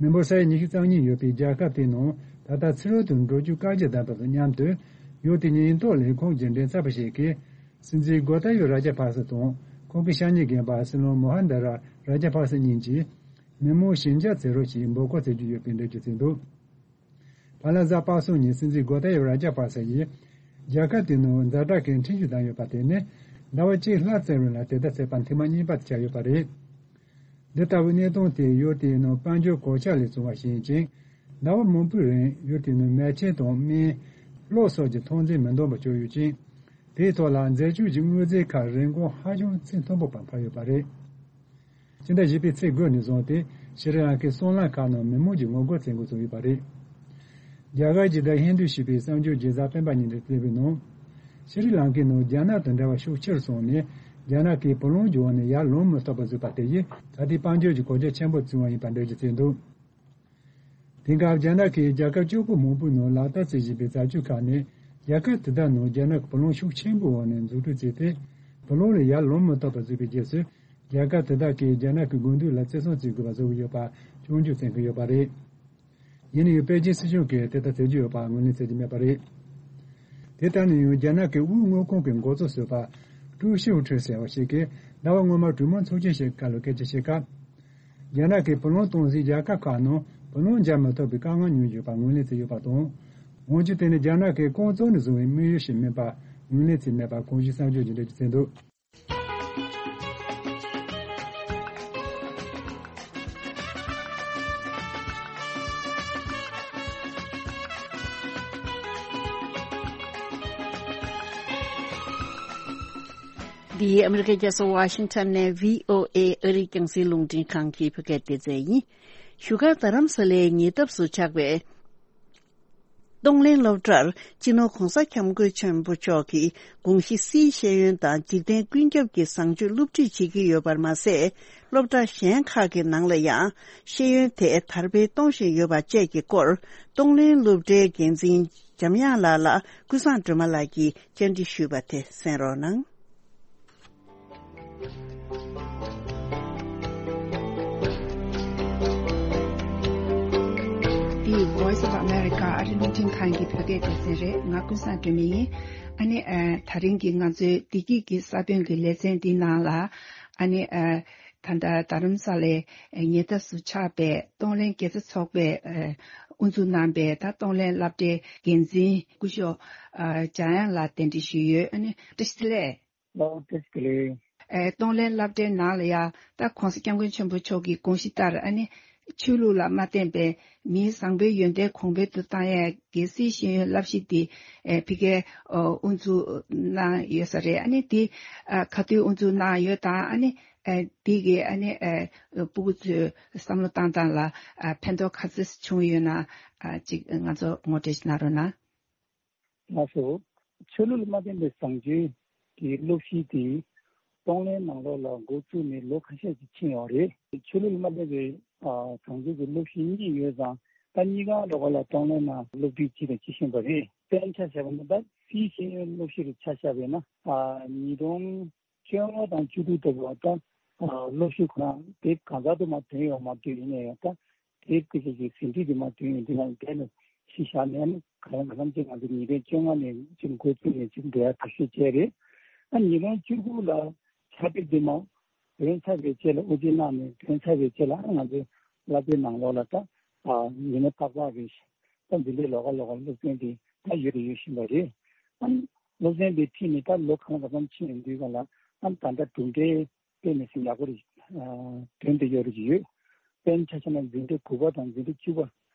མི་འབོར་ས་ཡ་ཉི་ཤུ་རྩ་གཉིས་ཡོད་པའི་རྒྱལ་ཁབ་དེའི་ནང་ད་ལྟ་ཕྱི་རོལ་དུ་འགྲོ་རྒྱུ་བཀག་རྒྱ་བསྡད་པ་དང་མཉམ་དུ། ཡུལ་དེའི་ཉེན་རྟོག་ལས་ཁུངས་ཀྱི་མགྲིན་ཚབ་པ་ཞིག་གིས། སྲིད་འཛིན་གོ་ཏཱ་ཡོ་ར་ཇ་པག་ས་དང་ཁོང་གི་ཤ་ཉེ་རྒན་པ་སྲིད་བློན་མོ་ཧན་དར་ར་ཇ་པག་ས་གཉིས་ཀྱིས། མི་མང་ཞི་འཇགས་བྱེད་རོགས་ཞེས་འབོད་སྐུལ་བྱེད་ཀྱི་ཡོད་པའི་འགྲེལ་བརྗོད་བྱས་འདུག་བར་ལ་གཟའ་པ་སངས་ཉིན་སྲིད་འཛིན་གོ་ཏཱ་ཡོ་ར་ཇ་པག་ས་ཡིས། རྒྱལ་ཁབ་དེའི་ནང་ཛ་དྲག་གི་ཁྲིམས་གཞི་བསྡམས་ཡོད་པ་དེ་ནི། ཟླ་བ་གཅིག་ལྷག་ཙམ་རིང་ལ་དེ་ལྟར་བྱས་པ་ཐེངས་མ་གཉིས་པ་དེ་ཆགས་ཡོད་པ་རེད། འདི་ལྟ་བུའི་གནས་སྟངས་དེ་ཡུལ་དེའི་ནང་དཔལ་འབྱོར་གོད་ཆག་ལས་བྱུང་བ་ཞིག་ཡིན་ཅིང་། ཟླ་བ་མང་པོའི་རིང་ཡུལ་དེའི་ནང་མལ་ཆས་དང་སྨན། གློག་སོགས་ཀྱི་ཐོན་རྫས་མི་འདང་བ་བྱུང་ཡོད་ཅིང་། དེའི་ཐོག་ལ་འཛད་སྤྱོད་ཀྱི་དངོས་རྫས་ཁག་རིན་གོང་ཧ་ཅང་ཚད་མཐོན་པོ་བར་འཕར་ཡོད་པ་རེད། ཕྱི་ཟླ་བཞི་པའི་ཚེས་དགུ་ནས་བཟུང་སྟེ་ཤྲི་ལང་ཀའི་སྲང་ལམ་ཁག་ནང་མི་མང་གིས་ངོ་རྒོལ་བྱེད་འགོ་བཙུགས་ཡོད་པ་རེད། རྒྱ་གར་གྱི་The Hindu ཞེས་པའི་གསར་འགྱུར་གྱི་གཟའ་སྤེན་པ་ཉིན་དུ་གསལ་བའི་ནང་། ཤྲི་ལང་ཀའི་ནང་རྒྱ་ནག་དང་འབྲེལ་བ་ཤུགས་ཆེར་སོང་ནས། རྒྱ་ནག་གིས་བུ་ལོན་གྱི་འོག་ནས་ཡར་ལོངས་མི་ཐུབ་པ་བཟོས་པ་དེ་ཡིས་ད་ལྟའི་དཔལ་འབྱོར་གྱི་གོད་ཆག་ཆེན་པོ་བྱུང་བ་ཡིན་པ་འགྲེལ་བརྗོད་བྱས་འདུག་དེང་སྐབས་རྒྱ་ནག་གིས་རྒྱལ་ཁབ་བཅུ་དགུ་མང་པོའི་ནང་ལག་བསྟར་བྱེད་བཞིན་པའི་བྱ་སྤྱོད་ཁག་ནི། རྒྱལ་ཁབ་དེ་དག་ནང་རྒྱ་ནག་གི་བུ་ལོན་ཤུགས་ཆེན་པོའི་འོག་ནས་འཛུགས་སྐྲུན་བྱས་ཏེ། བུ་ལོན་ལས་ཡར་ལོངས་མི་ཐུབ་པ་བཟོས་པའི་རྗེས་སུ། རྒྱལ་ཁབ་དེ་དག་གིས་རྒྱ་ནག་གི་དགོས་འདུན་ལ་བརྩི་སྲུང་བྱེད་དགོས་པ་བཟོ་གི་ཡོད་པ་སྐྱོན་བརྗོད་བྱེད་ཀྱི་ཡོད་པ་རེད། ཡིན་ན་ཡང་པེ་ཅིན་སྲིད་གཞུང་གིས་དེ་ལྟར་བྱེད་ཀྱི་ཡོད་པ་ངོས་ལེན་བྱེད་ཀྱི་མེད་པ་རེད། དེ་ལྟར་ན་ཡང་རྒྱ་ནག་གི་དབུས་དངུལ་ཁང་གི་འགོ་གཙོ་ཟུར་པ་ཀྲུའུ་ཞིའུ་ཁྲི་ཟེར་བ་ཞིག་གིས་ཟླ་བ་སྔོན་མ་གྲོས་མོལ་ཚོགས་ཆེན་ཞིག་སྐབས་ལ་སྐད་ཆ་བཤད་སྐབས། རྒྱ་ནག་གིས་བུ་ལོན་གཏོང་སའི་རྒྱལ་ཁབ་ཁག་ནང་བུ་ལོན་འཇལ་མི་ཐུབ་པའི་དཀའ་ངལ་མྱོང་བཞིན་པ་ངོས་ལེན་བྱས་ཡོད་པ་དང་། འོན་ཀྱང་དེ་ནི་རྒྱ་ནག་གིས་རྐང་བཙུགས་ནས་བཟུང་བའི་དམིགས་ཡུལ་ཞིག་མིན་པ་ངོས་ལེན་བྱས་མེད་པ་གོང་ཞུས་གསར་འགྱུར་གྱིས་འགྲེལ་བརྗོད་བྱས་འདུག་འདི་ཨ་མི་རི་ཀའི་རྒྱལ་ས་ཝ་ཤིང་ཊོན་ནས་བྷི་ཨོ་ཨེ་ཨ་རིའི་རྒྱང་སྲིང་རླུང་འཕྲིན་ཁང་གི་བོད་སྐད་སྡེ་ཚན་ཡིན། བཞུགས་སྒར་རྡ་རམ་ས་ལའི་ཉེ་འདབས་སུ་ཆགས་པའི་ གཏོང་ལེན་སློབ་གྲྭར་སྤྱི་ནོར་༧གོང་ས་༧སྐྱབས་མགོན་ཆེན་པོ་མཆོག་གི་དགོངས་གཞི་སིའི་ཤེས་ཡོན་དང་འཇིག་རྟེན་ཀུན་ཁྱབ་ཀྱི་བཟང་སྤྱོད་སློབ་ཁྲིད་བྱེད་ཀྱི་ཡོད་པར་མ་ཟད། སློབ་གྲྭ་གཞན་ཁག་གི་ནང་ལ་ཡང་ཤེས་ཡོན་དེ་དར་སྤེལ་གཏོང་བཞིན་ཡོད་པ་བཅས་ཀྱི་སྐོར། གཏོང་ལེན་སློབ་གྲྭའི་འགན་འཛིན་འཇམ་དབྱངས་ལགས་ལ་ཀུན་བཟང་སྒྲོལ་མ་ལགས་ཀྱིས་བཅར་འདྲི་ཞུས་པ་དེ་གསན་རོགས་གནང་། འདི་Voice of America ཨ་རི་ལུང་ཆེན་ཁང་གི་བོད་སྐད་སྡེ་ཚན་རེད། ང་ཀུན་བཟང་སྒྲོལ་མ་ཡིན། ཨ་ནི་ཨ་ད་རིང་གི་ང་ཚོའི་བདེ་སྐྱིད་ཀྱི་ས་བོན་གྱི་ལེ་ཚན་འདི་ནང་ལ་ཨ་ནི་ཨ་ད་ལྟ་རྡ་རམ་ས་ལའི་ཉེ་འདབས་སུ་ཆགས་པའི་གཏོང་ལེན་དགེ་རྩ་ཚོགས་པས་ཨ་དབུ་འཛུགས་གནང་པའི་ད་གཏོང་ལེན་སློབ་གྲྭའི་འགན་འཛིན་སྐུ་ཞབས་ཨ་འཇམ་དབྱངས་ལགས་གདན་འདྲེན་ཞུས་ཡོད། ཨ་ནི་བཀྲ་ཤིས་བདེ་ལེགས། ལགས་བཀྲ་ཤིས་བདེ་ལེགས། ཨེ་གཏོང་ལེན་སློབ་གྲྭའི་ནང་ལ་ཡང་ད་༧གོང་ས་༧སྐྱབས་མགོན་ཆེན་པོ་མཆོག་གི་དགོངས་གཞི་ལྟར་ཨ་ནི་ཆོས་ལུགས་ལ་མ་བརྟེན་པའི་མིའི་བཟང་པོའི་ཡོན་ཏན་གོང་འཕེལ་དུ་བཏང་ཡས་ཀྱི་སིའི་ཤེས་ཡོན་བསླབ་གཞི་འདི་ཨེ་ཕ་གིར་ཨོ་དབུ་འཛུགས་གནང་ཡོད་ས་རེད། ཨ་ནི་འདི་ཨ་ག་དུས་དབུ་འཛུགས་གནང་ཡོད་དང་ཨ་ནི་ཨེ་འདི་གི་ཨ་ནི་ཨེ་སྤུ་གུ་ཚོས་བསམ་བློ་བཏང་སྟངས་ལ་ཨ་ཕན་ཐོགས་ག་ཚོད་བྱུང་ཡོད་ན་ཨ་ཅིག་ང་ཚོ་ངོ་སྤྲོད་ཅིག་གནང་རོགས་གནང་། ལགས་སོ། ཆོས་ལུགས་ལ་མ་བརྟེན་པའི་བཟང་སྤྱོད་ཀྱི་སློབ་གཞི་དེ་གཏོང་ལེན་ནང་ལོགས་ལ་འགོ་བཙུགས་ནས་ལོ་ཁ་ཤས་ཤིག་ཕྱིན་ཡོད་རེད། ཆོས་ལུགས་ལ་མ་བརྟེན་པའི་ཨ་བཟང་སྤྱོད་ཀྱི་སློབ་གཞི་གཉིས་ཡོད་ཙང་ད་གཉིས་ཀ་ལོགས་ལ་གཏོང་ལེན་ནང་སློབ་ཁྲིད་བྱས་དང་བྱེད་བཞིན་པ་རེད། དཔེར་ན་ཆ་བཞག་པ་ན་ད་སིའི་ཤེས་ཡོན་སློབ་གཞི་རུ་ཆ་བཞག་པ་ཡིན་ན་ཨ་ཉིས་སྟོང་བཅོ་ལྔ་དང་བཅུ་དྲུག་ལྟ་བུ་ད་ཨ་སློབ་གཞི་ཁོ་རང་དེབ་གང་ག་དུ་མ་ཐོན་ཡོད་མ་ཐོན་ཡིན་ནའི་ཡང་ད། དེབ་ཀྱི་ཅིག་གི་ཟིན་བྲིས་དེ་མ་ཐོན་ཡོང་དུས་ང་འདས་ནས་ཤི་བཞག་ནས་ནི་ག་ལ་ག་ལམ་ཅིག་ང་ཚོ་ཉིས་སྟོང་བཅོ་ལྔ་ནས་ཅིག་འགོ་བཙུགས་ནས་ཅིག་འབྲེལ་བ་བར་ཤོད་བྱས་རེད། ཨ་ཉིས་སྟོང་བཅུ་དགུ་ལ་ཕྱག་དེབ་དེ་མ་འདོན་ཚར་བའི་རྗེས་ལ་དབུ་འབྱེད་གནང་ནས་འདོན་ཚར་བའི་རྗེས་ལ་ཨ་ང་ཚོའི་བསླབ་པའི་ནང་ལོགས་ལ་ད་ཨ་ཉི་མ་རྟག་པར་རེད། ད་འདི་འདྲའི་ལོགས་ཀ་ལོགས་ཀ་སློབ་ཚན་དེ་ད་ཡོད་དང་ཡོད་བཞིན་པ་རེད། ཨ་སློབ་ཚན་དེ་ཁྲིད་ནས་ད་ལོ་གང་ལ་གང་འཚམ་ཕྱིན་ཡོང་དུས་ག་ལ་ཨ་ད་ལྟ་གྲུབ་འབྲས། དཔེ་མི་སྲིད་ཡག་པོ་རེད། དོན་དུ་ཡོད་རེད་ཡོད། དཔེར་ན་ཆ་བཞག་ན་འཛིན་གྲྭ་དགུ་པ་དང་འཛིན་གྲྭ་བཅུ་པ་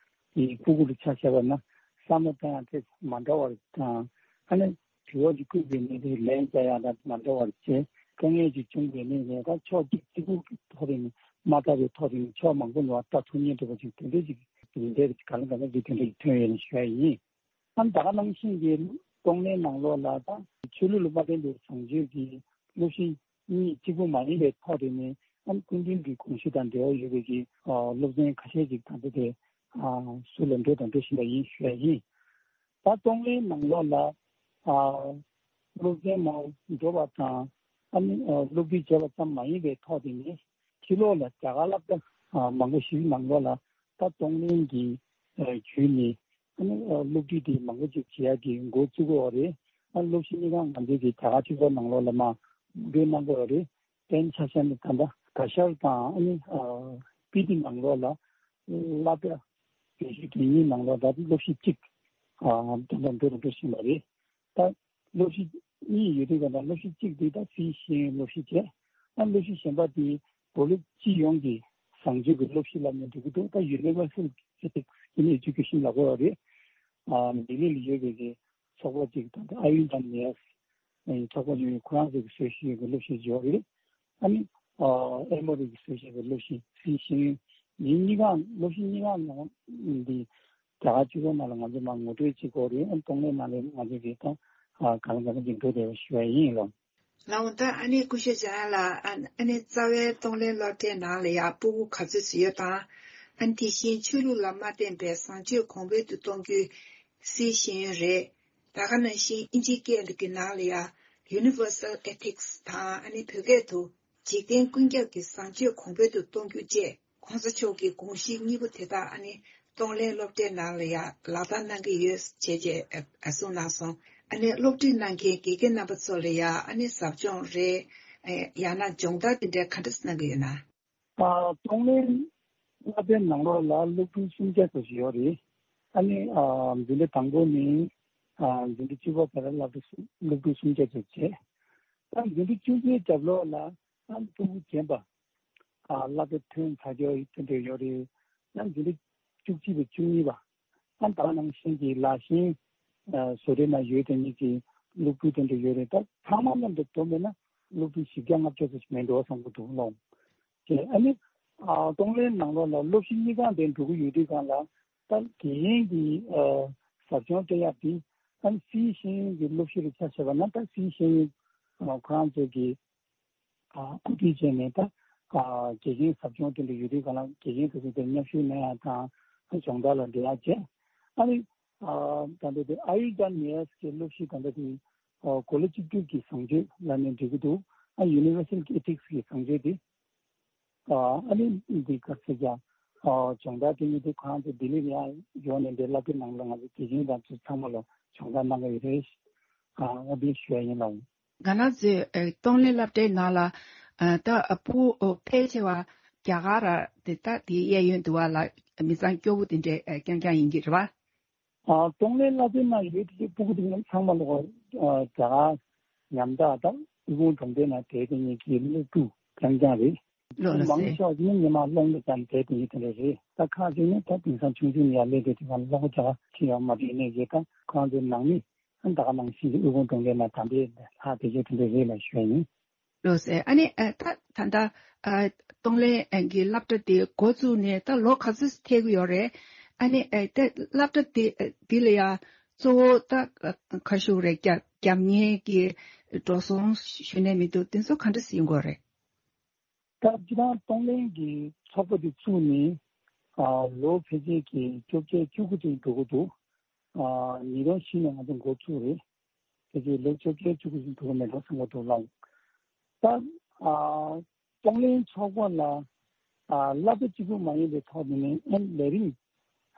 ཡི་ཕྲུ་གུ་ལ་ཆ་བཞག་པ་ན་བསམ་བློ་གཏོང་ཡག་དེ་མ་འདྲ་བ་རེད་དང་། ཨ་ནི་དྲི་བ་ཅིག་བཀོད་པའི་ནི་དེ་ལན་རྒྱག་ཡག་དང་མ་འདྲ་བ་རེད་བྱས། དཀའ་ངལ་ཅིག་བྱུང་བའི་ནི་ངས་ད་ཕྱོགས་གཅིག་གཅིག་པུ་གི་ཐོག་ནས་མ་བལྟ་བའི་ཐོག་ནས་ཕྱོགས་མང་པོ་ནས་བལྟ་ཐུབ་མཁན་འདྲ་བ་ཅིག་དེ་འདྲ་ཅིག་འདི་འདྲའི་ག་ལ་ག་ལ་གི་དེ་འདྲ་ཅིག་ཐོན་ཡོད་ནས་ཞུ་ཡ་ཡིན། ཨ་ནི་ད་ག་ནང་བཞིན་གྱི་གཏོང་ལེན་ནང་ལོགས་ལ་དང་ཆོས་ལུགས་ལ་མ་བརྟེན་པའི་བཟང་སྤྱོད་ཀྱི་སློབ་གཞི་གཉིས་གཅིག་པུ་མ་ཡིན་པའི་ཐོག་དེ་ནས་ཨ་ནི་སྐུ་མདུན་གྱི་དགོངས་གཞི་དང་འབྲེལ་བ་ཡོད་པའི་གི་སློབ་ཚན་ཁ་ཤས་ཅིག་ད་ལྟ་དེ་ཟུར་ལ་འགྲོ་དང་འགྲོ་བཞིན་པ་ཡིན་ཞུ་ཡ་ཡིན། ད་གཏོང་ལེན་ནང་ལོགས་ལ་སློབ་ཚན་མང་འགྲོ་བ་དང་ཨ་ནི་སློབ་ཁྲིད་བྱས་པ་ཙམ་མ་ཡིན་པའི་ཐོག་དེ་ནས་ཕྱི་ལོགས་ལ་རྒྱ་གར་སློབ་གྲྭ་མང་པོ་ཞིག་ནང་ལོགས་ལ་ད་གཏོང་ལེན་གྱི་བརྒྱུད་ནས། ཨ་ནི་སློབ་ཁྲིད་དེ་མང་པོ་ཅིག་བྱེད་ཡག་གི་འགོ་བཙུགས་ཡོད་རེད། ཨ་སློབ་གཞི་གཉིས་ཀ་ང་ཚོའི་གི་རྒྱ་གར་སྤྱི་ཚོགས་ནང་ལོགས་ལ་མ་འགྲོ་གནང་གི་ཡོད་རེད། དཔེར་ན་ཆ་བཞག་ན་ད་ལྟ་ག་ཤར་དང་ཨ་ནི་སྤི་ཏི་ནང་ལོགས་ལ་སློབ་གྲྭ་བེད་སྤྱོད་དེ་གཉིས་ནང་ལོགས་ད་སློབ་གཞི་གཅིག་ད་ལྟ་འགྲོ་རུ་འགྲོ་བཞིན་པ་རེད། ད་སློབ་གཞི་གཉིས་ཡོད་དུས་ཀ་ད་སློབ་གཞི་གཅིག་དེ་ད་སིའི་ཤེས་ཡོན་སློབ་གཞི་བྱས། ཨ་སློབ་གཞི་གཞན་པ་དེ་བོད་ལུགས་སྤྱི་ཡོངས་ཀྱི་བཟང་སྤྱོད་ཀྱི་སློབ་གཞི་ལབ་ནས་འགྲོ་གི་འདུག་ད་Universal Ethics in Education ལབ་དགོས་རེད། ཨ་ལྡི་ལི་ལ་ཡོད་པའི་གི་ཚོགས་པ་ཅིག་དང་ཨ་ཡུལ་དང་ནེ་ཨེ་ཚོགས་པ་ཅིག་ཁོ་རང་ཚོའི་གི་བཟོ་བཞིན་ཡོད་པའི་སློབ་གཞི་ཅིག་ཡོད་རེད། ཨ་ནི་ཨ་ཨེ་མོ་རི་གི་བཟོ་བཞིན་པའི་སློབ་གཞི་སིའི་ཤེས་ཡོན་མི་གཉིས་ཀ་སློབ་གཞི་གཉིས་ཀ་ནང་འདི་རྒྱ་གར་སྤྱི་ཚོགས་ནང་ལ་ང་ཚོས་མར་ངོ་སྤྲོད་བྱེད་དགོས་རེད། ཨ་གཏོང་ལེན་ནང་ལ་ང་ཚོས་ཀྱི་ད་གང་ལ་གང་འཚམ་ཅིག་འགྲོ་བསྡད་པ་ཞུ་བ་ཡིན་ལགས། ལགས་འོང་ད་ཨ་ནི་སྐུ་ཞབས་འཇམ་དབྱངས་ལགས། ཨ་ནི་རྩ་བའི་གཏོང་ལེན་སློབ་གྲྭའི་ནང་ལ་ཡང་ཕྲུ་གུ་ག་ཚོད་ཙམ་ཡོད་དང་། ཨ་ནི་དེ་བཞིན་ཆོས་ལུགས་ལ་མ་བརྟེན་པའི་བཟང་སྤྱོད་གོང་འཕེལ་དུ་གཏོང་རྒྱུའི་སིའི་ཤེས་ཡོན་རེད། ད་ག་ནང་བཞིན་ཨིན་ཇིའི་སྐད་ཀྱི་ནང་ལ་ཡང་Universal Ethics དང་ཨ་ནི་བོད་སྐད་དུ་འཇིག་རྟེན་ཀུན་ཁྱབ་ཀྱི་བཟང་སྤྱོད་གོང་འཕེལ་དུ་གཏོང་རྒྱུ་བཅས་༧གོང་ས་མཆོག་གི་དགོངས་གཞི་གཉིས་པོ་དེ་དག་ཨ་ནི་གཏོང་ལེན་སློབ་གྲྭའི་ནང་ལ་ཡང་ལག་བསྟར་གནང་གི་ཡོད་ཅེས་ཅེས་གསུངས་གནང་སོང་། ཨ་ནི་སློབ་ཁྲིད་གནང་མཁན་དགེ་རྒན་རྣམ་པ་ཚོ་ལ་ཡང་ཨ་ནི་ཟབ་སྦྱོང་རེད། ཡང་ན་སྦྱོང་བརྡར་དེ་འདྲ་ག་འདྲ་གནང་གི་ཡོད་ན། ཨ་གཏོང་ལེན་སློབ་གྲྭའི་ནང་ལོགས་ལ་སློབ་ཕྲུག་སུམ་བརྒྱ་ཙམ་ཞིག་ཡོད་རེད། ཨ་ནི་ཨ་འཛིན་གྲྭ་དང་པོ་ནས་ཨ་འཛིན་གྲྭ་བཅུ་པ་བར་ལ་སློབ་ཕྲུག་སུམ་བརྒྱ་ཙམ་བྱས། ཨ་འཛིན་གྲྭ་བཅུ་པའི་རྒྱབ་ལོགས་ལ་ཨ་ཕྲུ་གུ་རྒན་པ་ཨ་སློབ་གྲྭ་ཐོན་ཚར་རྒྱུ་དེ་འདྲ་ཡོད་རེད། ཨ་འཛིན་གྲྭ་བཅུ་གཅིག་པ་བཅུ་གཉིས་པ་ཨ་ད་ནང་བཞིན་གྱི་ལག་ཤེས་ཨ་བཟོ་གྲྭའི་ནང་ཡོད་དེ་ཉིད་ཀྱི་སློབ་ཕྲུག་དེ་འདྲ་ཡོད་རེད། ད་ཚང་མ་མཉམ་དུ་བསྡོམས་པས་ན་སློབ་ཕྲུག་བཞི་བརྒྱ་ལྔ་བརྒྱ་ཙམ་ཞིག་མེད་འགྲོ་བསམ་གྱི་འདུག་ལགས། ཨ་ནི་ཨ་གཏོང་ལེན་ནང་ལོགས་ལ་སློབ་གཞི་གཉིས་ཀ་དེ་འགྲོ་གི་ཡོད་དུས་སྒང་ལ་ད་དེ་ཡིན་གྱི་ཨ་ ཟབ་སྦྱོང་སྤྲད་ཡག་དེ་ཨ་ནི་སིའི་ཤེས་ཡོན་གྱི་སློབ་གཞི་རུ་ཆ་བཞག་པ་ན། ད་སིའི་ཤེས་ཡོན་ཁོ་རང་ཚོ་གི་ཨ་གོ་སྒྲིག་བྱས་ནས། ད་ཨ་དགེ་རྒན་ཟབ་སྦྱོང་དེ་འདྲ་ཡོད་དུས་ག་ལ། དགེ་རྒན་ཚོ་ཚོ་དེར་མཉམ་ཞུགས་གནང་ཡག་དང་སྦྱོང་བརྡར་ལ་འབྲེལ་ཡག་བྱས། ཨ་ནི་ཨ་ད་ལྟ་དེ་ཨ་ཡུར་ཝེ་ཌ་ནེ་ཡར་སི་གི་སློབ་གཞི་ད་ལྟ་དེ་ཨ་གོ་ལ་གཅིག་གྱུར་གྱི་བཟང་སྤྱོད་ལབ་ནས་འགྲིག་གི་འདུག་ཨ་ཡུ་ནི་ཝར་སལ་ཨེ་ཐིག་སི་གི་བཟང་སྤྱོད་དེ། ཨ་ཨ་ནི་འདི་ག་ཚོད་ཀྱང་ཨ་སྦྱོང་བརྡར་དེ་ཉིད་དུ་ཁོ་རང་ཚོ་ལྡི་ལི་ལ་ཡང་ཡོང་ནས་འདི་སློབ་གྲྭའི་ནང་ལ་ང་ཚོ་དགེ་རྒན་དང་ཚོ་ཚང་མ་ལ་སྦྱོང་བརྡར་གནང་གི་ཡོད་རེད། ཨ་ཨ་འདི་ཞུ་ཡ་ཡིན་ལགས། ང་རང་ཚོའི་ཨ་གཏོང་ལེན་སློབ་གྲྭའི་ནང་ལ་ཨ་ད་ཨ་ཕྲུ་གུ་ཕལ་ཆེ་བ་རྒྱ་གར་ར་དེ་ད་དེའི་གཡས་གཡོན་དུ་བ་ལ་མི་ཚང་སྐྱོ་བོ་དེ་འདྲའི་ཨ་རྐྱང་རྐྱང་ཡིན་གྱི་རེད་བ། ཨ་གཏོང་ལེན་བསླབ་ཚན་ནང་ཡོད་དེ་ཕྲུ་གུ་དེ་ཚང་མ་ལོག་ཨ་རྒྱ་གར་ཉམ་ཐག་དང་དབུལ་ཕོངས་གྲོང་རྡལ་ནང་བསྡད་དེ་ཉིད་ཀྱི་སློབ་ཕྲུག་རྐྱང་རྐྱང་རེད། ལོ་ལ་མང་ཟེར་ཆེ་བ་ནི་ཉི་མ་སློབ་གྲྭ་ཙམ་བསྡད་དེ་ཉིད་དེ་འདྲ་རེད། ད་ཁག་ཅིག་ནི་ད་དེང་སང་ཆུང་ཆུང་ནས་ཡར་སླེབས་དེ་དེ་ག་སློབ་གྲྭ་ཁྲིད་ཡག་མ་བྱས་ནས་ཀྱི་ད་ཁོང་ཚོའི་ནང་མི་ད་ག་ནང་བཞིན་གྱི་དབུལ་ཕོངས་གྲོང་རྡལ་ནང་ད་འདྲའི་ལྷག་བསྡད་ཀྱི་དེ་འདྲ་རེད་ལ་ཞུ་ཡ་ཡིན། ལགས་སེ། ཨ་ནི་ཨ་ད་ད་ལྟ་ཨ་གཏོང་ལེན་ཨ་གྱི་སློབ་གྲྭ་དེ་འགོ་བཙུགས་ནས་ད་ལོ་ག་ཚོད་ཐལ་གྱི་ཡོད་རེད། ཨ་ནི་ཨ་ད་སློབ་གྲྭ་དེ་འདི་ལ་ཡ་གཙོ་བོ་ད་ཨ་ག་ཞུ་རེད། རྒྱབ་རྒྱབ་གཉེར་གྱི་འགྲོ་སོང་ཞུ་ནས་མི་འདུག་དེ་ཚོ་ག་འདྲ་ཞིག་ཡིན་དགོས་རེད། ད་སྤྱིར་བཏང་གཏོང་ལེན་གྱི་ཚོགས་པ་དེ་བཙུགས་ནས་ཨ་ལོ་ཕལ་ཆེར་གྱི་བཅོ་བརྒྱད་བཅུ་དགུ་ཅིག་འགྲོ་གི་འདུག་ཨ་ཉིས་སྟོང་བཞི་ནས་ང་ཚོ་འགོ་བཙུགས་རེད། དེ་རྗེས་ལོ་བཅོ་བརྒྱད་བཅུ་དགུ་ཞིག་འགྲོ་གི་མེད་འགྲོ་བསམ་གྱི་འདུག་ལགས། ད་ཨ་གཏོང་ལེན་ཚོགས་པ་ལ་ཨ་སློབ་གྲྭ་གཅིག་པུ་མ་ཡིན་པའི་ཐོག་ནས་ནས་ཨ་ལས་རིམ་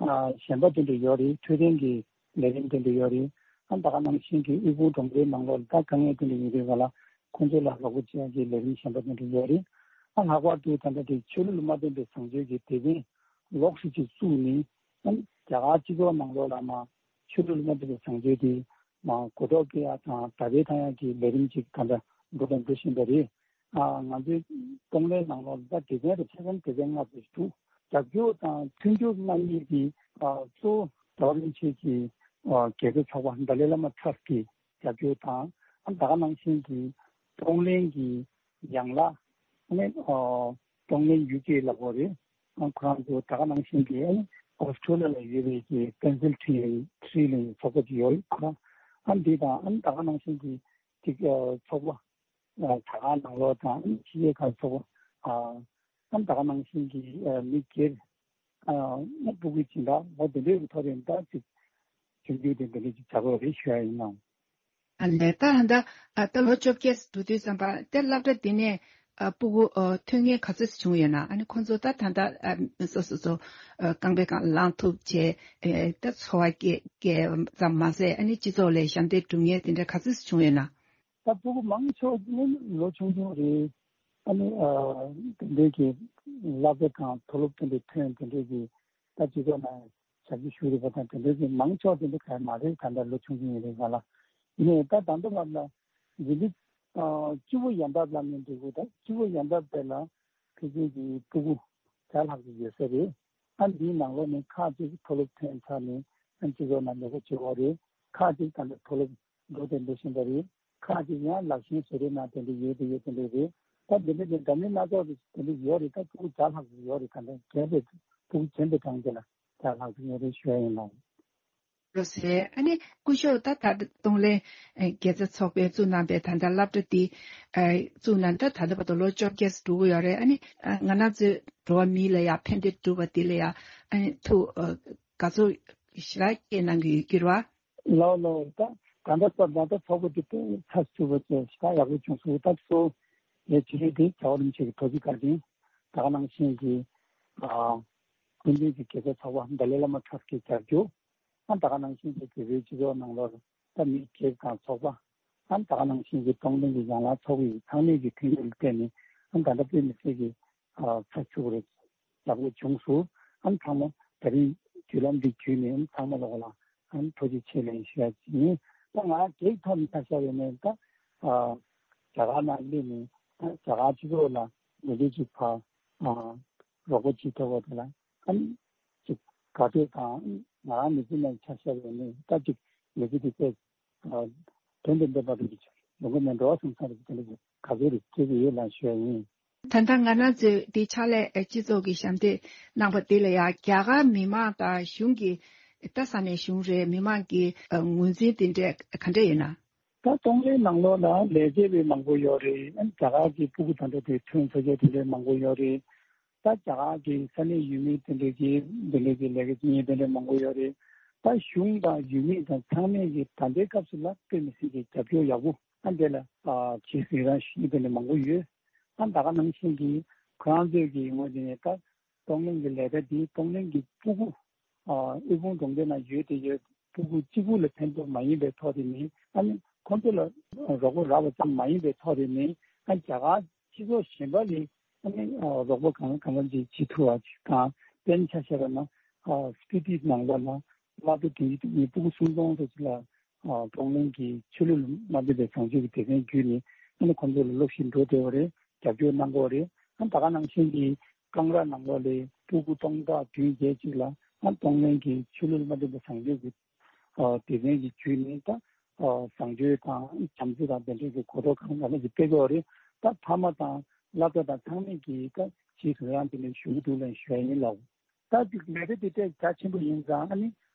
ཨ་གཞན་པ་དེ་འདྲ་ཡོད་རེད། འཕྲོད་བསྟེན་གྱི་ལས་རིམ་དེ་འདྲ་ཡོད་རེད། ཨ་ད་ག་ནང་བཞིན་གྱི་དབུལ་ཕོངས་གྲོང་རྡལ་ནང་ལོགས་ལ་ད་དཀའ་ངལ་དེ་འདྲ་ཡོད་དུས་ག་ལ་ཁོང་ཚོ་ལ་རོགས་པ་བྱེད་ཡག་གི་ལས་རིམ་གཞན་པ་དེ་འདྲ་ཡོད་རེད། ཨ་ལྷག་པར་དུ་ད་ལྟ་དེ་ཆོས་ལུགས་ལ་མ་བརྟེན་པའི་བཟང་སྤྱོད་ཀྱི་སྡེ་ཚན་ལོགས་སུ་ཅིག་བཙུགས་ནས་ཨ་རྒྱ་གར་སྤྱི་ཚོགས་ནང་ལོགས་ལ་མ་ཆོས་ལུགས་ལ་མ་བརྟེན་པའི་བཟང་སྤྱོད་དེ་མ་གོ་རྟོགས་སྐྱེ་ཡག་དང་དར་སྤེལ་གཏོང་ཡག་གི་ལས་རིམ་ཅིག་ད་ལྟ་འགྲོ་དང་འགྲོ་བཞིན་པ་རེད། ཨ་ང་ཚོའི་གཏོང་ལེན་ནང་ལོགས་ལ་ད་སྡེ་ཚན་རེ་ཆ་ཚང་སྡེ་ཚན་ལྔ་ཙམ་ཞིག་འདུག་རྒྱབ་སྐྱོར་དང་མཐུན་འགྱུར་གནང་མཁན་གྱི་ཨ་གཙོ་བོ་རྒྱལ་བ་རིན་པོ་ཆེ་གི་ཨ་རྒྱལ་སྲས་ཚོགས་པ་ཏཱ་ལའི་བླ་མ་ཊར་སི་ཊི་གི་རྒྱབ་སྐྱོར་དང་། ཨ་ད་ག་ནང་བཞིན་གྱི་གཏོང་ལེན་གྱི་ཡན་ལག་ཨ་ནི་ཨ་གཏོང་ལེན་ཡུ་ཀེ་ལབ་དགོས་རེད། ཨ་ཁོ་རང་ཚོ་ད་ག་ནང་བཞིན་གྱི་ཨ་ནི་ཨོ་སི་ཁྲུ་ལི་ཡ་ལ་ཡོད་པའི་གི་པེན་སིལ་ཝེ་ནི་ཡའི་ཁྲི་ལ་ཚོགས་པ་ཅིག་ཡོད་རེད། ཁོ་རང་ཨ་འདི་དང་ཨ་ནི་ད་ག་ནང་བཞིན་གྱི་ཅིག་ཨ་ཚོགས་པ་ཨ་ད་ག་ནང་ལོགས་དང་ཕྱི་རྒྱལ་ཁག་ཚོགས་པ་ཨ་ཨ་ནི་ད་ག་ནང་བཞིན་གྱི་ཨ་མི་སྒེར་ཨ་ཨ་ཕྲུ་གུ་སྦྱིན་བདག་འོ་དེ་འདྲའི་ཐོག་ནས་ད་ཅིག་ཞིབ་འཇུག་དེ་འདི་འདྲ་ཅིག་བྱ་དགོས་རེད་ཞུ་ཡ་ཡིན་ནམ། ཨ་ལས། ད་ད་ཨ་ད་ལོ་བཅོ་བརྒྱད་འགྲོ་དུས་ཙམ་པ་དེ་སློབ་གྲྭ་འདི་ནས་ཨ་ཕྲུ་གུ་ཨ་ཐོན་མཁན་ག་ཚོད་ཅིག་བྱུང་ཡོད་ན། ཨ་ནི་ཁོང་ཚོ་ད་ད་ད་ཨ་སོ་སོ་སོ་ཨ་རྐང་པའི་སྒང་ལངས་ཐུབ་བྱས་ཨེ་ད་འཚོ་བ་སྐྱེལ་སྐྱེལ་ཙམ་མ་ཟད་ཨ་ནི་སྤྱི་ཚོགས་ལ་ཞབས་འདེགས་སྒྲུབ་མཁན་དེ་འདྲ་ག་ཚོད་ཅིག་བྱུང་ཡོད་ན། ད་ཕྲུ་གུ་མང་ཆེ་བ་ནི་ལོ་ཆུང་ཆུང་རེད། ཨ་ནི་ཨ་དེ་འདྲའི་གི་སློབ་གྲྭ་དང་མཐོ་སློབ་དེ་འདྲའི་ཐོན་དེ་འདྲའི་གི་ད་སྤྱི་ཚོགས་ནང་ཞབས་ཕྱི་ཞུ་རེད་པ་དང་དེ་འདྲའི་གི་མང་ཆེ་བ་དེ་འདྲ་ག་མ་རེད། ད་ལྟ་ལོ་ཆུང་ཆུང་ཡིན་རེད་ག་ལ། ཡིན་ནའི་ད་ད་ལྟ་བར་ལ་འཛིན་གྲྭ་ཨ་བཅུ་པོ་ཡན་འབབ་ལ་ནི་འགྲིག་གི་ད་བཅུ་པོ་ཡན་འབབ་དེ་ལ་ཕལ་ཆེར་གྱི་ཕྲུ་གུ་བརྒྱ་ལྷག་ཅིག་ཡོད་ས་རེད། ཨ་འདིའི་ནང་ལོགས་ནས་ཁག་ཅིག་མཐོ་སློབ་ཐོན་ཚར་ནས་ཨ་སྤྱི་ཚོགས་ནང་ལས་ཀ་བྱེད་ཀྱི་ཡོད་རེད། ཁག་ཅིག་ད་ལྟ་མཐོ་སློབ་འགྲོ་དེ་འགྲོ་བཞིན་པ་རེད། ཁག་ཅིག་ཡང་ལག་ཤེས་བཟོ་གྲྭའི་ནང་དེ་འདྲ་ཡོད་དེ་ཡོད་དེ་འདྲ་རེད། ད་དེ་འདྲ་དེ་འདྲ་མིན་སྣ་ཚོགས་དེ་འདྲ་ཡོད་རེད། ད་ཕྲུ་གུ་བརྒྱ་ལྷག་ཅིག་ཡོད་རེད། ད་ལྟ་རྒན་པའི་ཕྲུ་གུ་རྒན་པའི་གྲངས་དེ་ལ་བརྒྱ་ལྷག་ཅིག་ཡོད་རེད་ཞུ་ཡ་ཡིན་ལགས། ལགས་སེ། ཨ་ནི་སྐུ་ཞབས་ད་ད་གཏོང་ལེན་ཨེ་དགེ་རྩ་ཚོགས་པས་བཙུགས་གནང་པའི་ད་ལྟ་སློབ་གྲྭ་འདི་ཨེ་བཙུགས་གནང་ད་ད་ལྟ་བར་དུ་ལོ་བཅོ་བརྒྱད་འགྲོ་གི་ཡོད་རེད། ཨ་ནི་ཨ་ང་རང་ཚོའི་འགྲོ་བ་མི་ལ་ཡ་ཕན་བདེ་སྒྲུབ་པ་འདི་ལ་ཡ་ཨ་ནི་ཐུགས་ཨ་དགའ་ཚོར་ཞེ་དྲག་སྐྱེས་གནང་གི་ཡོད་ཀྱི་རེད་བ། ལགས་ལགས། ད་ད་ལྟ་ད་ད་ལྟ་ཚོགས་པ་འདི་དཔེ་ཚགས་ཚུད་པ་བྱས་ཞེ་དྲག་ཡག་པོ་བྱུང་སོང་། ད་གཙོ་བོ་ངས་བྱེད་ཀྱི་འདི་རྒྱལ་བ་རིན་པོ་ཆེ་གི་ཐུགས་རྗེ་བཀའ་དྲིན། ད་ག་ནང་བཞིན་གྱི་ཨ་སྐུ་མདུན་གྱི་དགེ་རྩ་ཚོགས་པ་ཏཱ་ལའི་བླ་མ་ཊར་སི་ཊིའི་རྒྱབ་སྐྱོར། ཨ་ད་ག་ནང་བཞིན་གྱི་བོད་པའི་སྤྱི་ཚོགས་ནང་ལོགས་ད་མི་སྒེར་དང་ཚོགས་པ། ཨ་ད་ག་ནང་བཞིན་གྱི་གཏོང་ལེན་གྱི་ཡན་ལག་ཚོགས་པའི་ཚང་མས་ཀྱི་མཐུན་འགྱུར་ལ་བརྟེན་ནས་ཨ་ད་ལྟ་དཔེ་མི་སྲིད་ཀྱི་ཨ་ཚགས་ཚུད་པ་རེད། ཡག་པོ་བྱུང་སོང་། ཨ་ཚང་མ་ད་རིང་བརྒྱུད་ལམ་འདི་བརྒྱུད་ནས་ཨ་ཚང་མ་ལོག་ལ་ཨ་ཐུགས་རྗེ་ཆེ་ལན་ཞུ་ཡ་ཅིག་ཡིན། ད་ང་རང་སྒེར་ཐོག་ནས་ཆ་བཞག་པ་ཡིན་ན་ད་ཨ་རྒྱ་གར་ནང་སླེབས་ནས་ཨ་རྒྱ་གར་སྤྱི་ཚོགས་ལ་འགྲོ་འདུག་ཅིག་ཕར་ཨ་རོགས་པ་བྱེད་ཐུབ་པ་དེ་ལ་ཨ་ནི་ཅིག་དགའ་སྤྲོ་དང་། ང་རང་མི་ཚེ་ནང་ཆ་བཞག་པ་ཡིན་ན་ད་ཅིག་མི་ཚེ་འདི་དཔེ་དོན་དུ་འདོད་པ་རེད། ཡོང་གི་མེད་འགྲོ་བསམ་ས་རེད། དེ་འདྲ་ག་ཚོད་རེད་སྐྱེ་གི་ཡོད་ལ་ཞུ་ཡ་ཡིན། ད་ལྟ་ང་རང་ཚོའི་འདི་ཕྱག་ལས་སྤྱི་ཚོགས་ཀྱི་ཞབས་འདེགས་གནང་པ་འདི་ལ་ཡང་རྒྱ་གར་མི་མང་དང་གཞུང་གི་ ད་ས་གནས་གཞུང་རེད། མི་མང་གི་ཨ་ངོས་འཛིན་དེ་འདྲས་ག་འདྲས་ཡོད་ན། ད་གཏོང་ལེན་ནང་ལོགས་ལ་ལས་བྱེད་པའི་མང་པོ་ཡོད་རེད། ཨ་ནི་རྒྱ་གར་གྱི་སྤུ་གུ་དང་འདྲ་དེ་ཐོན་ས་ཆ་དེ་འདྲས་མང་པོ་ཡོད་རེད། ད་རྒྱ་གར་གྱི་ས་གནས་ཡུལ་མི་དེ་འདྲས་ཀྱི་དེ་འདྲས་ཀྱི་ལས་ཀ་བྱེད་མཁན་དེ་འདྲས་མང་པོ་ཡོད་རེད། ད་གཞུང་དང་ཡུལ་མི་དང་ཚང་མས་ཀྱི་ད་ལྟའི་སྐབས་སུ་ལ་དཔེ་མི་སྲིད་ཀྱི་རྒྱབ་སྐྱོར་ཡག་པོ་ཨ་འདྲས་ལ་ཨ་བྱེད་ཟིན་རང་ཞུ་མཁན་དེ་འདྲས་མང་པོ་ཡོད། ཨ་ད་ག་ནང་བཞིན་གྱི་ཁོ་རང་ཚོས་ཀྱི་ངོས་འཛིན་ནས་ད། གཏོང་ལེན་གྱི་ལས་ཀ་འདི་གཏོང་ལེན་གྱི་སྤུ་གུ། ཨ་དབུལ་ཕོངས་གྲོང་ཁྱེར་ནང་ཡོད་དེ་ཡོད། སྤུ་གུ་གཅིག་པུ་ལ་ཕན་ཐོགས་མ་ཡིན་པའི་ཐོག་དེ་ནི། ཨ་ནི་ཁོང་ཚོ་ལ་རོགས་པ་རག་པ་ཙམ་མ་ཡིན་པའི་ཐོག་དེ་ནི། ཨ་རྒྱ་གར་སྤྱི་ཚོགས་གཞན་པ་ལས་ཨ་ནི་རོགས་པ་གང་གང་འཚམ་ཅིག་བྱེད་ཐུབ་པ་ཅིག་དང་། དཔེར་ན་ཆ་བཞག་པ་ན། ཨ་སྤི་ཏི་ནང་ལོགས་ན་དམར་པོ་དེ་ཡིན་སྤུ་གུ་སུམ་སྟོང་ཙམ་ཅིག་ལ། ཨ་གཏོང་ལེན་གྱི་ཆོས་ལུགས་མ་མཐུན་པའི་བཟང་སྤྱོད་ཀྱི་སྡེ་ཚན་བརྒྱུད་ནས་ཨ་ནི་ཁོང་ཚོ་ལ་སློབ་གཞི་འགྲོ་བདེ་བ་རེད། རྒྱབ་སྐྱོར་གནང་དགོས་རེད། ཨ་ད་ག་ནང་བཞིན་གྱི་ཀང་ར་ནང་ལོགས་ལ་སྤུ་གུ་སྟོང་ཕྲག་བདུན་བརྒྱད་ཅིག་ལ་ཨ་གཏོང་ལེན་གྱི་ཆོས་ལུགས་མ་མཐུན་པའི་བཟང་སྤྱོད་ཀྱི་ཨ་སྡེ་ཚན་གྱི་བརྒྱུད་ནས་ད་ཨ་བཟང་སྤྱོད་དང་བྱམས་བརྩེ་དང་དེ་འདྲའི་གི་གོ་རྟོགས་གང་ག་ལ་ཅིག་སྤེལ་དགོས་རེད། ད་ཕ་མ་དང་བླ་གྲྭ་དང་ཚང་མས་ཀྱིས་ད་ཇི་ཐུབ་ཡང་དེ་ལ་ཞུ་གི་འདུག་ལབ་ཞུ་ཡ་ཡིན་ལགས། ད་ལས་ཀ་དེ་ཏོག་ཙམ་རྒྱ་ཆེན་པོ་ཡིན་ཙང་ཨ་ནི།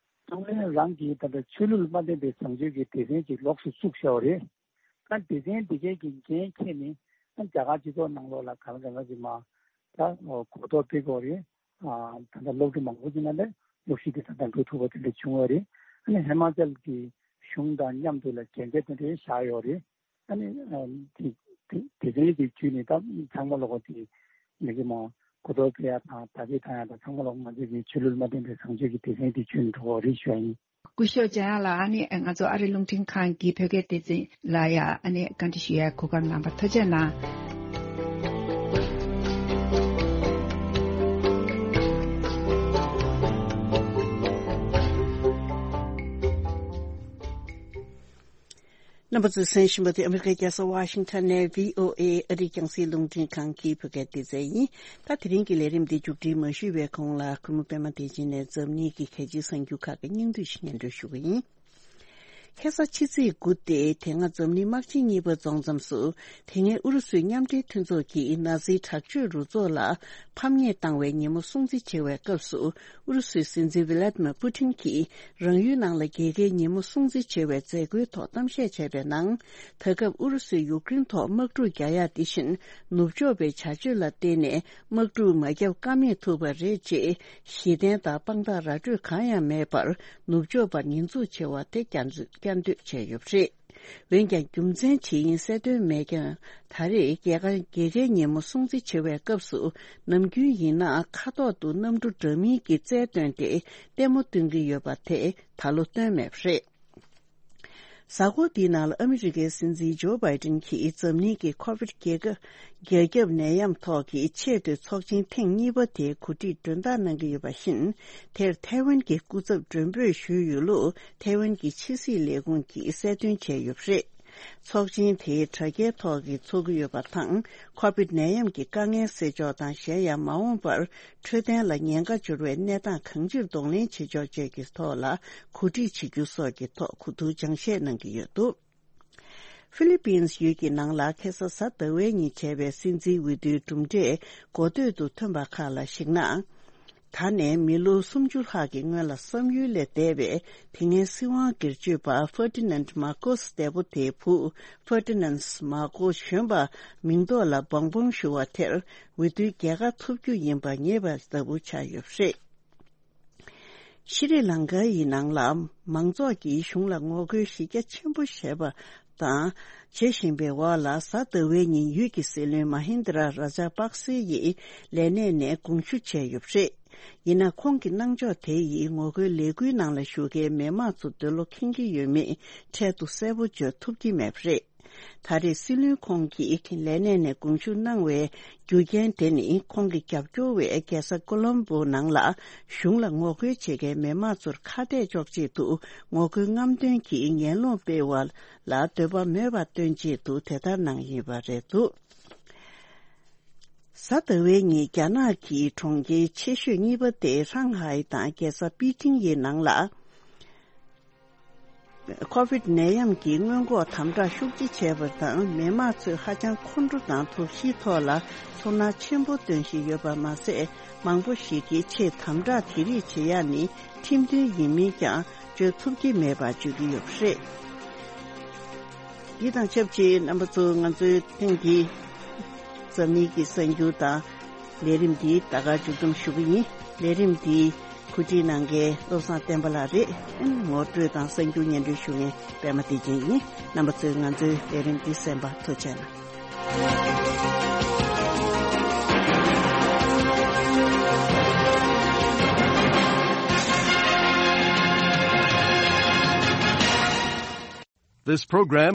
གཏོང་ལེན་རང་གིས་ད་ལྟ་ཆོས་ལུགས་མ་མཐུན་པའི་བཟང་སྤྱོད་ཀྱི་སྡེ་ཚན་ཅིག་ལོགས་སུ་བཙུགས་བཞག་པ་རེད། ད་སྡེ་ཚན་འདི་གའི་གི་འགན་འཁྱེར་ནས་ཨ་རྒྱ་གར་སྤྱི་ཚོགས་ནང་ལོགས་ལ་གང་ལ་གང་ལ་ཅིག་མ། ད་གོ་རྟོགས་སྤེལ་དགོས་རེད། ཨ་ད་ལྟ་སློབ་ཕྲུག་མང་པོ་ཅིག་ནང་ལ་སློབ་གཞི་དེ་ད་ལྟ་འགྲོ་ཐུབ་པ་དེ་འདྲ་བྱུང་བ་རེད། ཨ་ནི་ཧི་མ་ཅལ་གྱི་གཞུང་དང་མཉམ་དུ་ལ་འགན་འཁྱེར་དེ་འདྲ་བཞག་ཡོད་རེད། ཨ་ནི། ཨ་དེ་དེ་དེ་རིང་གི་བརྒྱུད་ནས་ད་ཚང་མ་ལོག་པ་དེ་མི་གི་མ་གོ་རྟོགས་སྤེལ་ཡ་དང་དར་རྒྱས་བཏང་ཡ་དང་ཚང་མ་ལོག་ང་ཚོས་ཀྱི་ཆོས་ལུགས་མ་མཐུན་པའི་བཟང་སྤྱོད་ཀྱི་སྡེ་ཚན་དེ་བརྒྱུད་ནས་འགྲོ་བ་རེད་ཞུ་ཡ་ཡིན། སྐུ་ཞབས་འཇམ་དབྱངས་ལགས། ཨ་ནི་ང་ཚོ་ཨ་རི་རླུང་འཕྲིན་ཁང་གི་བོད་སྐད་སྡེ་ཚན་ལ་ཡ་ཨ་ནི་བཀའ་འདྲི་ཞུ་ཡ་གོ་སྐབས་གནང་བར་ཐུགས་རྗེ་གནང་། རྣམ་པ་ཚོས་གསན་བཞིན་པ་དེ་ཨ་མི་རི་ཀའི་རྒྱལ་ས་ཝ་ཤིང་ཊོན་ནས་བྷི་ཨོ་ཨེ་ཨ་རིའི་རྒྱང་སྲིང་རླུང་འཕྲིན་ཁང་གི་བོད་སྐད་སྡེ་ཚན་ཡིན། ད་དེ་རིང་གི་ལས་རིམ་འདི་མཇུག་སྒྲིལ་མ་ཞུས་པའི་གོང་ལ་གུས་མོ་པད་མ་བདེ་ཆེན་ནས་འཛམ་གླིང་གི་གལ་ཆེའི་གསར་འགྱུར་ཁག་གི་སྙིང་བསྡུས་ཤིག་སྙན་སྒྲོན་ཞུ་གི་ཡིན། ཁ་སང་ཕྱི་ཚེས་དགུ་སྟེ་དེ་སྔ་འཛམ་གླིང་དམག་ཆེན་གཉིས་པ་རྫོགས་མཚམས་སུ། དེ་སྔའི་ཨུ་རུ་སུའི་མཉམ་འབྲེལ་མཐུན་ཚོགས་ཀྱིས་ནཱ་ཛིའི་དྲག་སྤྱོད་རུ་ཚོགས་ལ་ཕམ་ཉེས་བཏང་བའི་ཉིན་མོ་སྲུང་བརྩི་བྱེད་པའི་སྐབས་སུ། ཨུ་རུ་སུའི་སྲིད་འཛིན་ཝི་ལ་ཏི་མེར་པུ་ཏིན་གྱིས་རང་ཡུལ་ནང་ལ་རྒྱལ་ཁའི་ཉིན་མོ་སྲུང་བརྩི་བྱེད་པའི་མཛད་སྒོའི་ཐོག་གཏམ་བཤད་བྱས་པའི་ནང་། ད་སྐབས་ཨུ་རུ་སུས་ཡུཀ་རེན་ཐོག་དམག་འཁྲུག་རྒྱག་ཡག་འདི་བཞིན་ནུབ་ཕྱོགས་པའི་བྱ་སྤྱོད་ལ་བརྟེན་ནས་དམག་འཁྲུག་མ་བརྒྱབ་ཀ་མེད་ཐུབ་པ་རེད་ཅེས་གཞི་རྟེན་དང་དཔང་རྟགས་ར་སྤྲོད་གང་ཡང་མེད་པར་ནུབ་ཕྱོགས་པར་ཉེས་འཛུགས་བྱེད་པ་དེ་བསྐྱར་བཀྱག་འདོད་བྱས་ཡོད་པ་རེད། འོན་ཀྱང་རྒྱུ་མཚན་ཇི་ཡིན་གསལ་སྟོན་མེད་ཀྱང་། ད་རེས་རྒྱལ་ཁ་རྒྱལ་ཁའི་ཉིན་མོ་སྲུང་བརྩི་བྱེད་པའི་སྐབས་སུ་ནམ་རྒྱུན་ཡིན་ན་ཁ་ཐོག་ཏུ་གནམ་གྲུ་འདྲ་མིན་གྱི་རྩལ་བཏོན་ཏེ་ལྟད་མོ་སྟོན་གྱི་ཡོད་པ་དེ་ད་ལོ་སྟོན་མེད་པ་རེད། གཟའ་འཁོར་འདིའི་ནང་ལ་ཨ་མི་རི་ཀའི་སྲིད་འཛིན་ཇོ་བྷའི་ཏིན་གྱིས་འཛམ་གླིང་གི་ཁོ་བིད་རྒྱལ་ཁབ་རྒྱ་ཁྱབ་ནད་ཡམས་ཐོག་གི་ཆེས་མཐོའི་ཚོགས་ཆེན་ཐེངས་གཉིས་པ་དེ་གོ་སྒྲིག་མགྲོན་བདག་གནང་གི་ཡོད་པ་བཞིན། དེར་ཐའེ་ཝན་གྱི་སྐུ་ཚབ་མགྲོན་འབོད་ཞུས་ཡོད་ལུགས་ཐའེ་ཝན་གྱི་ཕྱི་སྲིད་ལས་ཁུངས་ཀྱིས་གསལ་སྟོན་བྱས་ཡོད་པ་རེད། ཚོགས་ཆེན་དེ་དྲ་རྒྱའི་ཐོག་གིས་འཚོགས་ཀྱི་ཡོད་པ་དང་། ཁོ་བིད་ནད་ཡམས་ཀྱི་དཀའ་ངལ་སེལ་ཕྱོགས་དང་། གཞན་ཡང་མ་འོངས་པར་འཕྲོད་བསྟེན་ལ་ཉེན་ཁ་འབྱོར་བའི་གནས་སྟངས་གང་ཅིར་གདོང་ལེན་བྱེད་ཕྱོགས་བཅས་ཀྱི་ཐོག་ལ་གོ་སྒྲིག་བྱེད་རྒྱུ་སོགས་ཀྱི་ཐོག་གོ་བསྡུར་སྦྱང་བཤད་གནང་གི་ཡོད་འདུག་ཧྥི་ལི་པིན་ཡུལ་གྱི་ནང་ལ་ཁ་སང་གཟའ་ཟླ་བའི་ཉིན་བྱས་པའི་སྲིད་འཛིན་འོས་བསྡུའི་གྲུབ་འབྲས་འགོ་སྟོད་དུ་ཐོན་པ་ཁག་ལ་གཞིགས་ན། ད་ནས་མི་ལོ་སུམ་ཅུ་ལྷག་གི་སྔོན་ལ་བསམ་ཡུལ་ལས་འདས་པའི་དེ་སྔའི་སྲིད་དབང་སྒེར་གཅོད་པ་ཧྥར་ཏི་ནན་མར་ཀོས་ལྟ་བུ་དེའི་བུ་ཧྥར་ཏི་ནན་མར་ཀོས་གཞོན་པ་མིང་འདོགས་ལ་བང་བང་ཞུ་བ་དེར་འོས་བསྡུའི་རྒྱལ་ཁ་ཐོབ་རྒྱུ་ཡིན་པ་ངེས་པ་ལྟ་བུ་ཆགས་ཡོད་པ་རེད། ཤྲི་ལང་ཀ་ཡི་ནང་ལ་མང་ཚོགས་ཀྱིས་གཞུང་ལ་ངོ་རྒོལ་གཞི་རྒྱ་ཆེན་པོ་བྱས་པ་དང་། བྱེད་བཞིན་པའི་འོག་ལ་གཟའ་ཟླ་བའི་ཉིན་ཡུལ་གྱི་སྲིད་བློན་མ་ཧིན་དྲ་ར་ཇ་པག་སེ་ཡིས་ལས་གནས་ནས་དགོངས་ཞུ་བྱས་ཡོད་པ་རེད། ཡིན་ན་ཁོང་གི་གནང་ཕྱོགས་དེ་ཡིས་ངོ་རྒོལ་ལས་འགུལ་ནང་ལ་ཞུགས་མཁན་མི་མང་ཚོ་འདོད་བློ་ཁེངས་ཀྱི་ཡོད་མེད་འཕྲལ་དུ་གསལ་པོ་བརྗོད་ཐུབ་ཀྱི་མེད་པ་རེད། ད་རེས་སྲིད་བློན་ཁོང་གིས་ལས་གནས་ནས་དགོངས་ཞུ་གནང་བའི་རྒྱུ་རྐྱེན་དེ་ནི་ཁོང་གི་རྒྱབ་སྐྱོར་བས་རྒྱལ་ས་ཀོ་ལོམ་བྷོ་ནང་ལ་གཞུང་ལ་ངོ་རྒོལ་བྱེད་མཁན་མི་མང་ཚོར་ཁ་གཏད་གཅོག་ཆེད་དུ་ངོ་རྒོལ་རྔམ་སྟོན་གྱིས་ངན་སློང་སྤེལ་བ་ལ་འདོད་པ་མེད་པ་སྟོན་ཆེད་དུ་དེ་ལྟར་གནང་ཡིན་པ་རེད་འདུག་གཟའ་ཟླ་བའི་ཉིན་རྒྱ་ནག་གི་གྲོང་ཁྱེར་ཆེ་ཤོས་གཉིས་པ་སྟེ་ཧྲང་ཧའེ་དང་རྒྱལ་ས་པེ་ཅིང་ཡི་ནང་ལ། ཁོ་བིད་ནད་ཡམས་ཀྱི་སྔོན་འགོག་དམ་དྲག་ཤུགས་ཆེ་བྱས་པ་དང་། མི་མང་ཚོས་ཧ་ཅང་ཁོང་ཁྲོ་དང་དོགས་གཞིའི་ཐོག་ལ་ཚོར་སྣང་ཆེན་པོ་སྟོན་བཞིན་ཡོད་པ་མ་ཟད། མང་པོ་ཞིག་གིས་ཆེས་དམ་དྲག་དེ་རིགས་བྱེད་ཡག་ནི་ཁྲིམས་མཐུན་ཡིན་མིན་ཀྱང་བརྗོད་ཐུབ་ཀྱི་མེད་པ་བརྗོད་ཀྱི་ཡོད་པ་རེད། འདི་དང་ཆབས་ཅིག་རྣམ་པ་ཚོ། ང་ཚོའི་ཐེངས་འདིའི་འཛམ་གླིང་གི་གསར་འགྱུར་དང་ལས་རིམ་འདི་ད་ག་མཇུག་བསྡོམས་ཞུ་གི་ཡིན། ལས་རིམ་འདི་གོ་སྒྲིག་གནང་མཁན་བློ་བཟང་བསྟན་པ་ལགས་རེད། ངོ་སྤྲོད་དང་གསར་འགྱུར་སྙན་སྒྲོན་ཞུ་མཁན་པད་མ་བདེ་ཆེན་ཡིན། རྣམ་པ་ཚོས་ང་ཚོའི་ལས་རིམ་འདི་གསན་པར་ཐུགས་རྗེ་གནང་། This program